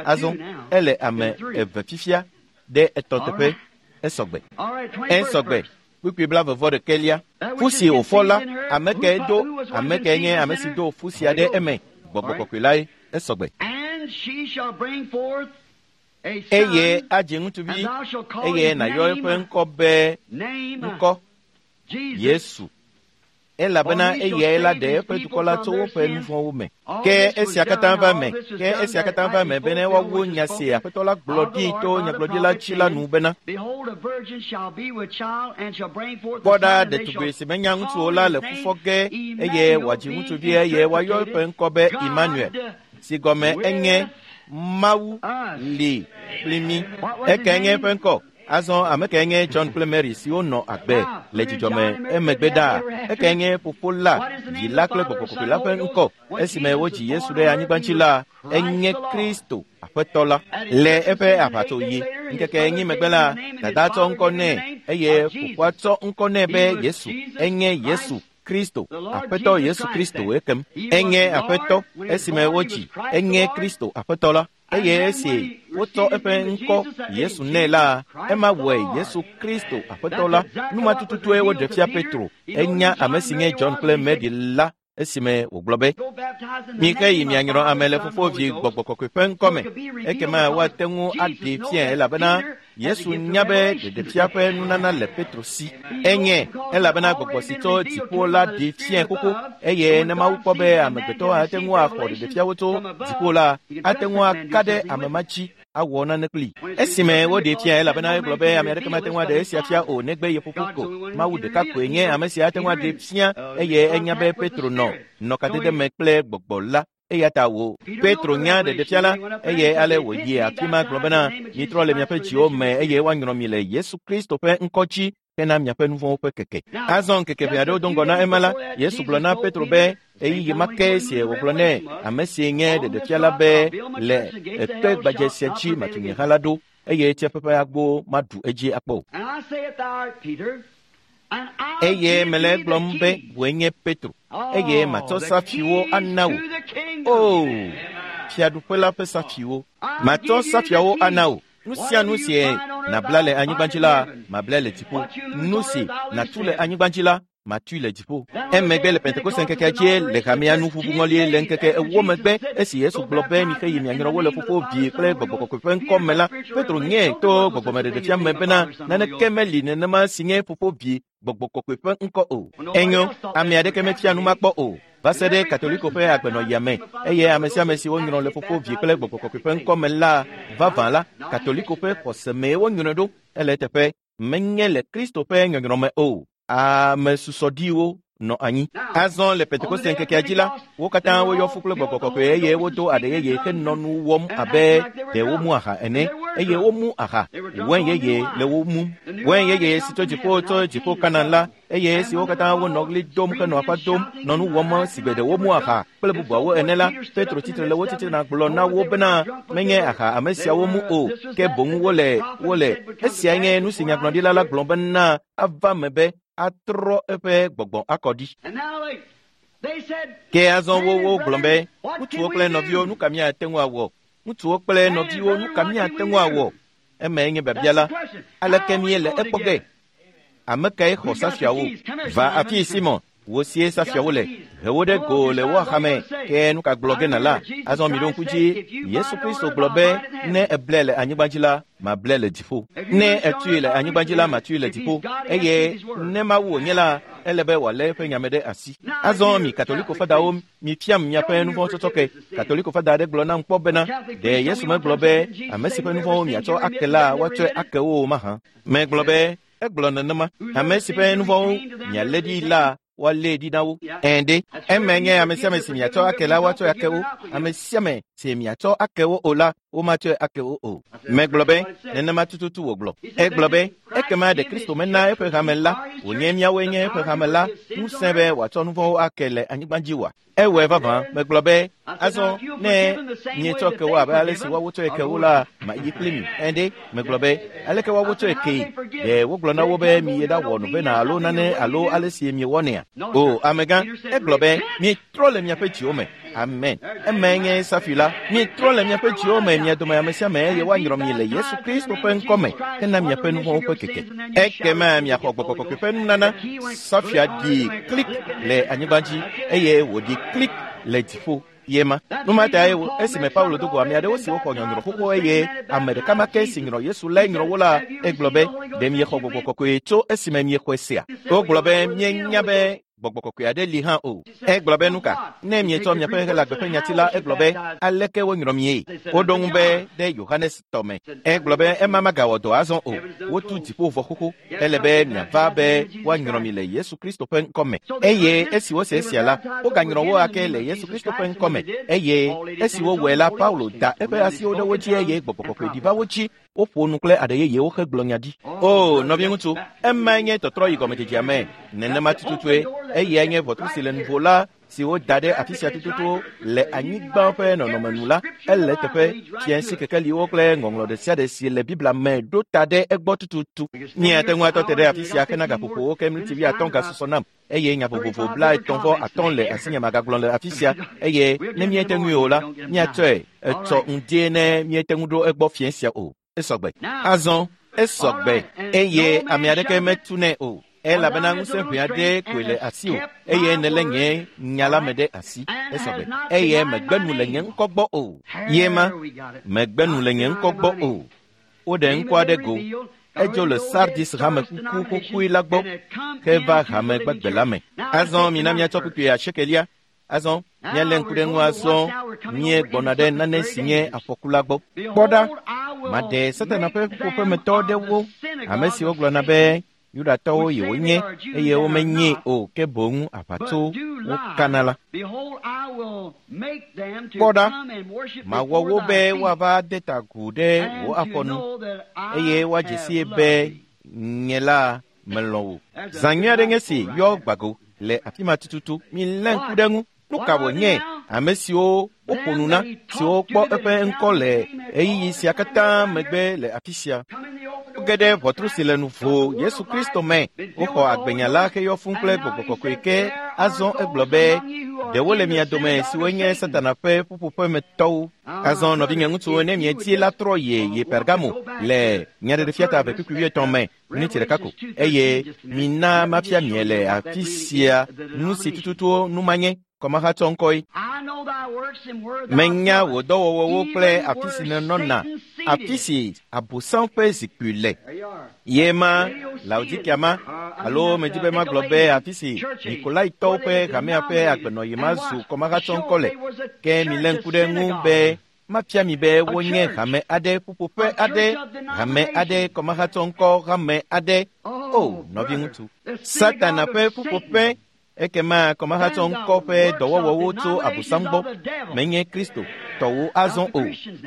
Azɔ ele ame eve fifia ɖe etɔ̃ teƒe. Esɔgbe. Esɔgbe. Kpukpui blaeve vɔ ɖekɛlia. Fu si wòfɔ la, ame kae do, ame kae nye ame si do fu sia ɖe eme? Gbɔgbɔ kɔkɔe lae. Esɔgbe. Eye adzi ŋutsuvi, eye nàyɔ eƒe ŋkɔ be ŋkɔ Yesu, elabena eyae la ɖe eƒe dukɔ la tso woƒe nu vɔ̃wo me. Ke esia katã va eme, ke esia katã va eme bene woawu nya si Aƒetɔ la gblɔ ɖi to nyagblɔɖila dzi la nu bena, kpɔ ɖa, ɖetugbi si menya ŋutsu o la le fu fɔ ge, eye wòadzi ŋutsuvi, eye woayɔ eƒe ŋkɔ be Emmanuel, si gɔme enye Mawu li kpli mí. Ekae nye eƒe ŋkɔ? Azɔ ame kae nye John kple Mary siwo nɔ agbe le dzidzɔme emegbe ɖaa? Ekae nye fofo la, vi la kple gbɔgbɔ kɔkɔe la ƒe ŋkɔ? Esime wodzi Yesu ɖe anyigba dzi la, enye Kristo Aƒetɔ la. Le eƒe aʋatsoɣi ŋkeke enyi megbe la, dada tsɔ ŋkɔ nɛ, eye fofoa tsɔ ŋkɔ nɛ be Yesu. Enye Yesu Kristo, Aƒetɔ Yesu Kristo ekem. Enye Aƒetɔ esime wodzi, enye Kristo Aƒetɔ la. Eye esi wotsɔ eƒe ŋkɔ Yesu nɛ la, ema wɔe Yesu Kristo Aƒetɔ la. Numa tututue woɖe fia Petro. Enya ame si nye John kple Mary la esime wògblɔ be, mike yi mianyrɔ ame le Fofo, Vi, Gbɔgbɔ Kɔkɔe ƒe ŋkɔ me. Ekema woate ŋu aɖee fiae, elabena Yesu nya be ɖeɖefia ƒe nunana le Petro si. Enye, elabena gbɔgbɔ si tso dziƒo la ɖee fiae xoxo, eye ne Mawu kpɔ be amegbetɔ ate ŋu axɔ ɖeɖefiawo tso dziƒo la, ate ŋu aka ɖe ame ma dzi awɔ nane kpli. Esime woɖee fiae, elabena egblɔ be ame aɖeke mate ŋu aɖe esia fia o negbe ye fofo ko. Mawu ɖeka koe nye ame si ate ŋu aɖee fia, eye enya be Petro nɔ nɔ kadede me kple gbɔgbɔ la. Eya ta wò Petro nya ɖeɖefia la, eye ale wòyi afi ma gblɔ bena, mitrɔ le miaƒe dziwo me, eye woanyrɔ mi le Yesu Kristo ƒe ŋkɔ dzi hena miaƒe nu vɔ̃wo ƒe keke. Azɔ ŋkeke ʋɛ aɖewo do ŋgɔ na ema la, Yesu gblɔ na Petro be, ɣeyiɣi ma ke si wògblɔ nɛ, ame si nye ɖeɖefia la be, le ekpe gbadze sia dzi matu nye hã la ɖo, eye tsiaƒe ƒe agbo maɖu edzi akpɔ o. Eye mele egblɔm be wòe nye Petro, eye matsɔ safiwo ana wò. O, fiaɖuƒe la ƒe safiwo. Matsɔ safiawo ana wò. Nu sia nu si nàbla le anyigba dzi la, mablae le dziƒo. Nu si nàtu le anyigba dzi la, matui le dziƒo. Emegbe le Pentekoste ŋkekea dzie le hamea nu ʋuʋu ŋɔli le ŋkeke ewo megbe, esi Yesu gblɔ be mixe yi mianyrɔ wo le Fofo, Vi kple Gbɔgbɔ Kɔkɔe ƒe ŋkɔ me la, Petro nye to gbɔgbɔmeɖeɖefia me bena naneke meli nenema si nye Fofo, Vi, Gbɔgbɔ Kɔkɔe ƒe ŋkɔ o. Enyo, ame aɖeke mefia nu ma kpɔ o va se ɖe Katoliko ƒe agbenɔɣia me, eye ame sia ame si wonyrɔ le Fofo, Vi kple Gbɔgbɔ Kɔkɔe ƒe ŋkɔ me la, vavã la, Katoliko ƒe xɔse mee wonyrɔe ɖo. Ele eteƒe menye le Kristo ƒe nyɔnyrɔ me o. Ame susɔɖiwo nɔ anyi. Azɔ le Pentekoste ŋkekea dzi la, wo katã woyɔ fu kple Gbɔgbɔ Kɔkɔe, eye wodo aɖe yeye henɔ nu wɔm abe ɖe womu aha ene, eye womu aha, wɛn yeye le wo mum. Wɛn yeye si tso dziƒo tso dziƒo Kanaan la, eye esiwo katã wonɔ ɣli dom henɔ aƒa dom, nɔ nu wɔm si gbe ɖe womu aha kple bubuawo ene la, Petro tsitre le wo titina gblɔ na wo bena, menye aha ame siawo mu o, ke boŋ wole wole. Esiae nye nu si nyagblɔɖila la gblɔ bena ava me be atrɔ eƒe gbɔgbɔ akɔ ɖi. Ke azɔ wo wogblɔ be, ŋutsuwo kple nɔviwo, nu ka míate ŋu awɔ? Ŋutsuwo kple nɔviwo, nu ka míate ŋu awɔ? Emae nye biabia la. Aleke míele ekpɔ ge? Ame kae xɔ safiawo? Va afii, Simon, wò sie safiawo le. He wo ɖe go le wo axame, ke nu ka gblɔ ge nàla? Azɔ miɖo ŋku dzi, Yesu Kristo gblɔ be, ne èblɛ le anyigba dzi la, mablɛ le dziƒo. Ne ètui le anyigba dzi la, matui le dziƒo. Eye ne Mawu wònye la, Ele be wòalé eƒe nyame ɖe asi. Azɔ mi Katoliko fadawo mifiam miaƒe nuvɔ̃tsɔtsɔ ke. Katoliko fada aɖe gblɔ nam kpɔ bena ɖe Yesu megblɔ be ame si ƒe nuvɔ̃wo miatsɔ ake la woatsɔe ake wo mahã. Megblɔ be egblɔ nenema. Ame si ƒe nuvɔ̃wo mialé ɖi la woalé ɖi na wo. Ɛ̃ ɖe, eme nye ame sia ame si miatsɔ ake la woatsɔe ake wo. Ame sia ame si miatsɔ ake wo o la womatsɔe ake wo o. Megblɔ be nenema tututu wògblɔ. Egblɔ be ekema ɖe Kristo mena eƒe hame la wònye míawoe nye eƒe hame la ŋusẽ be wòatsɔ nuvɔ̃wo ake le anyigba dzi oa? Ewɔe vavã. Megblɔ be azɔ ne mietsɔ ke wo abe ale si woawo tsɔe ke wo la mayi kpli mi. Ɛ̃ ɖe, megblɔ be aleke woawo tsɔe kee? Ɖe wogblɔ na wo be miyi ɖawɔ novena alo nane alo ale si miewɔnɛa? O amegã, egblɔ be mietrɔ le miaƒe dziwo me. Amen. Emae nye safi la. Mietrɔ le miaƒe dziwo me mia dome ame sia ame eye woanyrɔ mi le Yesu Kristo ƒe ŋkɔme hena miaƒe nuvɔ̃wo ƒe keke. Ekema miaxɔ Gbɔgbɔ Kɔkɔe ƒe nunana. Safia ɖi klik le anyigba dzi eye wòɖi klik le dziƒo. Ye ma. Nu ma tae esime Paulo do go ame aɖewo siwo xɔ nyɔnyrɔ xoxo eye ame ɖeka ma ke si nyrɔ Yesu lae nyrɔ wo la, egblɔ be ɖe miexɔ Gbɔgbɔ Kɔkɔe tso esime miexɔe sea? Wogblɔ be mienya be Gbɔgbɔ Kɔkɔe aɖe li hã o. Egblɔ be nu ka? Ne mietsɔ miaƒe Helagbe ƒe nyati la, egblɔ be aleke wonyrɔ mie? Woɖo ŋu be ɖe Yohanes tɔ me. Egblɔ be ema magawɔ dɔ azɔ o. Wotu dziƒo vɔ xoxo. Ele be miava be woanyrɔ mi le Yesu Kristo ƒe ŋkɔme. Eye esi wose esia la, woganyrɔ wo ake le Yesu Kristo ƒe ŋkɔme. Eye esi wowɔe la, Paulo da eƒe asiwo ɖe wo dzi eye Gbɔgbɔ Kɔkɔe ɖi va wo dzi. Woƒo nu kple aɖe yeyewo hegblɔ nya ɖi. O nɔviŋutsu, emae nye tɔtrɔ yi gɔmedzedzea me. Nenema tututue. Eyae nye ʋɔtru si le nuvo la si woda ɖe afi sia tututu le anyigba ƒe nɔnɔme nu la, ele teƒe fiasi kekeliwo kple ŋɔŋlɔ ɖe sia ɖe si le Biblia me ɖo ta ɖe egbɔ tututu. Míate ŋu atɔ te ɖe afi sia hena gaƒoƒowo ke miniti wuiatɔ̃ gasusɔ nam eye nya vovovo blaetɔ̃ vɔ atɔ̃ le asinye magagblɔ le afi sia eye ne míete ŋui o la, míatsɔe etsɔ ŋdie ne míete ŋu ɖo egbɔ fiẽ sia o. Esɔgbe. Azɔ esɔgbe eye ame aɖeke metunɛ o. Elabena ŋusẽ ʋɛ aɖe koe le asiwò eye nèlé nye nya la me ɖe asi. Esɔgbe. Eye megbe nu le nye ŋkɔ gbɔ o. Ye ma, megbe nu le nye ŋkɔ gbɔ o. Woɖe ŋkɔ aɖe go. Edzo le Sardis hame kuku xoxoe la gbɔ heva hame gbagbe la me. Azɔ mina míatsɔ kpukpui asiekelia. Azɔ míalé ŋku ɖe ŋu azɔ míegbɔna ɖe nane si nye afɔku la gbɔ. Kpɔ ɖa, maɖe Satana ƒe ƒuƒoƒemetɔ ɖewo, ame siwo gblɔna be Yudatɔwo yewonye eye womenye o ke boŋ aʋatso wokana la. Kpɔ ɖa, mawɔ wo be woava de ta agu ɖe wò afɔ nu eye woadze sie be nye la melɔ̃ wò. Zã nyui aɖe nye si yɔ gbago le afi ma tututu. Milé ŋku ɖe ŋu. Nu ka wònye ame siwo woƒo nu na siwo kpɔ eƒe ŋkɔ le ɣeyiɣi sia katã megbe le afi sia? Woge ɖe ʋɔtru si le nuvo Yesu Kristo me. Woxɔ agbenya la heyɔ fũu kple Gbɔgbɔ Kɔkɔe ke azɔ egblɔ be ɖewo le mia dome siwo nye Satana ƒe ƒuƒoƒemetɔwo. Azɔ nɔvinye ŋutsuwo ne miedi la trɔ ye yi Pergamo le Nyaɖeɖefia ta eve kpukpui wuietɔ̃ me miniti ɖeka ko eye mina mafia mie le afi sia nu si tututu nu manye kɔmahatsɔ ŋkɔe. Menya wò dɔwɔwɔwo kple afi si nènɔna, afi si Abosam ƒe zikpui le. Ye ma Laodikea ma alo medi be magblɔ be afi si Nikolaitɔwo ƒe hamea ƒe agbenɔɣi ma zu kɔmahatsɔ ŋkɔ le. Ke milé ŋku ɖe ŋu be mafia mi be wonye hame aɖe ƒuƒoƒe aɖe, hame aɖe kɔmahatsɔ ŋkɔ hame aɖe. O nɔviŋutsu, Satana ƒe ƒuƒoƒe. Ekema kɔmahatsɔ ŋkɔ ƒe dɔwɔwɔwo tso Abosam gbɔ. Menye Kristo tɔwo azɔ o.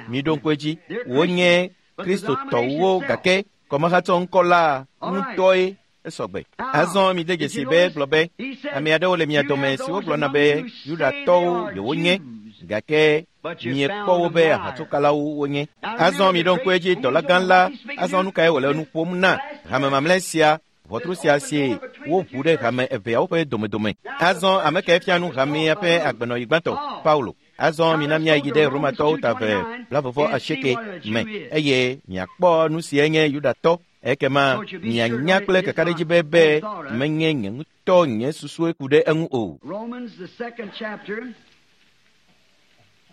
Miɖo ŋku edzi, wonye Kristo tɔwo gake kɔmahatsɔ ŋkɔ la ŋutɔe esɔgbe. Azɔ mide dzesi be gblɔ be ame aɖewo le mia dome siwo gblɔna be Yudatɔwo yewonye gake miekpɔ wo be aʋatsokalawo wonye. Azɔ miɖo ŋku edzi dɔla gã la. Azɔ nu kae wòle nu ƒom na hame mamlɛ sia? Ʋɔtru sia si woʋu ɖe hame eveawo ƒe domedome. Azɔ ame kae fia nu hamea ƒe agbenɔɣi gbãtɔ? Paulo. Azɔ mina míayi ɖe Romatɔwo ta eve blavɔvɔ asieke me eye miakpɔ nu si nye Yudatɔ. Ekema mianya kple kakaɖedzi be be menye nye ŋutɔ nye susue ku ɖe eŋu o. Romans the second chapter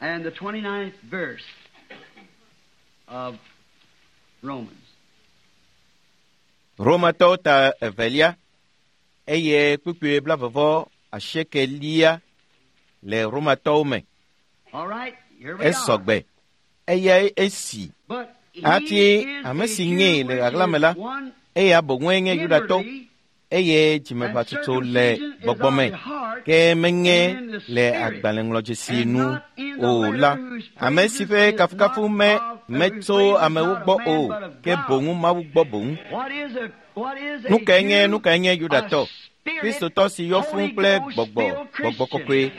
and the twenty-ninth verse of Romans. Romatɔwo ta evelia Eye kpukpui blavevɔ asiekelia le Romatɔwo me. Esɔgbe. Eyae esi. Hafi ame si nyee le ɣaɣla me la, eya boŋue nye Yudatɔ eye dzimeƒatutu le gbɔgbɔ me, ke menye le agbalẽŋlɔdzesi nu o la, ame si ƒe kafukafu me metso amewo gbɔ o, ke boŋu Mawu gbɔ boŋ. Nu kae nye nu kae nye Yudatɔ? Kristotɔ si yɔ fũu kple gbɔgbɔ, gbɔgbɔ kɔkɔe.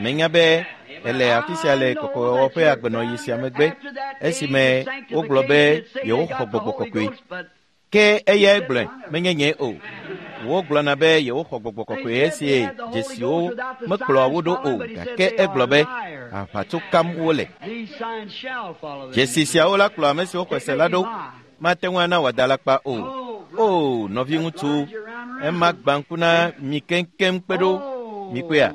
Menya be ele afi sia le kɔkɔewɔwɔ ƒe agbenɔɣi sia megbe, esime wogblɔ be yewoxɔ gbɔgbɔ kɔkɔe. Ke eyae gblɔe, menye nye o. Wogblɔna be yewoxɔ gbɔgbɔ kɔkɔe esi dzesiwo mekplɔa wo ɖo o, gake egblɔ be aʋatso kam wole. Dzesi siawo la kplɔ ame siwo xɔe se la ɖo. Mate ŋu ana wòada alakpa o. O, nɔviŋutsu, ema gbã ŋku na mi keŋkeŋ kpe ɖo. Mikpɔea?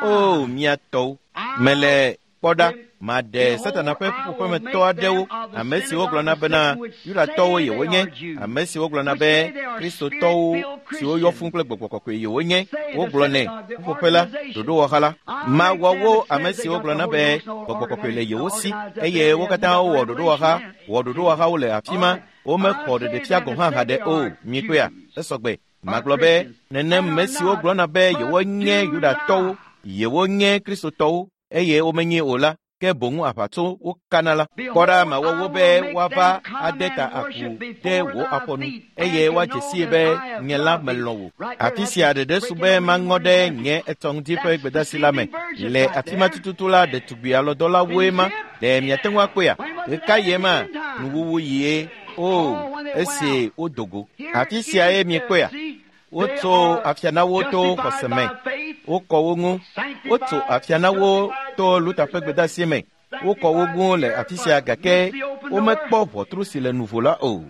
O, mia tɔwo. Mele kpɔ ɖa, maɖe Satana ƒe ƒuƒoƒemetɔ aɖewo, ame siwo gblɔna bena Yudatɔwo yewonye, ame siwo gblɔna be Kristotɔwo siwo yɔ fũu kple gbɔgbɔ kɔkɔe yewonye, wogblɔnɛ ƒuƒoƒe la, ɖoɖowɔha la. Mawɔ wo ame siwo gblɔna be gbɔgbɔ kɔkɔe le yewo si, eye wo katã wowɔ ɖoɖowɔha, wɔ ɖoɖowɔhawo le afi ma, womexɔ ɖeɖefia gɔ̃ hã haɖe o. Mikpɔea? Esɔgbe. Magblɔ be nenem me siwo gblɔna be yewonye Yudatɔwo, yewonye Kristotɔwo, eye womenye o la, ke boŋu aʋatso wokana la. Kpɔ ɖa, mawɔ wo be woava ade ta aku ɖe wò afɔ nu, eye woadze sii be nye la melɔ̃ wò. Afi sia ɖeɖe su be maŋɔ ɖe nye etɔ ŋuti ƒe gbedeasi la me. Le afi ma tututu la, ɖetugbi alɔdɔlawoe ma. Ɖe miate ŋu akpɔea? Ɣeka yie ma? Nuwuwu yie. O, esi wodo go. Afi siae miekpɔea? Wotso afia na wo to xɔse me. Wokɔ wo ŋu. Wotso afia na wo to Luther ƒe gbedeasi me. Wokɔ wo ŋu le afi sia gake womekpɔ ʋɔtru si le nuvo la o.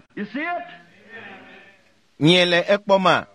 Miele ekpɔma?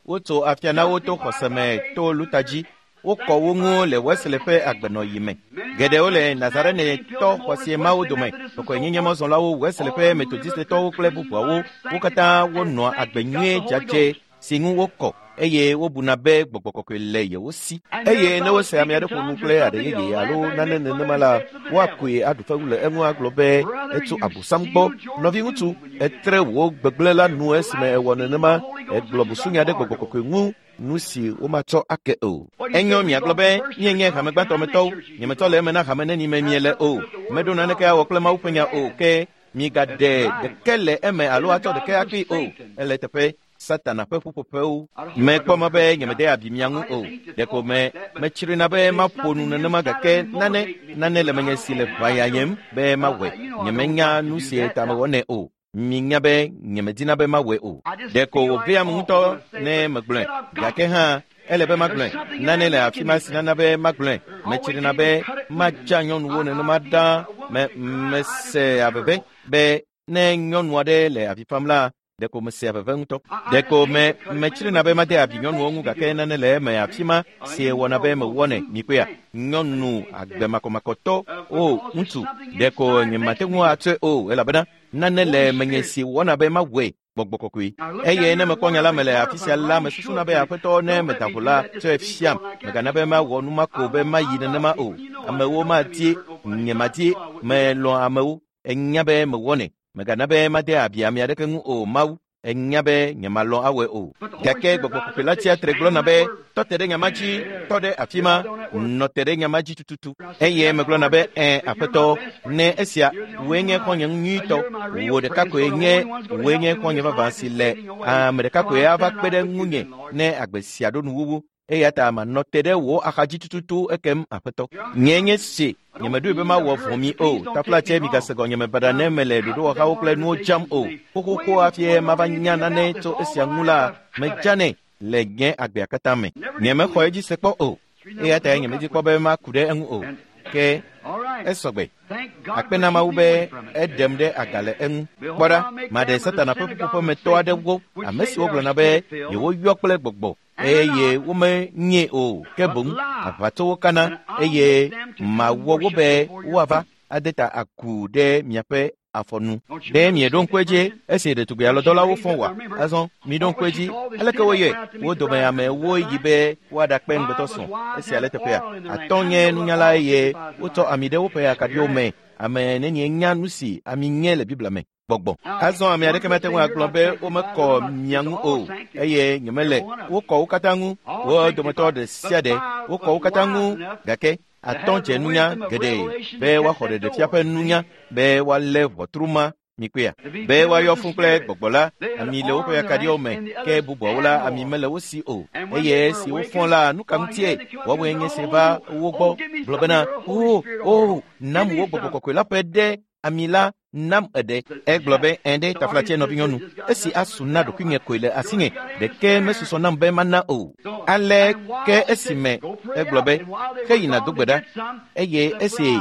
Wotso afia na wo to xɔse me to Luther dzi. Wokɔ wo ŋu le Wesley ƒe agbenɔɣi me. Geɖewo le Nazarenetɔ xɔse mawo dome, kɔkɔenyenyemɔzɔlawo, Wesley ƒe Metodistetɔwo kple bubuawo, wo katã wonɔa agbe nyuie dzadzɛ si ŋu wokɔ eye wobuna be gbɔgbɔ kɔkɔe le yewo si. Eye ne wose ame aɖe ƒo nu kple aɖe yeye alo nane nenema la, woakoe aɖu fewu le eŋu agblɔ be etso Abosam gbɔ. Nɔviŋutsu, etre wò gbegblẽ la nu esime ewɔ nenema, egblɔ busunya ɖe gbɔgbɔ kɔkɔe ŋu, nu si womatsɔ ake o. Enyo miagblɔ be míenye hame gbãtɔ me tɔwo, nyemetɔ le eme na hame neni me miele o. Meɖo naneke awɔ kple Mawu ƒe nya o, ke migaɖe ɖeke le eme alo atsɔ ɖeke akpee o. Ele teƒe Satana ƒe ƒuƒoƒewo. Mekpɔ mɔ be nyemede abi mia ŋu o. Ɖeko me metsrina be maƒo nu nenema gake nane nane le menye si le ʋãyayem be mawɔe. Nyemenya nu si ta mewɔnɛ o. Minya be nyemedina be mawɔe o. Ɖeko wòveam ŋutɔ ne megblɔe. Gake hã ele be magblɔe. Nane le afi ma si nana be magblɔe. Metsrina be madza nyɔnuwo nenema ɖaa. Me mesea veve be ne nyɔnu aɖe le avi fam la, ɖeko mesea veve ŋutɔ. Ɖeko me metsrina be made abi nyɔnuwo ŋu gake nane le eme afi ma si wɔna be mewɔnɛ. Mikpɔea? Nyɔnu agbemakɔmakɔtɔ o ŋutsu, ɖeko nyemate ŋu atsɔe o elabena nane le menye si wɔna be mawɔe. Gbɔgbɔ kɔkɔe. Eye ne mekpɔ nya la me le afi sia la, mesusuna be aƒetɔ ne meda vo la, tsɔe fiam. Megana be mawɔ nu ma ko be mayi nenema o. Amewo madi, nyemadi, melɔ̃ amewo. Enya be mewɔnɛ. Megana be made abi ame aɖeke ŋu o, Mawu. Enya be nyemalɔ̃ awɔe o. Gake gbɔgbɔ kɔkɔe la tsia tre gblɔna be tɔ te ɖe nya ma dzi, tɔ ɖe afi ma, nɔ te ɖe nya ma dzi tututu. Eye megblɔna be ẽ, aƒetɔ, ne esia wòe nye xɔ̃nye nyuitɔ, wò ɖeka koe nye wòe nye xɔ̃nye vavã si le ame ɖeka koe ava kpe ɖe ŋunye ne agbe sia ɖo nuwuwu. Eya ta manɔ te ɖe wò axadzi tututu ekem aƒetɔ. Nye nye se, nyemeɖoe be mawɔ vɔ̃ mi o. Taflatse migase gɔnyeme baɖa ne mele ɖoɖowɔhawo kple nuwo dzam o. Xoxoxo hafi mava nya nane tso esia ŋu la, medzanɛ le nye agbea katã me. Nyemexɔ edzi se kpɔ o. Eya ta nyemedi kpɔ be maku ɖe eŋu o. Ke esɔgbe. Akpe na Mawu be eɖem ɖe aga le eŋu. Kpɔ ɖa, maɖe Satana ƒe ƒuƒoƒemetɔ aɖewo, ame siwo gblɔna be yewoyɔ kple gbɔgbɔ eye womenye o, ke boŋ aʋatsowo kana eye mawɔ wo be woava ade ta aku ɖe miaƒe afɔnu. Ɖe mieɖo ŋku edzi esi ɖetugbi alɔdɔlawo fɔ wa? Azɔ miɖo ŋku edzi aleke woyɔe? Wo dome amewo yi be woaɖakpe ŋugbetɔ srɔ̃. Esia le teƒea. Atɔ̃ nye nunyala eye wotsɔ ami ɖe woƒe akaɖiwo me. Ame nenie nya nu si ami nye le Biblia me. Gbɔgbɔ. Azɔ ame aɖeke mate ŋu agblɔ be womekɔ mia ŋu o, eye nyemele. Wokɔ wo katã ŋu, wo dometɔ ɖe sia ɖe, wokɔ wo katã ŋu, gake atɔ̃ dze nunya geɖe be woaxɔ ɖeɖefia ƒe nunya be woalé ʋɔtru ma mikpea be woayɔ fũ kple gbɔgbɔ la. Ami le woƒe akaɖiwo me, ke bubuawo la ami mele wo si o. Eye esi wofɔ la, nu ka ŋutie woawoe nye si va wo gbɔ gblɔ bena, o o nam wo gbɔgbɔ kɔkɔe la ƒe ɖe ami la nam eɖe. Egblɔ be ɛ̃ ɖe taflatse nɔvinyɔnu, esi asu na ɖokuinye koe le asinye, ɖeke mesusɔ nam be mana o. Ale ke esime egblɔ be heyina do gbe ɖa, eye esi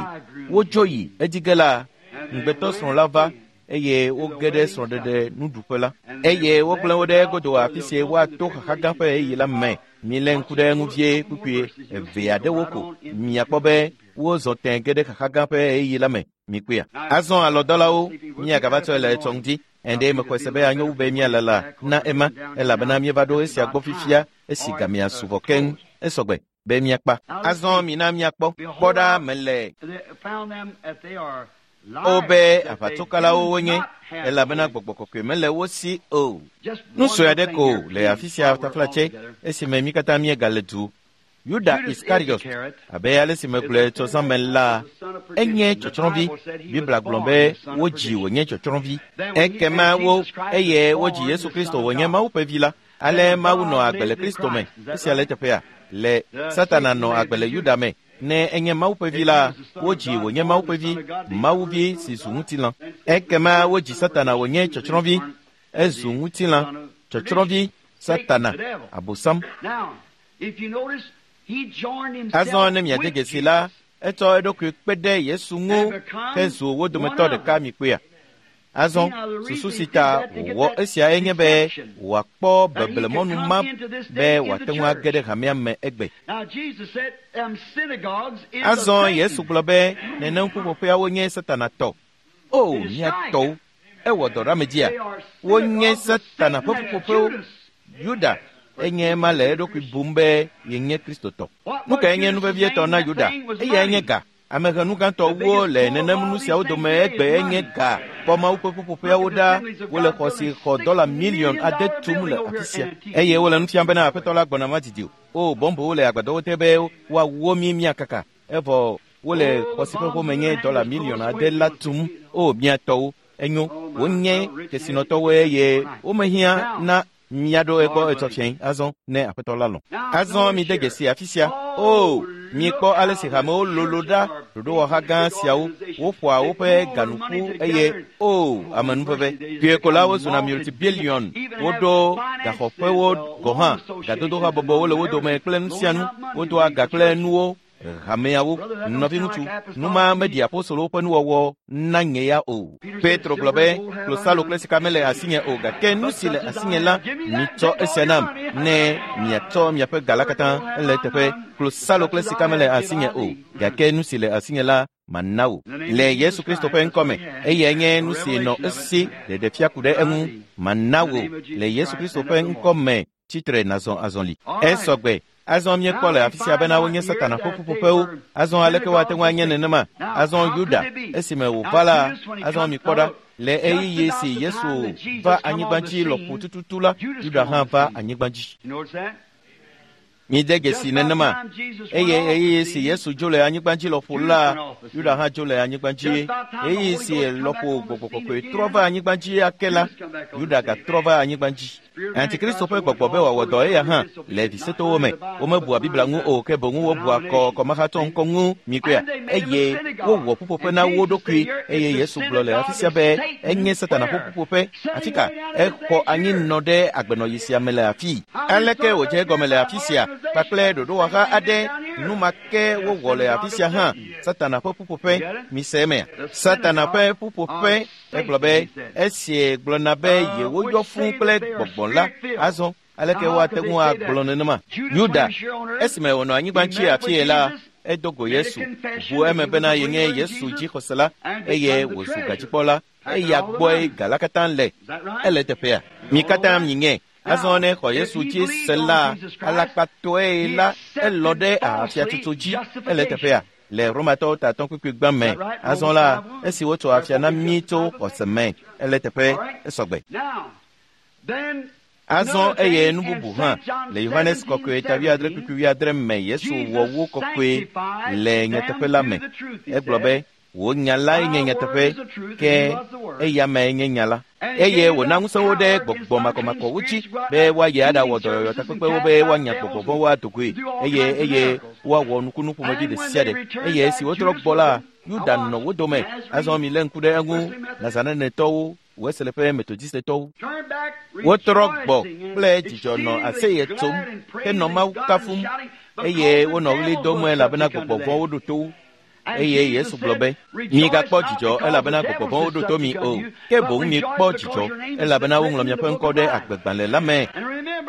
wodzo yi edzi ge la, ŋugbetɔ srɔ̃ la va eye woge ɖe srɔ̃ɖeɖe nuɖuƒe la, eye wogblẽ wo ɖe egodo afi si woato xaxa gã ƒe ɣeyiɣi la me. Milé ŋku ɖe eŋu vie kpukpui eve aɖewo ko miakpɔ be wozɔ tẽ ge ɖe xaxa gã ƒe ɣeyiɣi la me. Mikpɔea? Azɔ alɔdɔlawo miagava tsɔe le etsɔ ŋdi. Ɛ̃ mexɔe se be anyo wu be míalala na ema, elabena míeva ɖo esia gbɔ fifia esi gamea su vɔ keŋ. Esɔgbe be míakpa. Azɔ mina míakpɔ. Kpɔ ɖa mele o be aʋatsokalawo wonye, elabena gbɔgbɔ kɔkɔe mele wo si o. Nu sue aɖe ko le afi sia taflatse esime mí katã míegale du. Yuda Iskariot, abe ale si megblɔe tsɔ zã me la, enye tsɔtsrɔ̃vi. Biblia gblɔ be wodzi wònye tsɔtsrɔ̃vi. Ekema wo eye wodzi Yesu Kristo wònye Mawu ƒe vi la. Ale Mawu nɔ agbe le Kristo me. Esia le teƒea. Le Satana nɔ agbe le Yuda me. Ne enye Mawu ƒe vi la, wodzi wònye Mawu ƒe vi, Mawu vi si zu ŋutilã. Ekema wodzi Satana wònye tsɔtsrɔ̃vi. Ezu ŋutilã, tsɔtsrɔ̃vi, Satana, Abosam. Azɔ ne miade dzesi la, etsɔ eɖokui kpe ɖe Yesu ŋu hezu wo dometɔ ɖeka mikpɔea. Azɔ susu si ta wòwɔ esia enye be wòakpɔ beblemɔnu ma be wòate ŋu age ɖe hamea me egbe. Azɔ Yesu gblɔ be nenem ƒuƒoƒeawo nye Satana tɔ. O mía tɔwo, ewɔ dɔ ɖe ame dzia? Wonye Satana ƒe ƒuƒoƒewo. Yuda enye ema le eɖokui bum be yenye Kristotɔ. Nu kae nye nu vevietɔ na Yuda? Eyae nye ga. Amehenu gãtɔwo le nenem nu siawo dome egbe enye ga. Kpɔ Mawu ƒe ƒuƒoƒeawo ɖa, wole xɔ si xɔ dɔla miliɔn ade tum le afi sia. Eye wole nu fiam bena aƒetɔ la gbɔna madidi o. O bɔmbowo le agbadɔwo te be woawo mí míakaka. Evɔ wole xɔ si ƒe home nye dɔla miliɔn ade la tum. O mía tɔwo, enyo, wonye kesinɔtɔwo eye womehiã na míaɖo egbɔ etsɔ fiẽ azɔ ne aƒetɔ la lɔ̃. Azɔ mide dzesi afi sia. O miekpɔ ale si hamewo lolo ɖa ɖoɖowɔha gã siawo, woƒoa woƒe ganuƒu eye o amenuveve. Kpuie ko la wozuna multibillion, woɖo gaxɔƒewo gɔ̃ hã, gadodohabɔbɔwo le wo dome kple nu sia nu, wodoa ga kple nuwo hameawo. Nɔviŋutsu, nu ma meɖi apostolowo ƒe nuwɔwɔ na nye ya o. Petro gblɔ be klosalo kple sika mele asinye o, gake nu si le asinye la, mitsɔ esia nam ne miatsɔ miaƒe ga la katã. Ele teƒe, klosalo kple sika mele asinye o, gake nu si le asinye la mana wò le Yesu Kristo ƒe ŋkɔme. Eyae nye nu si nɔ esi ɖeɖefia ku ɖe eŋu. Mana wò le Yesu Kristo ƒe ŋkɔme. Tsitre nazɔ azɔli. Esɔgbe. Azɔ míekpɔ le afi sia bena wonye Satana ƒe ƒuƒoƒewo. Azɔ aleke woate ŋu anye nenema? Azɔ Yuda, esime wòva la, azɔ mikpɔ ɖa. Le ɣeyiɣi si Yesu va anyigba dzi lɔƒo tututu la, Yuda hã va anyigba dzi. Mide dzesi nenema. Eye ɣeyiɣi si Yesu dzo le anyigba dzi lɔƒo la, Yuda hã dzo le anyigba dzi. Ɣeyiɣi si lɔƒo gbɔgbɔ kɔkɔe trɔ va anyigba dzi ake la, Yuda gatrɔ va anyigba dzi. Antikristo ƒe gbɔgbɔ be wòawɔ dɔ eya hã le visetowo me. Womebua Biblia ŋu o, ke boŋ wobua kɔ kɔmahatsɔ ŋkɔ ŋu mikpɔea. Eye wowɔ ƒuƒoƒe na wo ɖokui. Eye Yesu gblɔ le afi sia be enye Satana ƒe ƒuƒoƒe. Afi ka exɔ anyi nɔ ɖe agbenɔɣi sia me le afii? Aleke wòdze egɔme le afi sia kpakple ɖoɖowɔha aɖe? Nu ma ke wowɔ le afi sia hã. Satana ƒe ƒuƒoƒe. Mise emea? Satana ƒe ƒuƒoƒe. Egblɔ be esie gblɔna be yewoyɔ fũu kple gbɔgbɔ la. Azɔ aleke woate ŋu agblɔ nenema? Yuda, esime wònɔ anyigba dzi afie la, edo go Yesu, ʋu eme bena yenye Yesu dzixɔsela eye wòzu gadzikpɔla. Eya gbɔe ga la katã le. Ele teƒea. Mi katã miŋe. Azɔ ne xɔ Yesu dzi se la, alakpatɔe la, elɔ ɖe ahafiatsotso dzi. Ele teƒea. Le Romatɔwo tatɔ kpekpe gbã me. Azɔ la, esi wotsɔ afia na mí tso xɔse me. Ele teƒe esɔgbe. Azɔ eye nu bubu hã le Yohanes kɔkɔe ta wuiadre kpekpe wuiadre me Yesu wɔ wo kɔkɔe le nyateƒe la me. Egblɔ be wò nya lae nye nyateƒe, ke eya mee nye nya la. Eye wòna ŋusẽwo ɖe gbɔgbɔ makɔmakɔwo dzi be woayi aɖawɔ dɔyɔyɔ takpekpewo be woanya gbɔgbɔ vɔ̃wo adogoe eye eye woawɔ nukunu ƒomevi ɖe sia ɖe. Eye esi wotrɔ gbɔ la, Yuda nɔ wo dome. Azɔ mi lé ŋku ɖe eŋu, Nazarenetɔwo, Wesley ƒe Metodistetɔwo. Wotrɔ gbɔ kple dzidzɔ nɔ aseye tsom henɔ Mawu kafum eye wonɔ ɣli dom elabena gbɔgbɔ vɔ̃wo ɖo to wo. Eye Yesu gblɔ be, migakpɔ dzidzɔ elabena gbɔgbɔ vɔ̃wo ɖo to mi o, ke boŋ mikpɔ dzidzɔ elabena woŋlɔ miaƒe ŋkɔ ɖe agbegbalẽ la me.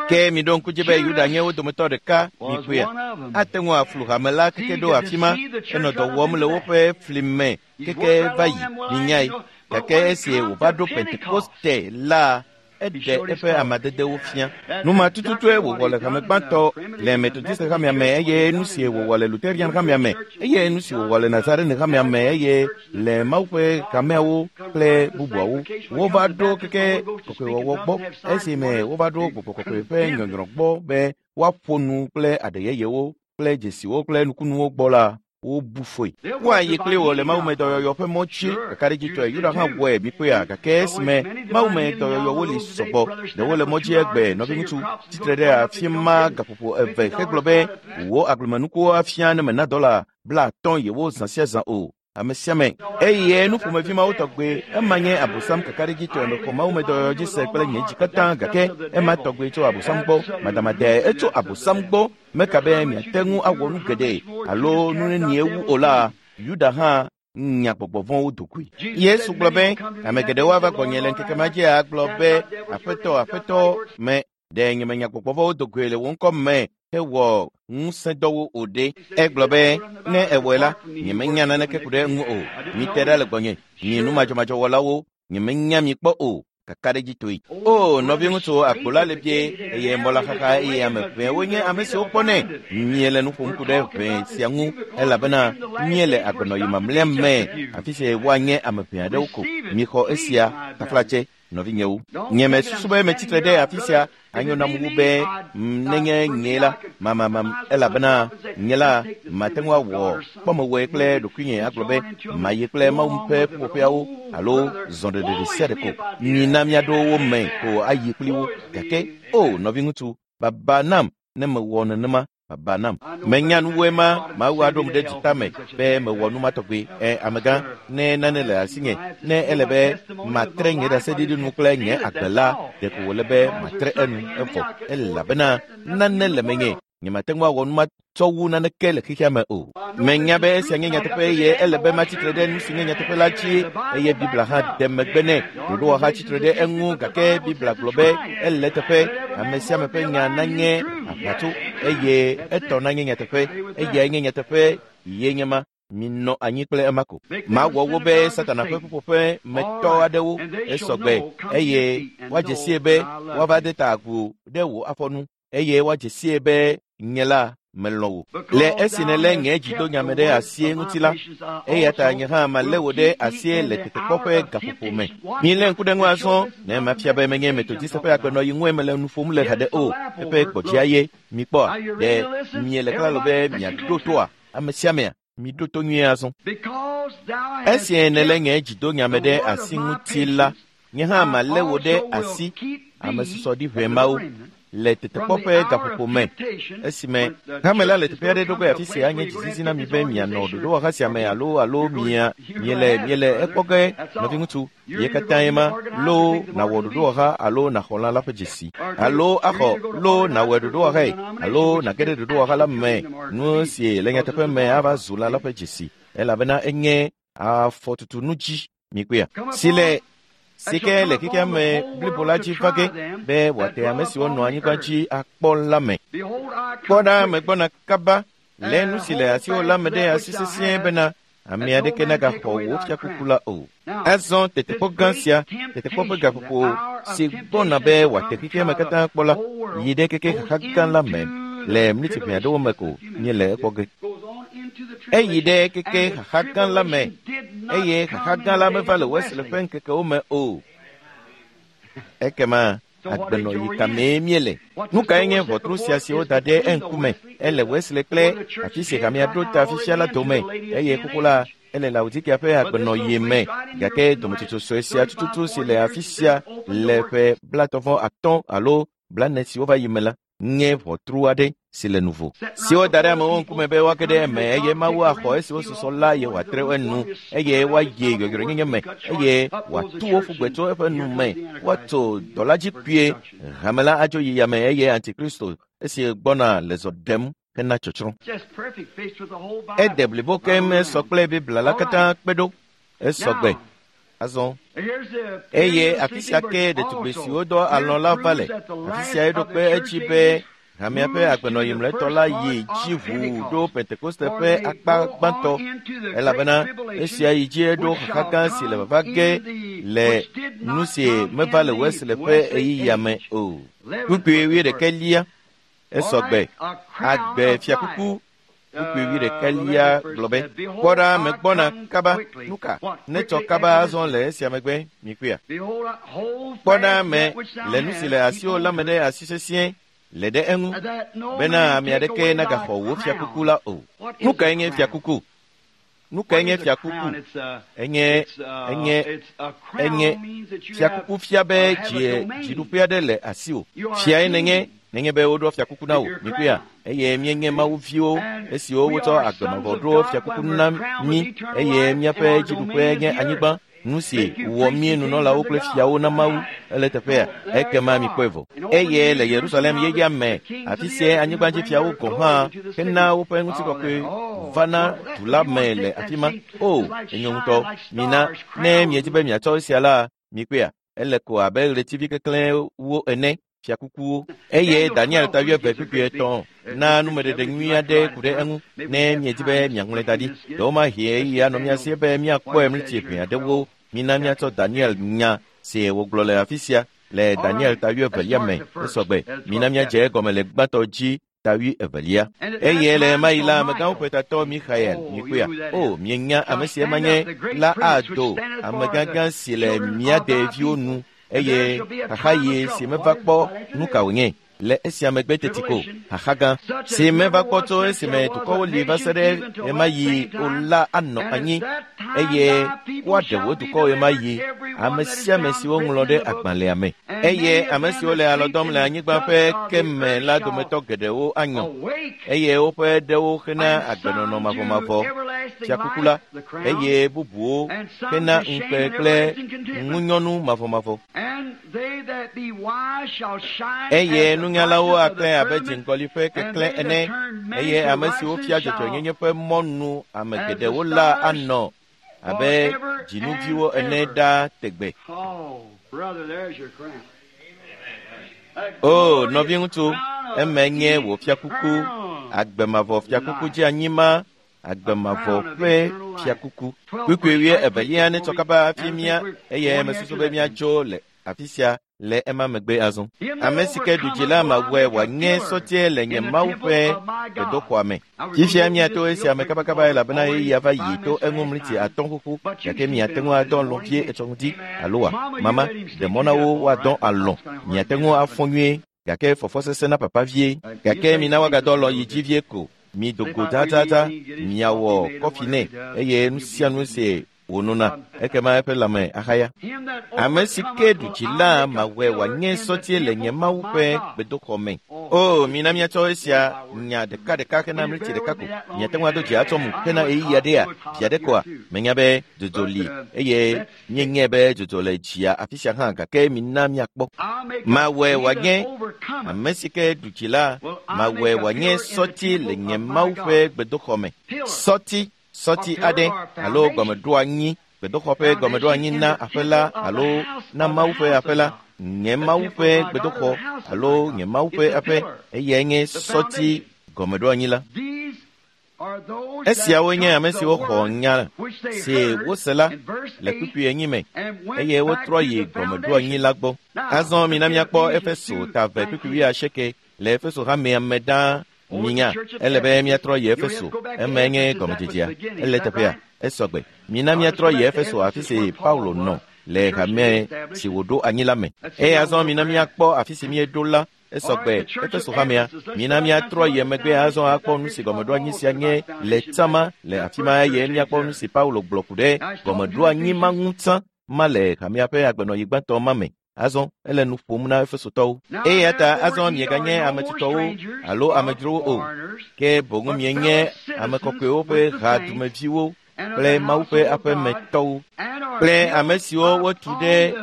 Ke miɖo ŋku dzi be Yuda nye wo dometɔ ɖeka, mikpɔea. Ate ŋu aflu hame la keke ɖo afi ma, enɔ dɔ wɔm le woƒe fli me keke va yi, minyae. Gake esi wòva ɖo Pentekoste la, eɖe eƒe amadedewo fia. Nu ma tututue wòwɔ le hame gbãtɔ le Metodist hamea me eye nu si wòwɔ le Lutheran hamea me eye nu si wòwɔ le Nazarene hamea me eye le Mawu ƒe hameawo kple bubuawo. Wova ɖo keke kɔkɔewɔwɔ gbɔ esime wova ɖo gbɔgbɔ kɔkɔe ƒe nyɔnyrɔ gbɔ be woaƒo nu kple aɖe yeyewo kple dzesiwo kple nukunuwo gbɔ la, wobu foe. Woayi kpli wò le mawumedɔyɔyɔ ƒe mɔ dzi kakaɖedzitɔe. Yuda hã wɔe mikpɔea, gake esime mawumedɔyɔyɔwo li sɔgbɔ, ɖewo le mɔ dzi egbe. Nɔviŋutsu tsitre ɖe afi ma gaƒoƒo eve hegblɔ be wò agblemenukuwo afia ne mena dɔla blaatɔ̃ yewo zã sia zã o. Ame sia ame. Eye nu ƒomevi mawo tɔgbe, ema nye Abosam kakaɖedzitɔe. Mexɔ mawumedɔyɔyɔ dzi se kple nye dzi katã, gake ema tɔgbe tso Abosam gbɔ. Madamadae etso Abosam gbɔ. Meka be miate ŋu awɔ nu geɖe alo nu nenie wu o la, Yuda hã nya gbɔgbɔ vɔ̃wo dogoe. Yesu gblɔ be, ame geɖewo ava gbɔnye le ŋkeke ma dzi agblɔ be, Aƒetɔ, Aƒetɔ, me ɖe nye menya gbɔgbɔ vɔ̃wo dogoe le wò ŋkɔ me hewɔ ŋusẽdɔwo o ɖe. Egblɔ be, ne ewɔe la, nyemenya naneke ku ɖe eŋu o. Mite ɖa le gbɔnye, mi numadzɔmadzɔwɔlawo, nyemenya mi kpɔ o. Kakaɖedzitɔe. O, nɔviŋutsu, agbo la le bie eye mɔ la xaxa eye ame ʋɛwo nye ame siwo kpɔnɛ. Míele nu ƒom ku ɖe ʋɛ sia ŋu elabena míele agbenɔyi mamlɛa me, afi si woanye ame ʋɛ aɖewo ko. Mixɔ esia taflatse, nɔvinyewo. Nye mesusu be metsitre ɖe afi sia anyo nam wu be nenye nye la mamamam, elabena nye la mate ŋu awɔ kpɔmewɔe kple ɖokuinye agblɔ be mayi kple Mawu ƒe ƒuƒoƒeawo alo zɔɖeɖe ɖe sia ɖe ko. Mina míaɖo wo me ko ayi kpli wo. Gake o nɔviŋutsu, baba nam ne mewɔ nenema. Baba nam. Menya nuwoe ma, Mawu aɖom ɖe dzitame be mewɔ nu ma tɔgbe. Ɛ, amegã, ne nane le asinye, ne ele be matre nye ɖaseɖiɖi nu kple nye agbe la, ɖeko wòle be matre enu evɔ, elabena nane le menye. Nyemate ŋu awɔ nu ma tsɔ wu naneke le xexea me o. Menya be esia nye nyateƒe eye ele be matsitre ɖe nu si nye nyateƒe la dzi eye Biblia hã de megbe nɛ. Ɖoɖowɔha tsitre ɖe eŋu gake Biblia gblɔ be ele teƒe. Ame sia ame ƒe nya nanye aʋatso eye etɔ nanye nyateƒe. Eyae nye nyateƒe ye nye ma. Minɔ anyi kple ema ko. Mawɔ wo be Satana ƒe ƒuƒoƒe metɔ aɖewo esɔgbe eye woadze sie be woava de ta agu ɖe wò afɔnu eye woadze sie be nye la melɔ̃ wò. Le esi nèlé nye dzidonyame ɖe asie ŋuti la, eya ta nye hã malé wò ɖe asie le tetekpɔ ƒe gaƒoƒo me. Milé ŋku ɖe ŋu azɔ ne mafia be menye Metodist ƒe agbenɔyi ŋue mele nu ƒom le haɖe o. Eƒe gbɔdzia ye mikpɔa, ɖe miele klalo be miaɖo toa ame sia amea? Miɖo to nyuie azɔ. Esi nèlé nye dzidonyame ɖe asi ŋuti la, nye hã malé wò ɖe asi, ame susɔ ɖi ʋɛ mawo, le tetekpɔ ƒe gaƒoƒo me. Esime hame la le teƒe aɖe ɖo ge afi sia nye dzizizi na mi be mianɔ ɖoɖowɔha sia me alo alo mia miele miele ekpɔ ge nɔviŋutsu ye katã ye ma loo nawɔ ɖoɖowɔha alo naxɔ lã la ƒe dzesi alo axɔ loo nawɔe ɖoɖowɔhae alo nage ɖe ɖoɖowɔha la me. Nu si le nyateƒe me ava zu lã la ƒe dzesi elabena enye afɔtutu nu dzi mikpɔea si le si ke le xexea me blibo la dzi va ge be wòate ame siwo nɔ anyigba dzi akpɔ la me. Kpɔ ɖa, megbɔna kaba. Lé nu si le asiwò la me ɖe asi sesĩe bena Ame aɖeke nagaxɔ wò fiakuku la o. Azɔ tetekpɔ gã sia, tetekpɔ ƒe gaƒoƒo si gbɔna be wòate xexea me katã kpɔ la, yi ɖe keke xaxa gã la me le mliti ʋɛ aɖewo me ko míele ekpɔ ge. Eyi ɖe keke xaxa gã la me eye xaxa gã la meva le Wesley ƒe ŋkekewo me o. Ekema agbenɔyi ka mee míele? Nu kae nye ʋɔtru sia si woda ɖe eŋkume? Ele Wesley kple afi si hamea ɖo ta fifia la dome eye xoxo la ele Laodikea ƒe agbenɔyi me. Gake dometsotso sue sia tututu si le afi sia le ƒe blaetɔ̃ atɔ̃ alo blaene siwo va yi me la nye ʋɔtru aɖe si le nuvo si woda ɖe amewo ŋkume be woage ɖe eme eye Mawu axɔ esiwo susɔ la eye wòatre enu eye woayi yɔyrɔenyenye me eye wòatu wo ƒu gbe tso eƒe nu me woatso dɔla dzi kpuie hame la adzo yi yame eye Antikristo esi gbɔna le zɔ ɖem hena tsɔtsrɔ̃. Ede blibo keŋ esɔ kple Biblia la katã kpe ɖo esɔ gbe. Azɔ eye afi sia ke ɖetugbi siwo dɔ alɔ̃ la va le. Afi sia eɖo kpe edzi be hamea ƒe agbenɔyi mlɔetɔ la yi dzi ʋuu ɖo Pentekoste ƒe akpa gbãtɔ elabena esia yi dzi eɖo xaxa gã si le vava ge le nu si meva le Wesley ƒe ɣeyiɣia me o. Kpukpui wuiɖekɛlia esɔ gbe agbe fiakuku. Kpukpui wuiɖekɛlia gblɔ be kpɔ ɖa megbɔna kaba. Nuka netsɔ kaba azɔ le esia megbe mikpɔea? Kpɔ ɖa me le nu si le asiwò la me ɖe asi sesĩe le ɖe eŋu bena ame aɖeke nagaxɔ wò fiakuku la o. Nu kae nye fiakuku? Nu kae nye fiakuku? Enye enye enye fiakuku fia be dzi dziɖuƒe aɖe le asiwò. Fiae nenye nenye be woɖɔ fiakuku na wò mikpɔea? Eye míenye Mawu viwo esiwo wotsɔ agbemavɔ ɖo fiakuku na mí eye míaƒe dziɖuƒe nye anyigba. Nu si wɔ mí nunɔlawo kple fiawo na Mawu ele teƒea ekema mikpɔe vɔ. Eye le Yerusalem yeyea me afi sia anyigbadzifiawo gɔ̃ hã hena woƒe ŋutikɔkɔe vana du la me le afi ma. O enyo ŋutɔ mina ne miedi be miatsɔ esia la mikpɔea ele ko abe ɣletivi keklẽwo ene fiakukuwo. Eye Daniel ta wuieve kpukpui etɔ̃ na numeɖeɖe nyui aɖe ku ɖe eŋu ne miedi be miaŋlɔe da ɖi. Ɖewomahi ɣeyiɣi anɔ mía si be míakpɔe mliti ʋɛ aɖewo. Mina míatsɔ Daniel nya si wògblɔ le afi sia le Daniel ta wuievelia me esɔgbe. Mina míadze egɔme le gbãtɔ dzi ta wuievelia. Eye le ɣemaɣi la amegãwo ƒe tatɔ Mixael mikpɔea? O mienya ame si ema nye la ado amegãgã si le mía deviwo nu eye xaxaɣi si meva kpɔ nu ka wònye le esia megbe teti ko xaxa gã si meva kpɔ tso esime dukɔwo li va se ɖe ɣemaɣi o la anɔ anyi eye woaɖe wò dukɔ ɣemaɣi ame sia ame si woŋlɔ ɖe agbalẽa me eye ame siwo le alɔ dɔm le anyigba ƒe ke me la dometɔ geɖewo anyɔ eye woƒe ɖewo hena agbenɔnɔ mavɔmavɔ fiakuku la eye bubuwo hena ŋukpe kple ŋunyɔnu mavɔmavɔ. Eye nunyalawo aklẽ abe dziŋgɔli ƒe keklẽ ene eye ame siwo fia dzɔdzɔenyenye ƒe mɔnu ame geɖewo la anɔ abe dzinuviwo ene ɖaa tegbe. O nɔviŋutsu, eme nye wò fiakuku, agbemavɔ fiakuku dzi anyi ma agbemavɔ ƒe fiakuku. Kpukpui wuievelia netsɔ kaba hafi mía eye mesusu be míadzo le afi sia le ema megbe azɔ. Ame si ke ɖu dzi la mawɔe wòanye sɔtiɛ le nye Mawu ƒe gbedoxɔa me. Fifia míato esia me kabakaba elabena ɣeyiɣia va yi to eŋu mliti atɔ̃ xoxo gake miate ŋu adɔ alɔ̃ vie etsɔ ŋdi alo wa mama ɖe mɔ na wo woadɔ alɔ̃. Miate ŋu afɔ nyuie gake fɔfɔ sesẽ na papa vie gake mina woagadɔ alɔ̃ yi dzi vie ko. Mi dogo dzadzadza miawɔ kɔfi nɛ eye nu sia nu si wònona ekema eƒe lãme axaya. Ame si ke ɖu dzi la mawɔe wòanye sɔtiɛ le nye Mawu ƒe gbedoxɔ me. O mina míatsɔ esia nya ɖekaɖeka hena mliti ɖeka ko. Miate ŋu ado dzi atsɔ mu hena ɣeyiɣi aɖea via ɖe koa? Menya be dzodzo li eye míenyae be dzodzo le dzia afi sia hã gake mina míakpɔ. Mawɔe wòanye ame si ke ɖu dzi la mawɔe wòanye sɔti le nye Mawu ƒe gbedoxɔ me. Sɔti sɔti aɖe alo gɔmeɖoanyi gbedoxɔ ƒe gɔmeɖoanyi na aƒe la alo na Mawu ƒe aƒe la nye Mawu ƒe gbedoxɔ alo nye Mawu ƒe aƒe eyae nye sɔti gɔmeɖoanyi la. Esiawo nye ame siwo xɔ nya si wose la le kpukpui enyi me eye wotrɔ yi gɔmeɖoanyi la gbɔ. Azɔ mina míakpɔ Efeso ta eve kpukpui wuiasieke le Efeso hamea me ɖaa. Minya, ele be míatrɔ yi Efeso, eme nye gɔmedzedzea. Ele teƒea, esɔgbe. Mina míatrɔ yi Efeso afi si Paulo nɔ le hame si wòɖo anyi la me. Eye azɔ mina míakpɔ afi si míeɖo la esɔgbe Efeso hamea. Mina míatrɔ yi megbe azɔ akpɔ nu si gɔmeɖoanyi sia nye le tsama le afi ma eye míakpɔ nu si Paulo gblɔ ku ɖe gɔmeɖoanyi ma ŋu tsã ma le hamea ƒe agbenɔyi gbãtɔ ma me. Azɔ ele nu ƒom na Efesotɔwo. Eya ta azɔ mieganye ame tutɔwo alo amedzrowo o, ke boŋ mienye ame kɔkɔewo ƒe hadumeviwo kple Mawu ƒe aƒemetɔwo kple ame siwo wotu ɖe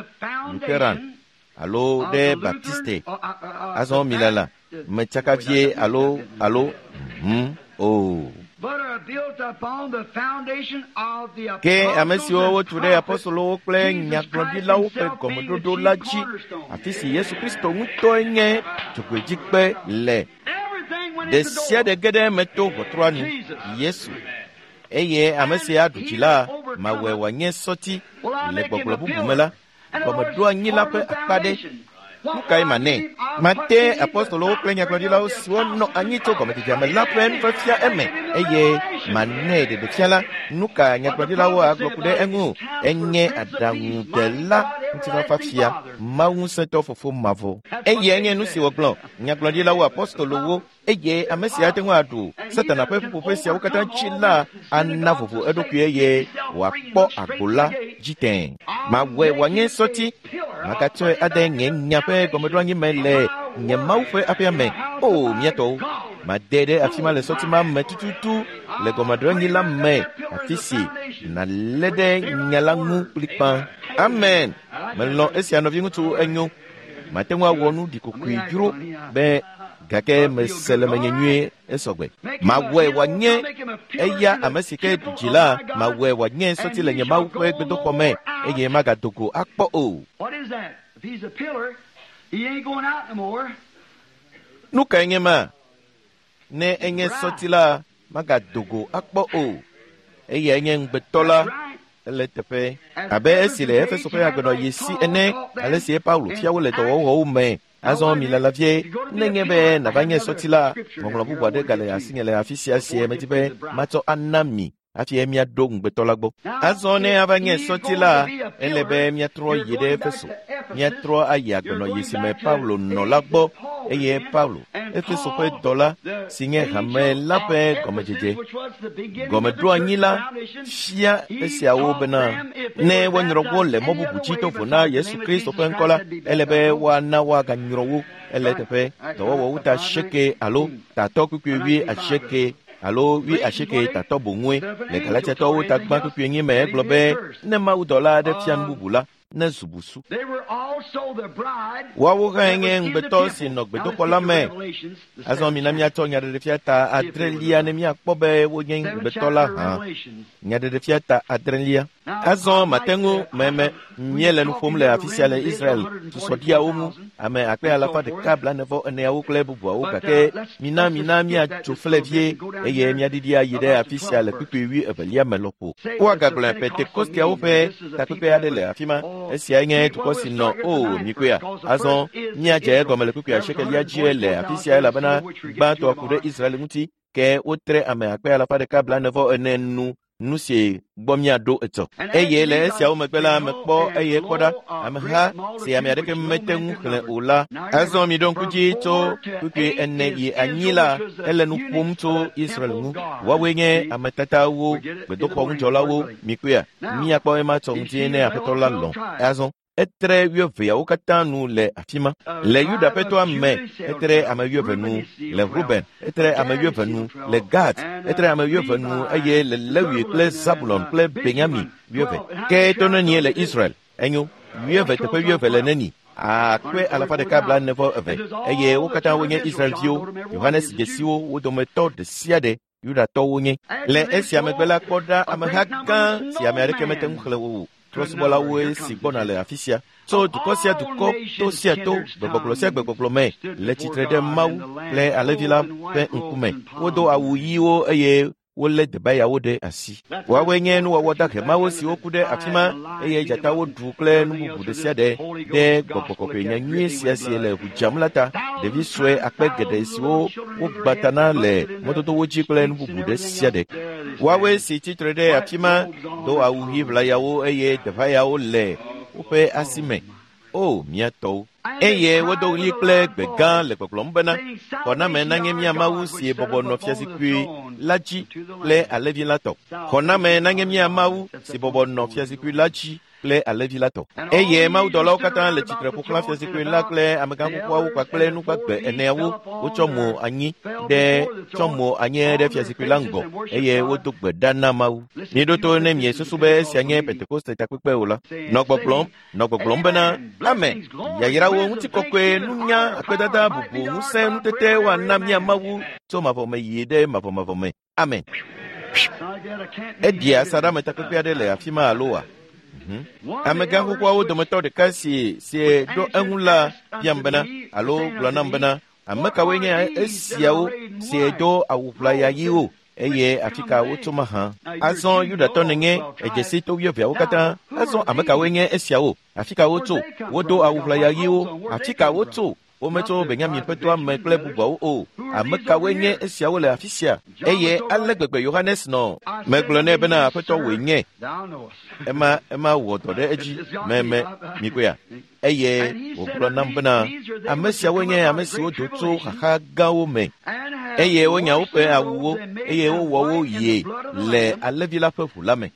Lutheran alo ɖe Baptiste. Azɔ milala metsaka vie alo alo hmm o. Ke ame siwo wotu ɖe apostolowo kple nyagblɔɖilawo ƒe gɔmeɖoɖo la dzi, afi si Yesu Kristo ŋutɔe nye dzogoedzikpe le. Ɖe sia ɖe ge ɖe eme to ʋɔtrua nu, Yesu. Eye ame si aɖu dzi la, mawɔe wòanye sɔti le gbɔgblɔ bubu me la, gɔmeɖoanyi la ƒe akpa ɖe. Nu kae manɛ? Mate apostolowo kple nyagblɔɖilawo siwo nɔ anyi tso gɔmedzedzea me la ƒe nufiafia eme eye manɛ ɖeɖefia la. Nu ka nyagblɔɖilawo agblɔ ku ɖe eŋu? Enye aɖaŋudela ŋutifafafia, Mawu ŋusẽtɔ fofo mavɔ. Eyae nye nu si wògblɔ nyagblɔɖilawo apostolowo eye ame si ate ŋu aɖu Satana ƒe ƒuƒoƒe siawo katã dzi la ana vovo eɖokui eye wòakpɔ agbo la dzi tẽe. Mawɔe wòanye sɔti, magatsɔe ade nye nya ƒe gɔmeɖoanyi me le nye Mawu ƒe aƒea me. O mía tɔwo, made ɖe afi ma le sɔti ma me tututu le gɔmeɖoanyi la me, afi si nàlé ɖe nya la ŋu kplikpã. Amen. Melɔ̃ esia nɔviŋutsu enyo. Mate ŋu awɔ nu ɖikokoe dzro be gake mese le menye nyuie esɔgbe. Mawɔe wòanye eya ame si ke ɖu dzi la, mawɔe wòanye sɔti le nye Mawu ƒe gbedoxɔ me eye magado go akpɔ o. Nu kae nye ma? Ne enye sɔti la, magado go akpɔ o. Eyae nye ŋugbetɔ la. Ele teƒe abe esi le Efeso ƒe agbenɔyi si ene, ale si Paulo fia wo le dɔwɔwɔwo me. Azɔ milala vie, nenye be nava nye sɔti la, ŋɔŋlɔ bubu aɖe gale asinye le afi sia sie medi be matsɔ ana mi hafi míaɖo ŋugbetɔ la gbɔ. Azɔ ne ava nye sɔti la, ele be míatrɔ yi ɖe Efeso, míatrɔ ayi agbenɔyi si me Paulo nɔ la gbɔ eye Paulo, Efeso ƒe dɔla si nye hame la ƒe gɔmedzedze, gɔmeɖoanyi la fia esiawo bena ne woanyrɔ wo le mɔ bubu dzi to vo na Yesu Kristo ƒe ŋkɔ la, ele be woana woaganyrɔ wo. Ele teƒe dɔwɔwɔwo ta asieke alo tatɔ kpukpui wui asieke alo wui asieke tatɔ boŋue le Galatiatɔwo ta gbã kpukpui enyi me egblɔ be ne mawudɔla aɖe fia nu bubu la, ne zu busu. Woawo hã nye ŋugbetɔ si nɔ gbedoxɔ la me. Azɔ mina míatsɔ nyaɖeɖefia ta adrelia ne míakpɔ be wonye ŋugbetɔ la hã. Nyaɖeɖefia ta adrelia. Azɔ mate ŋu meme míele nu ƒom le afi sia le Israel susɔɖiawo ŋu, ame akpe alafa ɖeka blaene vɔ eneawo kple bubuawo gake mina mina míatso fle vie eye míaɖiɖi ayi ɖe afi sia le kpukpui wui evelia me lɔƒo. Woagagblɔ Pentekosteawo ƒe takpekpe aɖe le afi ma. Esiae nye dukɔ si nɔ o mikoea. Azɔ míadze egɔme le kpukpui asiekelia dzie le afi sia elabena gbãtɔ ku ɖe Israel ŋuti ke wotre ame akpe alafa ɖeka blaene vɔ ene nu nu si gbɔ míaɖo etɔ. Eye le esiawo megbe la mekpɔ eye kpɔ ɖa ameha si ame aɖeke mete ŋu xlẽ o la. Azɔ miɖo ŋku dzi tso kpukpui ene yi anyi la, ele nu ƒom tso Israel ŋu. Woawoe nye ame tatawo, gbedoxɔ ŋudzɔlawo. Mikpɔea, míakpɔ ema tsɔ ŋuti ne Aƒetɔ la lɔ̃. Azɔ etre wuieveawo katã nu le afi ma. Le Yuda ƒe toa me, etre ame wuieve nu. Le Ruben, etre ame wuieve nu. Le Gad, etre ame wuieve nu eye le Lewi kple Zabulon kple Benyamin wuieve. Ke to nenie le Israel? Enyo, wuieve teƒe wuieve le neni? Akpe alafa ɖeka blaene vɔ eve eye wo katã wonye Israelviwo. Yohanes dzesiwo wo dometɔ ɖe sia ɖe Yudatɔwo nye. Le esia megbe la kpɔ ɖa ameha gã si ame aɖeke mete ŋu xlẽ o. Trɔ̃subɔlawoe si gbɔna le afi sia. Tso dukɔ sia dukɔ, to sia to, gbegbɔgblɔ sia gbegbɔgblɔ me le tsitre ɖe Mawu kple Alẽvi la ƒe ŋkume. Wodo awu ɣiwo eye Wolé debayawo ɖe asi. Woawoe nye nuwɔwɔ dahemawo siwo ku ɖe afi ma eye dzatawo ɖu kple nu bubu ɖe sia ɖe ɖe gbɔgbɔ kɔkɔe nyanyui sia si le ʋu dzam la ta. Ɖevi sue akpe geɖe siwo wogbã ta na le mɔdodowo dzi kple nu bubu ɖe sia ɖe. Woawoe si tsitre ɖe afi ma do awu ɣi ʋlayawo eye debayawo le woƒe asi me. O mía tɔwo! Eye wodo ɣli kple gbe gã le gbɔgblɔm bena, xɔname nanye mía Mawu si bɔbɔ nɔ fiazikpui la dzi kple alẽvi la tɔ. Xɔname nanye mía Mawu si bɔbɔ nɔ fiazikpui la dzi kple alẽvi la tɔ. Eye mawudɔlawo katã le tsitre ƒo xlã fiazikpui la kple amegã xoxoawo kpakple nugbagbe eneawo. Wotsɔ mo anyi ɖe tsɔ mo anyi ɖe fiazikpui la ŋgɔ eye wodo gbe ɖa na Mawu. Miɖo to ne miesusu be esia nye Pentekoste takpekpe o la. Nɔ gbɔgblɔm, nɔ gbɔgblɔm bena, Amen. Yayrawo, ŋutikɔkɔe, nunya, akpedada, bubu, ŋusẽ, nutete woana mía Mawu tso mavɔme yi ɖe mavɔmavɔ me. Amen. Eɖia asaɖame takpekpe aɖe le afi ma alo wa? Amegã xoxoawo dometɔ ɖeka si si ɖo eŋu la biam bena alo gblɔ nam bena, ame kawoe nye esiawo si do awu ʋlaya ɣiwo eye afi ka wotso mahã? Azɔ Yudatɔ nenye edzesi to wuieveawo katã. Azɔ ame kawoe nye esiawo? Afi ka wotso? Wodo awu ʋlaya ɣiwo. Afi ka wotso? Wometso Benyamin ƒe toa me kple bubuawo o. Ame kawoe nye esiawo le afi sia? Eye ale gbegbe Yohanes nɔ. Megblɔ nɛ bena aƒetɔ wòe nye. Ema ema wɔ dɔ ɖe edzi meme mikpɔea. Eye wògblɔ nam bena ame siawoe nye ame siwo do tso xaxa gãwo me. Eye wonya woƒe awuwo eye wowɔ wo ɣie le alẽvi la ƒe ʋu la me.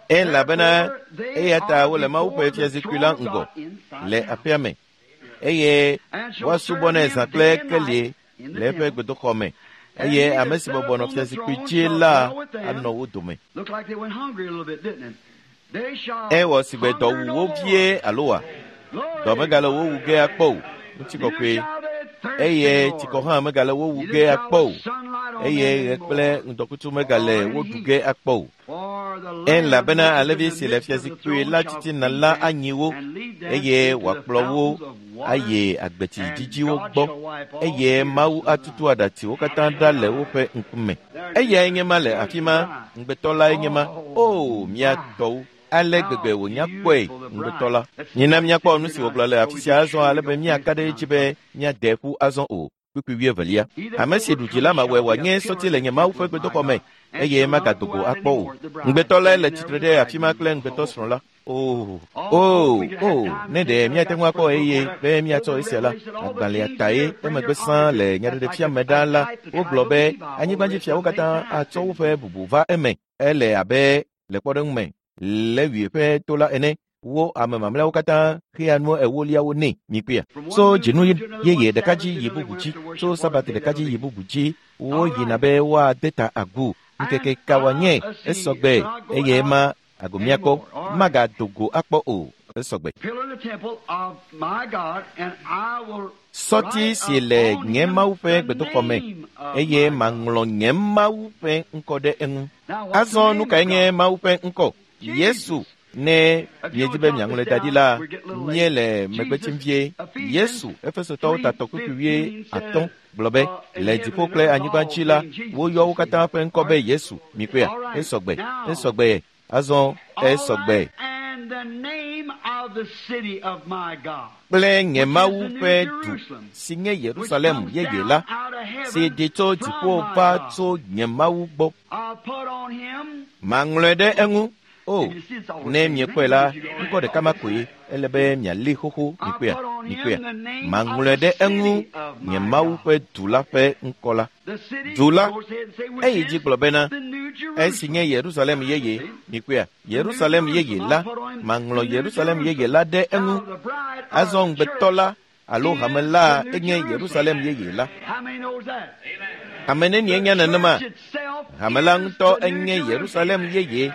Elabena eya ta wole Mawu ƒe fiazikpui la ŋgɔ le aƒea me. Eye woasubɔ nɛ zã kple kelie le eƒe gbedoxɔ me. Eye ame si bɔbɔ nɔ fiazikpui dzi la anɔ wo dome. Ewɔ sigbe dɔ wu wo vie alo wa? Dɔ megale wo wu ge akpɔ o. Ŋutikɔkɔe. Eye tsikɔ hã megale wo wu ge akpɔ o. Eye ɣe kple ŋdɔkutsu megale wo ɖu ge akpɔ o. Elabena alẽvi si le fiazikpui la titina la anyi wo eye wòakplɔ wo ayi agbetsi dzidziwo gbɔ eye Mawu atutu aɖatsiwo katã ɖa le woƒe ŋkume. Eyae nye ma le afi ma, ŋugbetɔ lae nye ma. O mía tɔwo! Ale gbegbe wònya kpɔe ŋugbetɔ la. Mina míakpɔ nu si wògblɔ le afi sia azɔ ale be míaka ɖe edzi be míade ƒu azɔ o. Kpukpui wuievelia. Ame si ɖu dzi la mawɔe wòanye sɔti le nye Mawu ƒe gbedoxɔ me eye magado go akpɔ o. Ŋugbetɔ lae le tsitre ɖe afi ma kple ŋugbetɔsrɔ̃ la. Oh, oh, oh, ne ɖe míate ŋu akpɔ eye be míatsɔ esia la, agbalẽa tae emegbe sãa le nyaɖeɖefia me ɖaa la, wogblɔ be anyigbadzifiawo katã atsɔ woƒe bubu va eme. Ele abe le kpɔɖeŋu me, Lewi ƒe to la ene. Wo ame mamlɛawo katã xea nu ewoliawo nɛ mikpɔea. Tso dzinu yeye ɖeka dzi yi bubu dzi, tso sabati ɖeka dzi yi bubu dzi, woyina be woade ta agu. Ŋkeke ka wòanye esɔgbe eye ma ago míakpɔ magado go akpɔ o esɔgbe. Sɔti si le nye Mawu ƒe gbedoxɔ me eye maŋlɔ nye Mawu ƒe ŋkɔ ɖe eŋu. Azɔ nu kae nye Mawu ƒe ŋkɔ? Yesu. Ne miedzi be miaŋlɔe da ɖi la, míele megbe tsim vie. Yesu, Efesotɔwo tatɔ kpukpui wui atɔ̃ gblɔ be le dziƒo kple anyigba dzi la, woyɔ wo katã ƒe ŋkɔ be Yesu. Mikpɔea? Esɔgbe, esɔgbe, azɔ esɔgbe. Kple nye Mawu ƒe du si nye Yerusalem yeye la, si ɖi tso dziƒo va tso nye Mawu gbɔ. Maŋlɔe ɖe eŋu. O, ne miekpɔe la, ŋkɔ ɖeka ma koe ele be miali xoxo mikpɔea, mikpɔea. Maŋlɔe ɖe eŋu nye Mawu ƒe du la ƒe ŋkɔ la. Du la, eyi dzi gblɔ bena, esi nye Yerusalem yeye, mikpɔea, Yerusalem yeye la, maŋlɔ Yerusalem yeye la ɖe eŋu. Azɔ ŋugbetɔ la alo hame la enye Yerusalem yeye la. Ame nenie nya nenema? Hame la ŋutɔ enye Yerusalem yeye.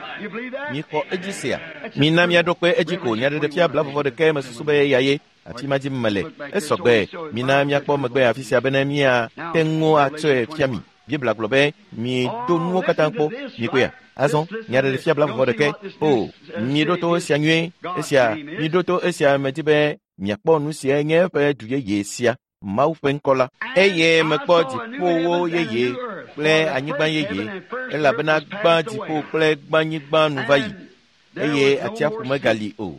Mixɔ edzi sia. Mina míaɖo kpe edzi ko nyaɖeɖefia blavɔvɔ ɖekae mesusu be eya ye. Afi ma dzim mele. Esɔgbe. Mina míakpɔ megbe afi sia bene míate ŋu atsɔe fia mi. Biblia gblɔ be mido nuwo katã kpɔ. Mikpɔea? Azɔ nyaɖeɖefia blavɔvɔ ɖekae. O, miɖo to esia nyuie. Esia, miɖo to esia medi be miakpɔ nu siae nye eƒe du yeye sia. Mawu ƒe ŋkɔ la. Eye mekpɔ dziƒowo yeye kple anyigba yeye, elabena gbã dziƒo kple gbãnyigba nu va yi, eye atsiaƒu megali o.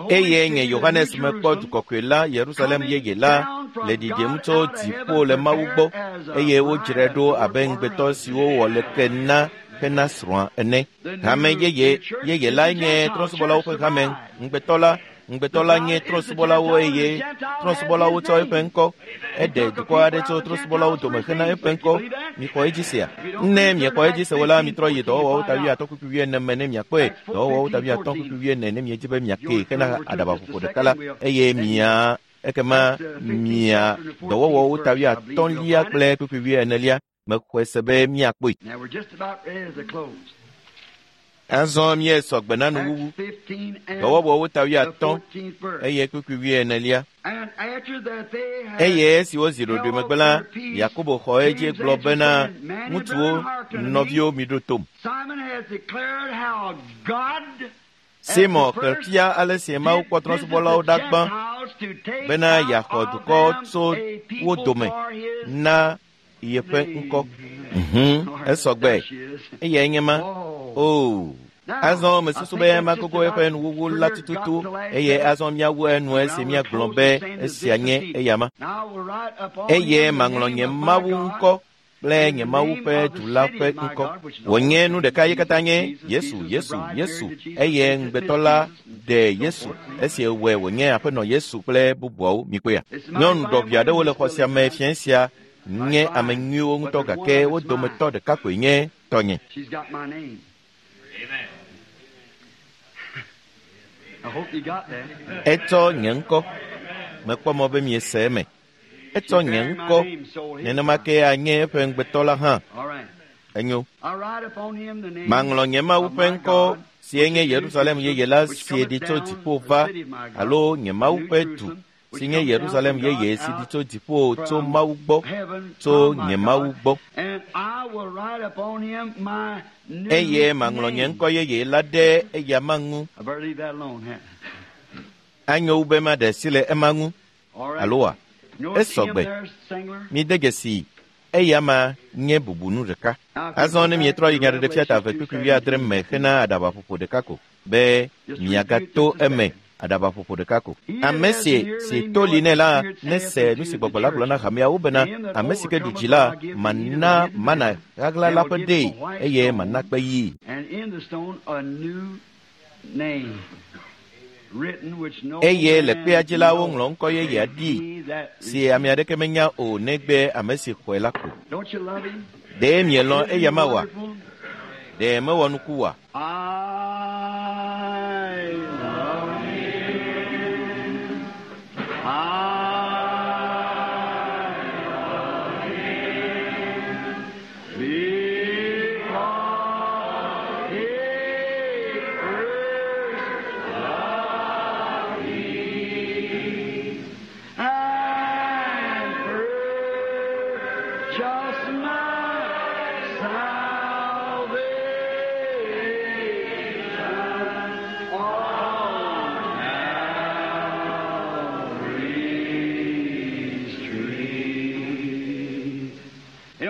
Eye nye Yohanes mekpɔ du kɔkɔe la, Yerusalem yeye la, le ɖiɖim tso dziƒo le Mawu gbɔ, eye wodzrae ɖo abe ŋugbetɔ siwo wɔ leke na hena srɔ̃a ene. Hame yeye yeye lae nye trɔ̃subɔlawo ƒe hame. Ŋugbetɔ la ŋugbetɔ la nye trɔ̃subɔlawo eye trɔ̃subɔlawo tsɔ eƒe ŋkɔ. Eɖe dukɔ aɖe tso trɔ̃subɔlawo dome hena eƒe ŋkɔ. Mixɔ edzi sea? Ne miexɔ edzi se o la, mitrɔ yi dɔwɔwɔwo ta wuiatɔ̃ kpukpui wuiene me ne miakpɔe. Dɔwɔwɔwo ta wuiatɔ̃ kpukpui wuiene ne miedzi be miakee hena aɖabaƒoƒo ɖeka la, eye mia ekema mia dɔwɔwɔwo ta wuiatɔ̃lia kple kpukpui wuienelia. Mexɔe se be miakpɔe. Azɔ míesɔ gbe na nuwuwu. Dɔwɔwɔwo ta wuiatɔ̃ eye kpukpui wuienelia. Eye esi wozi ɖoɖoe megbe la, Yakobo xɔ edzi gblɔ bena, ŋutsuwo, nɔviwo, miɖo tom. Simon xlẽ fia ale si Mawu kpɔ trɔ̃subɔlawo ɖa gbã bena yeaxɔ dukɔ tso wo dome na yeƒe ŋkɔ. Mhm, esɔ gbe. Eyae nye ma. Oo. Azɔ mesusu be magogo eƒe nuwuwu la tututu eye azɔ míawu enu esi míagblɔ be esia nye eyama. Eye maŋlɔ nye Mawu ŋkɔ kple nye Mawu ƒe du la ƒe ŋkɔ. Wònye nu ɖeka ye katã nye Yesu, Yesu, Yesu. Eye ŋugbetɔ la ɖe Yesu esi wɔe wònye aƒenɔ Yesu kple bubuawo. Mikpɔea? Nyɔnu ɖɔʋi aɖewo le xɔ sia me fiẽ sia nye ame nyuiwo ŋutɔ gake wo dometɔ ɖeka koe nye tɔnye. Etsɔ nye ŋkɔ. Mekpɔ mɔ be miese eme. Etsɔ nye ŋkɔ. Nenema ke anye eƒe ŋugbetɔ la hã. Enyo. Maŋlɔ nye Mawu ƒe ŋkɔ si nye Yerusalem yeye la si ɖi tso dziƒo va, alo nye Mawu ƒe du si nye Yerusalem yeye si ɖi tso dziƒo tso Mawu gbɔ, tso nye Mawu gbɔ. Eye maŋlɔ nye ŋkɔ yeye la ɖe eyama ŋu. Anyo wu be maɖe asi le ema ŋu, alo wa? Esɔ gbe. Mide dzesi eyama nye bubunu ɖeka. Azɔ ne mietrɔ yi Nyaɖeɖefia ta eve kpukpui wuiadre me hena aɖabaƒoƒo ɖeka ko be miagato eme aɖabaƒoƒo ɖeka ko. Ame si si to li nɛ la nese nu si gbɔgbɔ la gblɔ na hameawo bena ame si ke ɖu dzi la mana mana ɣaɣla la ƒe ɖee eye mana kpe yii. Eye le kpea dzi la woŋlɔ ŋkɔ yeye ɖi si ame aɖeke menya o negbe ame si xɔe la ko. Ɖe mielɔ̃ eyama oa? Ɖe mewɔ nuku oa?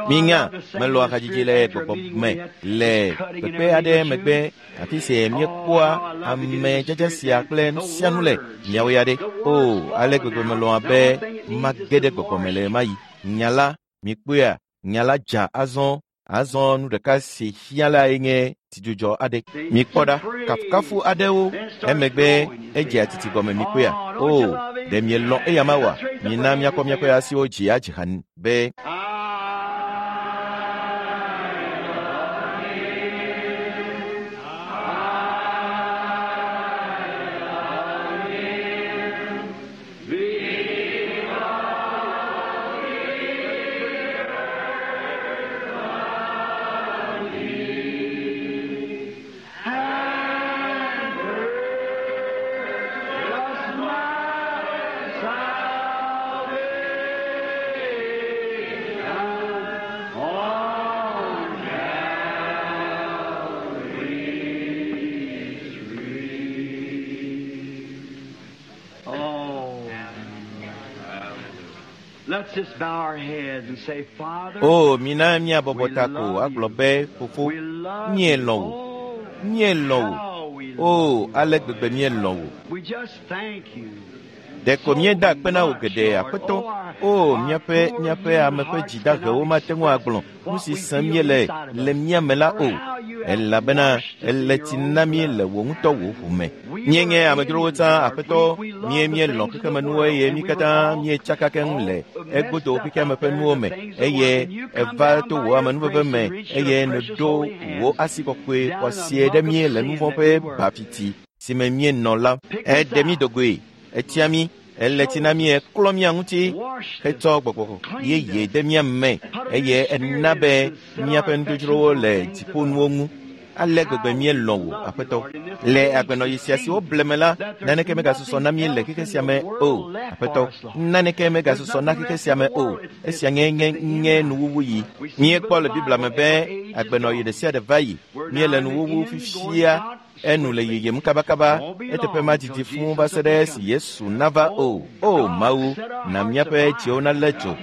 Minya melɔa hadzidzi le gbɔgbɔ me le kpekpe aɖe megbe afi si míekpɔa ame dzedze sia kple nu sia nu le miawo ya ɖe. O, ale gbegbe melɔa be mage ɖe gbɔgbɔ me le ɣemaɣi. Nya la, mikpɔea, nya la dza azɔ. Azɔ nu ɖeka si hiã lae nye tsidzudzɔ aɖe. Mikpɔ ɖa, kafukafu aɖewo emegbe edzea titi gɔme mikpɔea. O, ɖe mielɔ̃ eyama oa? Mina míakɔ míaƒe asiwo dzi adzi ha be. Salvation. Let's just bow our heads and say, Father, O mina míabɔbɔ ta ko agblɔ be fofo we love míelɔ̃ you. wò Oh, míelɔ̃ wò how we o love you. ale gbegbe míelɔ̃ wò We just thank you. ɖeko míeda akpe na wò geɖe aƒetɔ o míaƒe míaƒe ame ƒe dzidahewo mate ŋu agblɔ nu si sẽm míele le mía me la o elabena ele tsi na mí le wò ŋutɔ wò ʋu me míenye amedzrowo tsã aƒetɔ mie míelɔ̃ xexemenuwo eye mí katã míetsaka keŋ le egodo xexeame ƒe nuwo me eye eva to wò amenuveve me eye nèɖo wò asi kɔkɔe xɔasie ɖe mí le nu vɔ̃ ƒe bafiti si me míenɔ la eɖe mí dogoe etia mí ele tsi na mí eklɔ mía ŋuti hetsɔ gbɔgbɔ yeye de mía me eye ena be míaƒe nudzodzrowo le dziƒonuwo ŋu ale gbegbe míelɔ̃ wò aƒetɔ le agbenɔɣi sia si woble me la naneke megasusɔ na mí le xexe sia me o aƒetɔ naneke megasusɔ na xexe sia me o esia nye nye nye nuwuwu yi míekpɔ le biblia me be agbenɔɣi ɖe sia ɖe va yi míele nuwuwu fifia enu le yiyim kabakaba eteƒe madidi fũu va se ɖe esi yesu nava o o mawu na míaƒe dziwo nalé dzo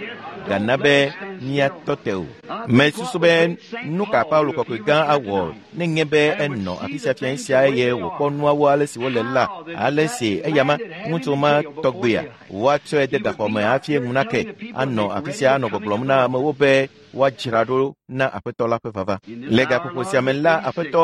gana be míatɔ te o mesusu be nu ka paulo kɔkɔe gã awɔ ne nye be enɔ afi sia fia sia eye wòkpɔ nuawo ale si wole la ale si eyama ŋutsu ma tɔgbea woatsɔe de gaxɔ me hafi eŋu nake anɔ afi sia anɔ gbɔgblɔm na amewo be woadzra ɖo na aƒetɔ la ƒe vava le gaƒoƒo sia me la aƒetɔ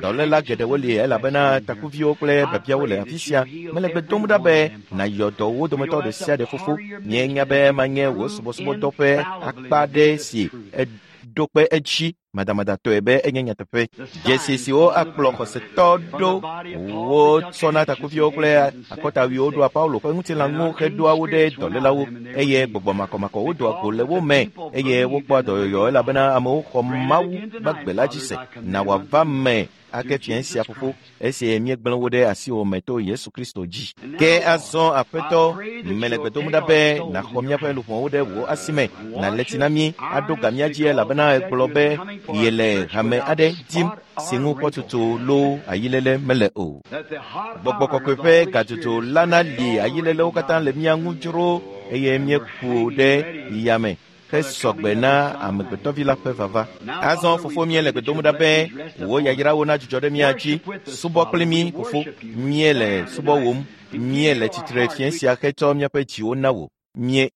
dɔléla geɖewo li elabena takuviwo kple biabiawo le afi sia mele gbe dom ɖa be nàyɔ dɔ wo dometɔ ɖe sia ɖe fofo míenya be manye wò subɔsubɔdɔ ƒe akpa ɖe si eɖo kpe edzi madamadatɔe be enye nyateƒe dzesi siwo akplɔ xɔsetɔ ɖo wotsɔna takuviwo kple akɔtawiwo ɖoa paulo ƒe ŋutilã ŋu heɖoa wo ɖe dɔlélawo eye gbɔgbɔ makɔmakɔwo doa go le wo me eye wokpɔa dɔyɔyɔ elabena amewo xɔ mawu gbagbe la dzi se na wòava me ake fia sia fofo esi míegblẽ wo ɖe asiwò me to yesu kristo dzi ke azɔ aƒetɔ mele gbe dom ɖa be nàxɔ míaƒe luʋɔwo ɖe wò asi me nàlé tsi na mí aɖo ga mía dzi elabena egblɔ be yele hame aɖe dim si ŋu kpɔtutu loo ayilele mele o That the hot gbɔgbɔ iron kɔkɔe of the ƒe Holy gadzodzo Spirit la nali ayilelewo katã le mía ŋu dzro eye míeku ɖe yame hesɔgbe na amegbetɔvi la ƒe vava azɔ fofo míele gbe dom ɖa be wò yayrawo nadzudzɔ ɖe mía dzi subɔ kpli mí fofo míele subɔwòm míele tsitre fiẽ sia hetsɔ míaƒe dziwo na wò mie